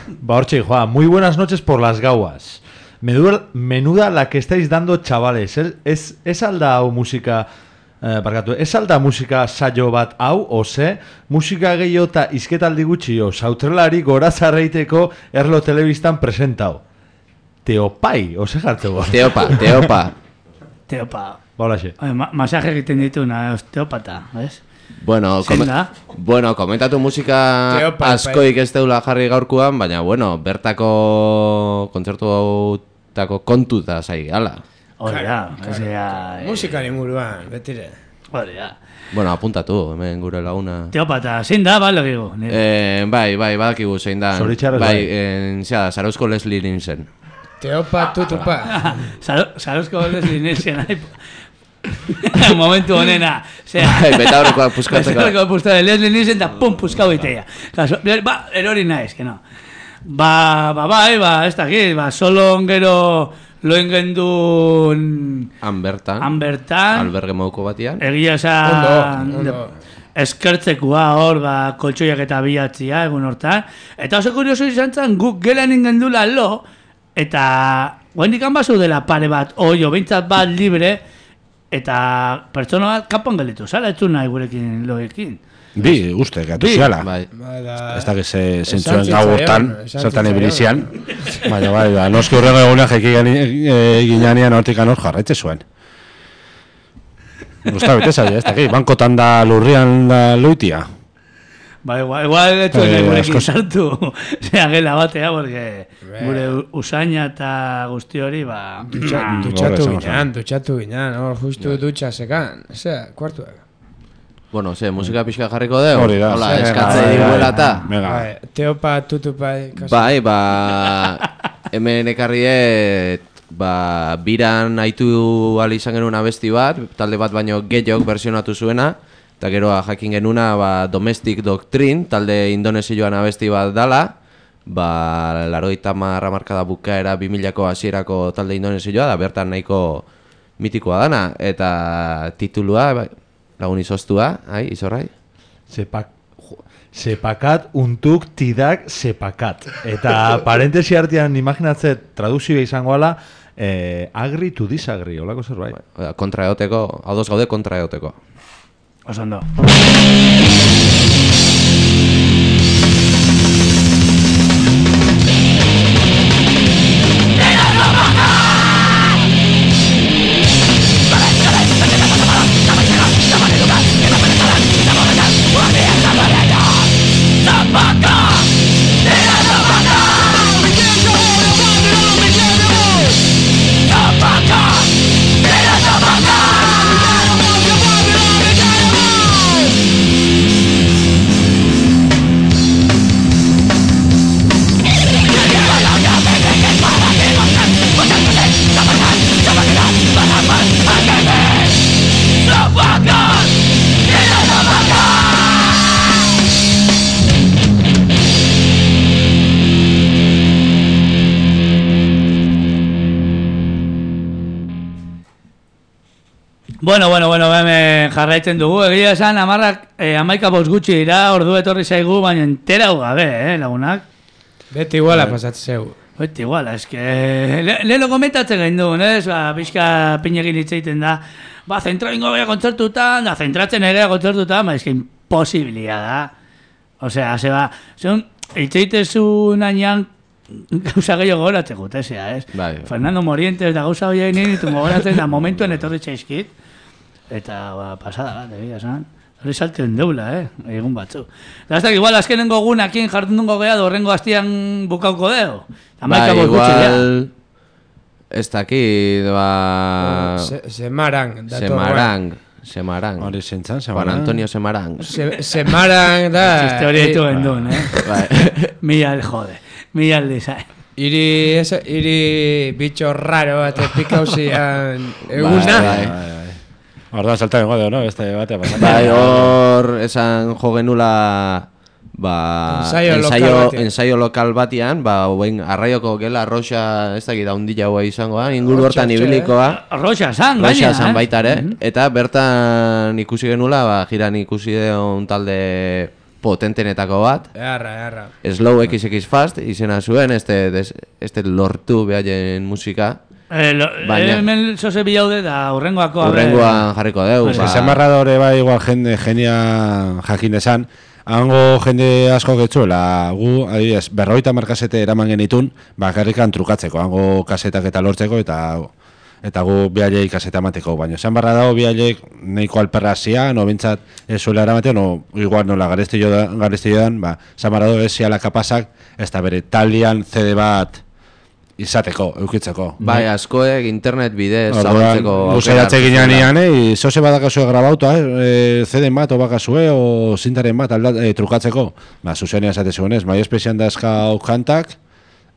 Speaker 7: Ba, hortxe, joa, muy buenas noches por las gauas. Menuda, menuda la que estáis dando, chavales. Es, es, es alda hau musika, eh, barkatu, es alda musika saio bat hau, ose, musika gehiago eta izketaldi gutxi, o, sautrelari gora zarreiteko erlo telebistan presentau. Teopai, ose jartzeko.
Speaker 3: Teopa, teopa.
Speaker 2: Teopa.
Speaker 7: Ba, holaxe.
Speaker 2: Oye, ma masaje egiten dituna, osteopata, ¿ves?
Speaker 3: Bueno,
Speaker 2: Zein
Speaker 3: come-
Speaker 2: da?
Speaker 3: bueno, komentatu musika
Speaker 6: Teopa,
Speaker 3: askoik ez deula jarri gaurkoan, baina, bueno, bertako kontzertu hautako kontuta zai gala.
Speaker 2: Hori da, osea... eh,
Speaker 6: Musikari inguruan, betire.
Speaker 2: Hori da.
Speaker 3: Bueno, apuntatu, hemen gure laguna.
Speaker 2: Teopata, zein da, ba, legigu.
Speaker 3: Eh, bai, bai, badakigu zein da.
Speaker 7: Zoritxarrez,
Speaker 3: bai.
Speaker 7: bai.
Speaker 3: En, zera, Zarauzko Leslie Nielsen.
Speaker 6: Teopa, tutupa.
Speaker 2: Sarozko Leslie Nielsen, nahi... Momentu honena, osea...
Speaker 3: Bai, betaurrekoak puskatzeko.
Speaker 2: Betaurrekoak puskatzeko, Leslie Nielsen da pum, puskau iteia. Kaso, ba, erori naiz, que no. Ba, ba, bai, ba, ez dakit, ba, solo ongero loen gendun...
Speaker 3: Han bertan.
Speaker 2: Han bertan.
Speaker 3: Alberge moduko batian.
Speaker 2: Egia esan...
Speaker 6: Ondo, ondo.
Speaker 2: Eskertzekua hor, ba, koltsoiak eta bilatzia egun hortan. Eta oso kurioso izan zen, guk gelan ingendula lo, eta guendik hanbazu dela pare bat, oio, behintzat bat libre, eta pertsona bat kapan gelitu, zara etzu nahi gurekin loekin.
Speaker 5: Bi, uste, gatu
Speaker 2: Bi.
Speaker 5: ziala.
Speaker 3: Bai.
Speaker 5: Ez da que se
Speaker 6: Esan
Speaker 5: zentzuen
Speaker 6: zitzaion,
Speaker 5: gau hortan,
Speaker 6: esan
Speaker 5: zertan
Speaker 6: zitzaion.
Speaker 5: ibilizian. Baina bai, ba, noski horrengo egunean jeki ginean hortik anor jarraitze zuen. Gusta bete zaila, ez dakit, bankotan da lurrian da loitia.
Speaker 2: Ba, igual, igual etzu
Speaker 5: Eh,
Speaker 2: nahi gurekin
Speaker 5: asko-
Speaker 2: sartu, zera gela batea, porque gure usaina eta guzti hori, ba...
Speaker 6: Dutxa,
Speaker 2: ah,
Speaker 6: dutxatu
Speaker 5: Horre,
Speaker 6: ginean, dutxatu ginean, hor, justu dutxa sekan. Osea, kuartuak.
Speaker 3: Bueno, ze, musika pixka jarriko dugu?
Speaker 5: Hori da.
Speaker 3: Hola,
Speaker 5: Venga,
Speaker 3: eskatze
Speaker 5: bai,
Speaker 3: diguela
Speaker 5: bai,
Speaker 3: eta.
Speaker 5: Venga.
Speaker 6: Bai, teopa, tutupa, kasu.
Speaker 3: Bai, ba... Hemen ekarriet... Ba, biran haitu ali izan genuen abesti bat, talde bat baino gehiok versionatu zuena, eta gero jakin genuna ba, Domestic Doctrine, talde indonesioan abesti bat dala, ba, larogeita hamar hamarkada bukaera bi milako hasierako talde indonesioa, da bertan nahiko mitikoa dana, eta titulua, ba, lagun izoztua, ai, izorrai?
Speaker 7: Sepak, jo, sepakat untuk tidak sepakat. Eta parentesi artean imaginatze traduzioa izango ala, eh, agri to disagree, holako zerbait.
Speaker 3: Oda, kontra eoteko, ados gaude kontra eoteko.
Speaker 2: Oso ondo.
Speaker 4: Esta
Speaker 2: Bueno, bueno, bueno, hemen jarraitzen dugu. Egia esan, amarrak, eh, amaika bost gutxi dira, ordu etorri zaigu, baina entera hu gabe, eh, lagunak.
Speaker 6: Beti iguala pasatzen zeu.
Speaker 2: Beti iguala, eske... Le, leheno komentatzen gain duen, ez? Ba, pixka pinegin hitzeiten da. Ba, zentra ingo gara kontzertutan, da, zentratzen ere kontzertutan, ba, eske imposibilia da. Osea, ze ba, zeun, hitzeitezu nahian, gauza gehiago goratzen gutezea, ez?
Speaker 3: Bai.
Speaker 2: Fernando Morientes da gauza hori egin ditu goratzen da momentuan etorri txaizkit. Eta, ba, pasada bat, egia esan. Hori saltzen deula, eh? Egun batzu. Da, ez da, igual, azkenengo gunakin jardun dungo geha, dorrengo hastian bukauko deo.
Speaker 3: Ba, igual... Ez dakit, ba...
Speaker 6: Semarang.
Speaker 3: Semarang. Semarang.
Speaker 5: Hori zentzan,
Speaker 3: Juan
Speaker 5: Semarang.
Speaker 3: Antonio Semarang.
Speaker 6: Semarang da...
Speaker 2: Txiste hori ditu gendun, eh?
Speaker 3: Bai.
Speaker 2: Mila, jode. Mila design.
Speaker 6: Iri, esa, iri bitxo raro bat pikauzian eguna.
Speaker 3: Bai,
Speaker 5: bai. Orduan salta bengo deo, no? Beste batea pasatzen.
Speaker 3: Bai, hor esan jo genula ba,
Speaker 6: Ensaio lokal
Speaker 3: ensaio,
Speaker 6: batean.
Speaker 3: ensaio lokal batean, ba, oen, arraioko gela arroxa, ez dakit haundila hoa izangoa, inguru
Speaker 6: Arroxa,
Speaker 3: hortan
Speaker 6: txe,
Speaker 3: ibiliko
Speaker 2: Roxa san, gaina,
Speaker 3: Roxa san
Speaker 2: eh?
Speaker 3: baita ere,
Speaker 2: Mhm.
Speaker 3: eta bertan ikusi genula, ba, jiran ikusi deun talde potentenetako bat,
Speaker 6: Erra, erra.
Speaker 3: Slow X X Fast izena zuen, este, des, este lortu behaien musika,
Speaker 2: Eh, lo,
Speaker 3: Baina-
Speaker 2: hemen zoze bilaude da urrengoako. a ber.
Speaker 3: urrengoan jarriko deu.
Speaker 5: Ez que semarradore bai igual jende genia jakin esan, hango jende asko getzuela, gu, adibidez, berroita markasete eraman genitun, bakarrikan trukatzeko, hango kasetak eta lortzeko, eta eta gu bialei kaseta emateko, baina esan barra dago bialeik nahiko alperra zian, no bintzat ez zuela eramatea, no, igual nola garezti jodan, ba, esan barra dago ez ziala kapasak, ez da bere taldean C D bat izateko, eukitzeko.
Speaker 3: Bai, askoek internet bidez
Speaker 5: Orduan,
Speaker 3: zabaltzeko
Speaker 5: guzaiatze ginean ian, eh, zoze badakazue grabauta, eh, C D bat, obakazue, o zintaren bat aldat, eh, trukatzeko. Ba, zuzenia esate zuenez, mai espezian dazka kantak,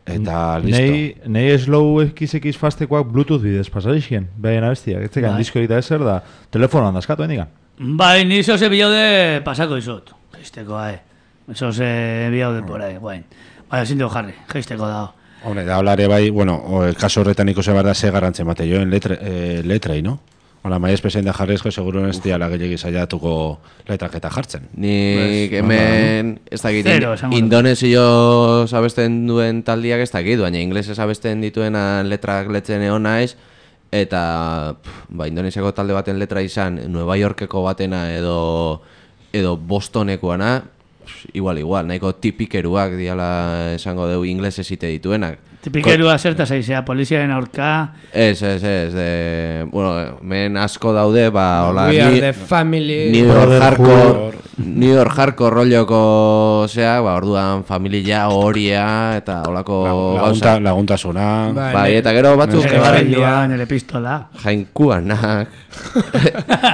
Speaker 5: eta listo.
Speaker 7: Nei, nei slow X X fastekoak Bluetooth bidez pasarixien, behaien abestiak, ez zekan
Speaker 2: Bai.
Speaker 7: disko egita ezer da, telefonoan dazkatu hendikan.
Speaker 2: Bai, ni zoze bilaude pasako izut. Geisteko, eh. Zoze bilaude por ahí, guain. Bai, ezin dugu jarri, geisteko dago.
Speaker 5: Hombre, da hablare bai, bueno, o, el kaso horretan ikusi behar da ze garrantzen mate joen letre, eh, letrei, no? Hola, mai espezian da jarrezko, seguro ez diala gehiagi saiatuko letrak eta jartzen.
Speaker 3: Nik hemen, ez dakit,
Speaker 2: Zero, esango dut.
Speaker 3: indonesio abesten duen taldiak ez dakit, baina inglesez abesten dituena letrak letzen egon naiz, eta pff, ba, indonesiako talde baten letra izan, Nueva Yorkeko batena edo, edo Bostonekoana, pff, igual, igual, nahiko tipikeruak diala esango deu inglesez ite dituenak.
Speaker 2: Tipikerua zerta zaizea, poliziaren aurka.
Speaker 3: Ez, ez, ez, de, bueno, men asko daude, ba, hola,
Speaker 6: We are
Speaker 3: ni-
Speaker 6: the family.
Speaker 3: New York
Speaker 7: Brotherhood.
Speaker 3: hardcore, New York hardcore rolloko, osea, ba, orduan familia horia eta holako
Speaker 5: Lagunta,
Speaker 3: gauza.
Speaker 6: Bai,
Speaker 5: laguntasuna.
Speaker 3: Bai,
Speaker 6: bai.
Speaker 3: eta gero batzuk
Speaker 6: Bai,
Speaker 2: Nere
Speaker 6: bai.
Speaker 2: barrilua, nere pistola.
Speaker 3: jainkuanak.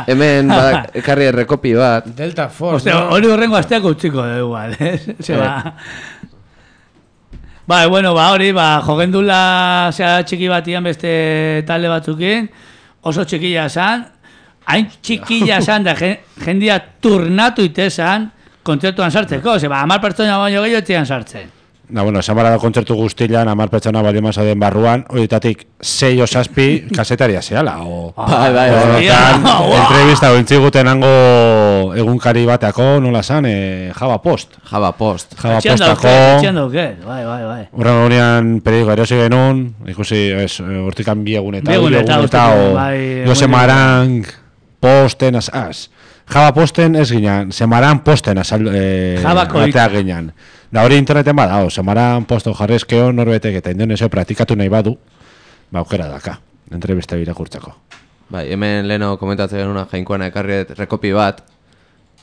Speaker 3: Hemen badak ekarri errekopi bat.
Speaker 6: Delta Force,
Speaker 2: Ostia,
Speaker 6: no?
Speaker 2: hori horrengo asteako utziko da igual, eh? Se ba... Bai, bueno, ba, hori, ba, jogendula zea txiki batian beste talde batzukin, oso txikilla zan, hain txikilla zan da gen- jendia turnatu itezan kontzertuan sartzeko, ze ba, hamar pertsona baino gehiago etzian sartzen.
Speaker 5: Da, bueno, esan barra da kontzertu guztilan, amar pertsona bali den barruan, horietatik sei o zazpi kasetaria zehala, o...
Speaker 3: Bai, bai, bai.
Speaker 5: Horretan,
Speaker 2: Wow.
Speaker 5: entrevista ointziguten hango egunkari bateako, nola zan, e, Java Post.
Speaker 3: Java Post.
Speaker 5: Java
Speaker 2: Etxean dauket,
Speaker 5: Postako...
Speaker 2: etxean dauket, bai, bai, bai.
Speaker 5: Horren gurean periodiko erosi genuen, ikusi, ez, hortikan bi egun eta
Speaker 2: Bi egun
Speaker 5: hiru
Speaker 2: eta,
Speaker 5: egun eta,
Speaker 2: uste,
Speaker 5: o,
Speaker 2: bai,
Speaker 5: Jose
Speaker 2: egun-
Speaker 5: Marang, Posten, az, az. Java Posten ez ginen, Semaran Posten azal, e,
Speaker 2: Javako hit.
Speaker 5: atea ginen. Da hori interneten bada, o, Semaran Posto jarrezkeo norbetek eta indonesio praktikatu nahi badu, ba, aukera daka, entrevista birakurtzeko.
Speaker 3: Bai, hemen leno komentatzen genuna jainkoana ekarriet rekopi bat.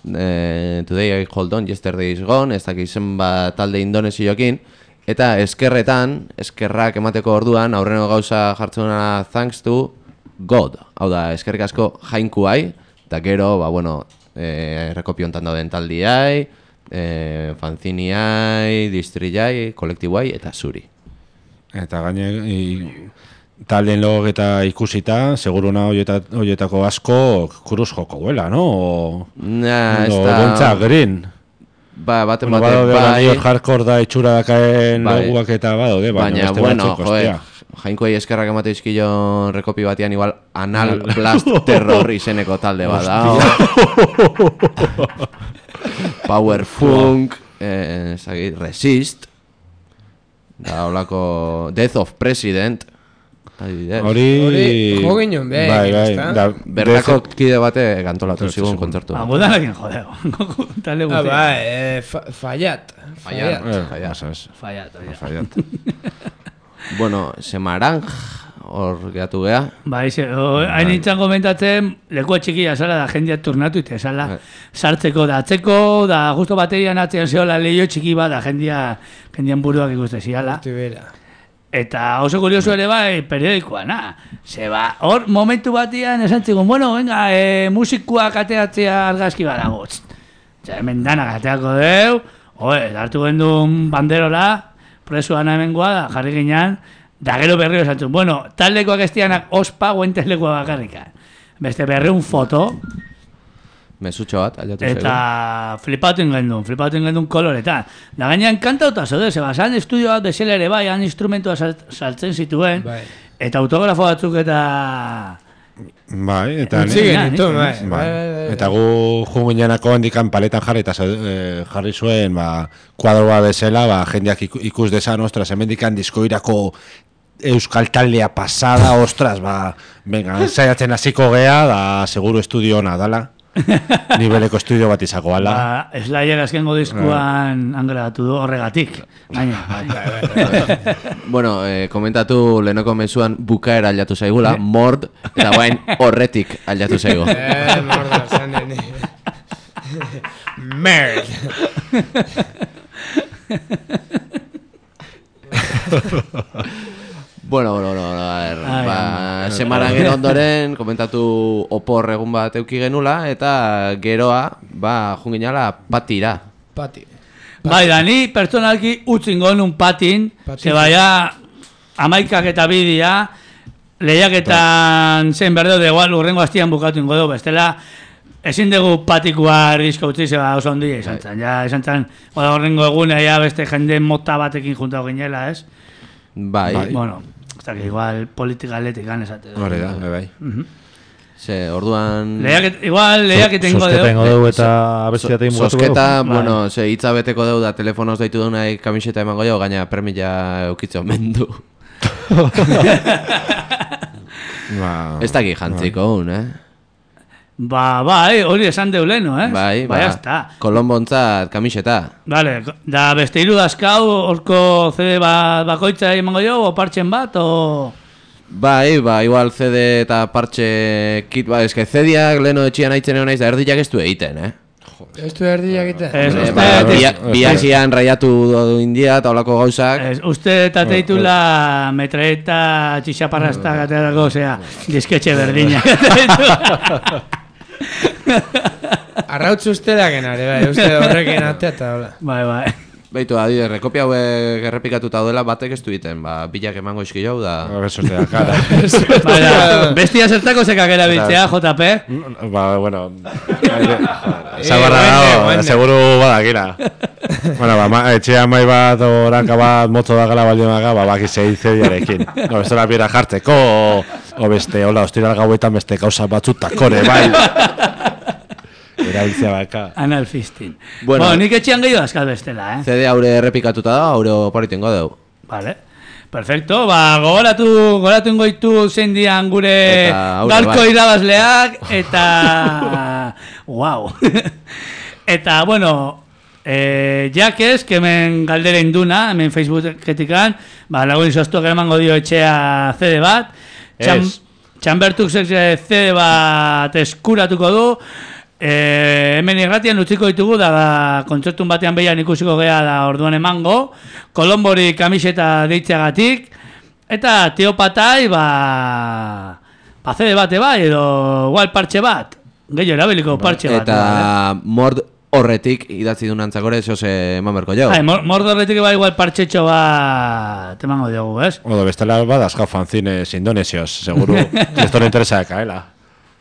Speaker 3: Eh, today I hold on, yesterday is gone, ez dakiz zenbat talde indonesiokin. Eta eskerretan, eskerrak emateko orduan, aurreno gauza jartzuna thanks to God. Hau da, eskerrik asko jainkuai, eta gero, ba, bueno, eh, rekopi hontan dauden taldiai, eh, fanziniai, distriai, kolektiboai, eta zuri.
Speaker 5: Eta gaine, i, taldeen logok eta ikusita, seguruna hoieta- hoietako asko kruz joko huela, no? O,
Speaker 3: Na, ez
Speaker 5: o
Speaker 3: da...
Speaker 5: Gontza, Green.
Speaker 3: Ba, baten
Speaker 5: Bueno,
Speaker 3: batek,
Speaker 5: badaude
Speaker 3: bai...
Speaker 5: bai, hardcore da itxura dakaen
Speaker 3: Bai.
Speaker 5: loguak eta badaude, baina
Speaker 3: Baina,
Speaker 5: beste
Speaker 3: bueno,
Speaker 5: batzuk,
Speaker 3: joe,
Speaker 5: ostia.
Speaker 3: Jainkoei eskerrak emate izkilo rekopi batean igual Anal Blast Terror izeneko talde bat da. Power Funk, eh, zagit, Resist, da holako Death of President.
Speaker 6: Hori jo ginen, be,
Speaker 5: bai, bai,
Speaker 3: bertako kide bate kantolatu zigun kontzertu.
Speaker 2: Ah, gudanekin jodeo. Talde
Speaker 6: Ah,
Speaker 2: guztia.
Speaker 6: bai, eh, fa- fallat.
Speaker 3: Fallat.
Speaker 6: Fallat.
Speaker 2: Fallat, oia.
Speaker 5: Fallat.
Speaker 3: Bueno, Semaranj, hor gehatu geha.
Speaker 2: Bai, ze, o, hain nintzen komentatzen, lekua txikia zala da jendia turnatu ite, zala sartzeko da atzeko, da justo baterian atzean zehola leio txiki bat, da jendia, jendian buruak ikuste ziala. Eta oso kurioso ere bai, periodikoa, na. Ze ba, hor momentu batian esan txigun, bueno, venga, e, musikuak ateatzea argazki badago. Eta hemen danak ateako deu, oe, hartu gendun banderola, presuan hemengoa da, jarri ginean, da gero berriro esan txun, bueno, taldekoak estianak ospa guentelekua bakarrikan. Beste berreun foto,
Speaker 3: Mesutxo bat, aldatu zaigu.
Speaker 2: eta flipatu ingendun, flipatu ingendun koloretan. Da gainean kantauta zaude, zeba, zan estudio bat bezala ere bai, han instrumentua salt, saltzen zituen,
Speaker 6: Bai.
Speaker 2: eta autografo batzuk eta...
Speaker 5: Bai, eta
Speaker 6: Utzi genituen, bai.
Speaker 5: Bai.
Speaker 6: Bai, bai, bai.
Speaker 5: Eta gu jungineanako handikan paletan jarri eta eh, jarri zuen ba, kuadroa bezala, ba, jendeak iku- ikus dezan, ostras, hemendikan diskoirako euskal taldea pasada, ostras, ba, venga, saiatzen hasiko gea, da seguru estudio ona dala. Nibeleko estudio bat izako ala.
Speaker 2: Ba, Slayer azkengo diskuan angradatu du horregatik. Gaina, bai.
Speaker 3: Bueno, eh, komentatu lehenoko mezuan bukaera aldatu zaigula, mord, eta bain horretik aldatu zaigu.
Speaker 6: Eh, morda, zan nene. Merd.
Speaker 3: Bueno, bueno, bueno, a ver,
Speaker 2: Ai,
Speaker 3: ba, semarangen ondoren komentatu opor egun bat euki genula, eta geroa, ba, junginala patira.
Speaker 6: Pati.
Speaker 2: Bai, da, ni pertsonalki utzingo nun patin,
Speaker 6: Patin.
Speaker 2: ze baia amaikak eta bidia, lehiaketan zen berdeo de igual urrengo hastian bukatu ingo dugu, bestela ezin dugu patikua rizko utzi, zeba oso ondia izan zen, ja, izan zen, oda horrengo egunea ja beste jende mota batekin juntau ginela, ez?
Speaker 3: Bai,
Speaker 5: Bai.
Speaker 2: Bueno, hasta que igual politika atletik esate.
Speaker 5: Hore da, bai, bai.
Speaker 3: ze orduan...
Speaker 2: Lehiaket, igual lehiaket ingo
Speaker 7: Zozketa
Speaker 2: dugu.
Speaker 7: ingo dugu eta abestiatein mugatu dugu.
Speaker 3: Sosketa,
Speaker 2: Bai.
Speaker 3: bueno, ze hitza beteko dugu da telefonoz daitu dunai kamiseta emango jo, gaina permila eukitze omendu.
Speaker 5: Ba,
Speaker 3: Ez daki jantziko un, eh?
Speaker 2: Ba, bai, hori esan deuleno, eh?
Speaker 3: Bai,
Speaker 2: ba,
Speaker 3: ba,
Speaker 2: jazta.
Speaker 3: Kolonbontzat kamiseta.
Speaker 2: Vale, da beste hiru dazkau, horko C D bat bakoitza emango jo, o partzen bat, o...
Speaker 3: Bai, ba, igual C D eta parche kit, ba, eske C D-ak leheno etxian aitzen egon naiz, da erdiak ez du egiten, eh?
Speaker 6: Ez du erdiak eta.
Speaker 2: Ez,
Speaker 3: Eh,
Speaker 2: uste,
Speaker 3: ba,
Speaker 2: ez,
Speaker 3: bia- biazian raiatu du india eta olako gauzak.
Speaker 2: ez, uste eta teitula metraeta txixaparrasta gaterako, osea, disketxe berdina.
Speaker 6: Arrautz usterak enare, bai, uste horrekin atea eta hola.
Speaker 2: Bai, bai.
Speaker 3: Baitu, adide, rekopia hauek errepikatuta dela batek ez du egiten, ba, bilak emango izki jau da...
Speaker 5: a ver, sortea, cara.
Speaker 2: Bai, da, bestia zertako zekak erabiltzea, J P.
Speaker 5: Ba, bueno,
Speaker 6: Eh,
Speaker 5: zabarra
Speaker 6: guende,
Speaker 5: dago,
Speaker 6: guende.
Speaker 5: seguru badakira. Bueno, ba, ma, etxean mai bat oranka bat motzo da gala baldin maga, ba, baki zei zediarekin. No, bestela bira jartzeko, o, o beste, hola, ostiral gauetan beste kausa batzutakore, bai. Erabiltzea baka.
Speaker 2: Analfistin.
Speaker 3: Bueno.
Speaker 2: Bueno, nik etxean gehiago azkal bestela, eh?
Speaker 3: C D haure errepikatuta da, haure oparitengo dugu.
Speaker 2: Vale. Perfecto, ba, gogoratu, gogoratu ingoitu zein dian gure
Speaker 3: Eta haure
Speaker 2: galko
Speaker 3: bai.
Speaker 2: irabazleak, eta... wow. Eta, bueno, eh, jakez, que hemen galdera induna, hemen Facebooketikan, ba, lagun izoztuak emango dio etxea C D bat, Txan,
Speaker 5: Ez.
Speaker 2: Txanbertuk C D bat eskuratuko du, E, hemen irratian utziko ditugu da, da kontzertun batean behian ikusiko gea da orduan emango, Kolombori kamiseta deitzeagatik, eta Teopatai ba, ba C D bate bai, edo igual parche bat, gehiago erabiliko parche bat.
Speaker 3: Eta
Speaker 2: bai,
Speaker 3: mord horretik idatzi du nantzakore, zehose eman berko jau.
Speaker 2: Hai, mor- mordorretik ba igual partxetxo bat emango diogu, ez?
Speaker 5: Odo, bestela badazkau fanzines indonesios, seguru. Esto no interesa kaela.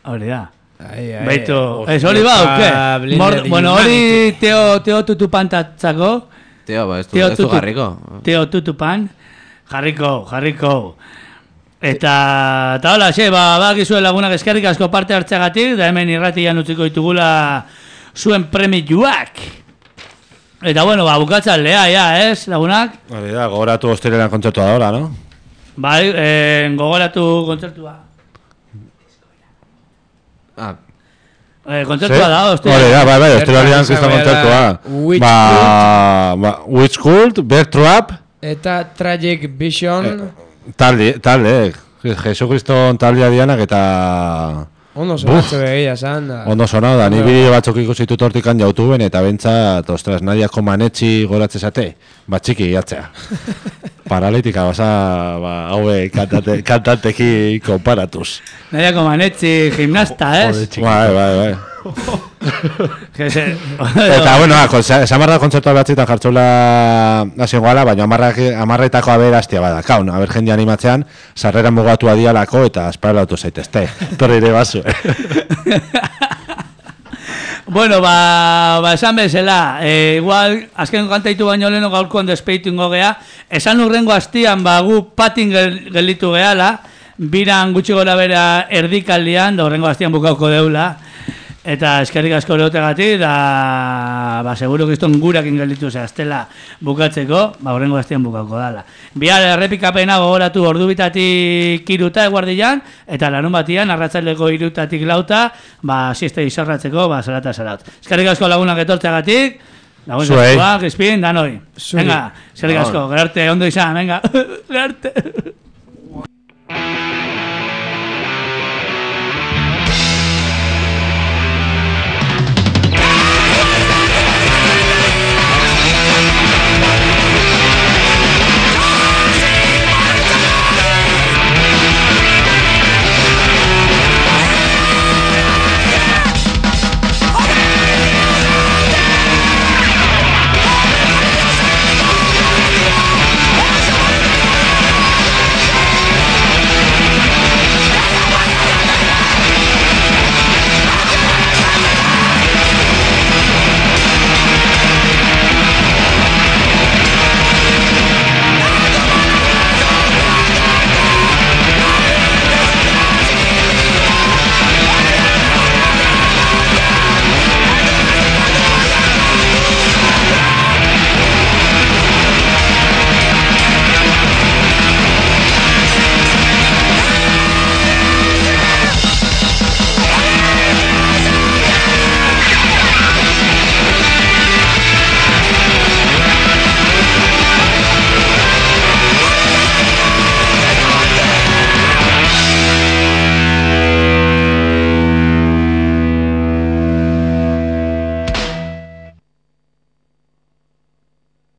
Speaker 2: Hori da.
Speaker 6: Ai, ai.
Speaker 2: Beitu, ez hori ba, uke?
Speaker 6: Blinded
Speaker 2: Mor- Bueno, hori Teo, teo tutupan tatzako,
Speaker 3: Teo, ba, ez du,
Speaker 2: Teo
Speaker 3: ez du
Speaker 2: tutu-
Speaker 3: garriko.
Speaker 2: Teo tutupan, Jarriko, jarriko. Eta, eta hola, xe, ba, bakizue lagunak eskerrik asko parte hartzeagatik, da hemen irratian utziko ditugula zuen premiuak. Eta bueno, ba, bukatzen lea, ja, ez, lagunak?
Speaker 5: Hori da, gogoratu ostirena kontzertua da, hola, no?
Speaker 2: Bai, eh, gogoratu kontzertua.
Speaker 3: Ah,
Speaker 2: Eh, kontzertua da, ostirena.
Speaker 5: Hori da, bai, bai, ostirena kriston
Speaker 6: Bertan
Speaker 5: kontzertua.
Speaker 6: Witch
Speaker 5: Ba, ba, Witch Cult, Bear Trap,
Speaker 6: Eta Tragic Vision...
Speaker 5: talde, talde, Jesukriston taldea dianak eta...
Speaker 6: Ondo sonatze begia esan da.
Speaker 5: Ondo sonau da, ni bideo batzuk ikusitu tortikan YouTubeen eta bentsat, ostras, Nadiako manetxi goratzezate, bat txiki jatzea. Paralitika, basa, ba, haue kantate, kantanteki konparatuz.
Speaker 2: Nadiako manetzi gimnasta, ez?
Speaker 5: Bai, bai, bai.
Speaker 2: Jese,
Speaker 5: Eta, bueno, esan barra kontzertua behatzitan jartzula hasi goala, baina amarretako aberaztia bada. Kaun, aber jende animatzean, sarrera mugatua dialako eta esparalautu zaitezte. Torri ere basu,
Speaker 2: Bueno, ba, ba esan bezala, e, igual, azken kantaitu baino leheno gaurkoan despeitu ingo gea, esan urrengo hastian, ba, gu patin gel, gelitu gehala, biran gutxi gora bera erdikaldian, da urrengo hastian bukauko deula, eta eskerrik asko lehotegatik, da, ba, seguro kiston gurakin gelditu zehaztela bukatzeko, ba, urrengo hastian bukauko dala. Bihar errepikapena gogoratu ordu bitatik iruta eguardian, eta larun batian, arratsaleko irutatik lauta, ba, sieste izarratzeko, ba, zarata zaraut. Eskerrik asko lagunak etortzeagatik, lagun zatzua, Crispin, danoi. Venga, eskerrik asko, gerarte, ondo izan, venga, gerarte.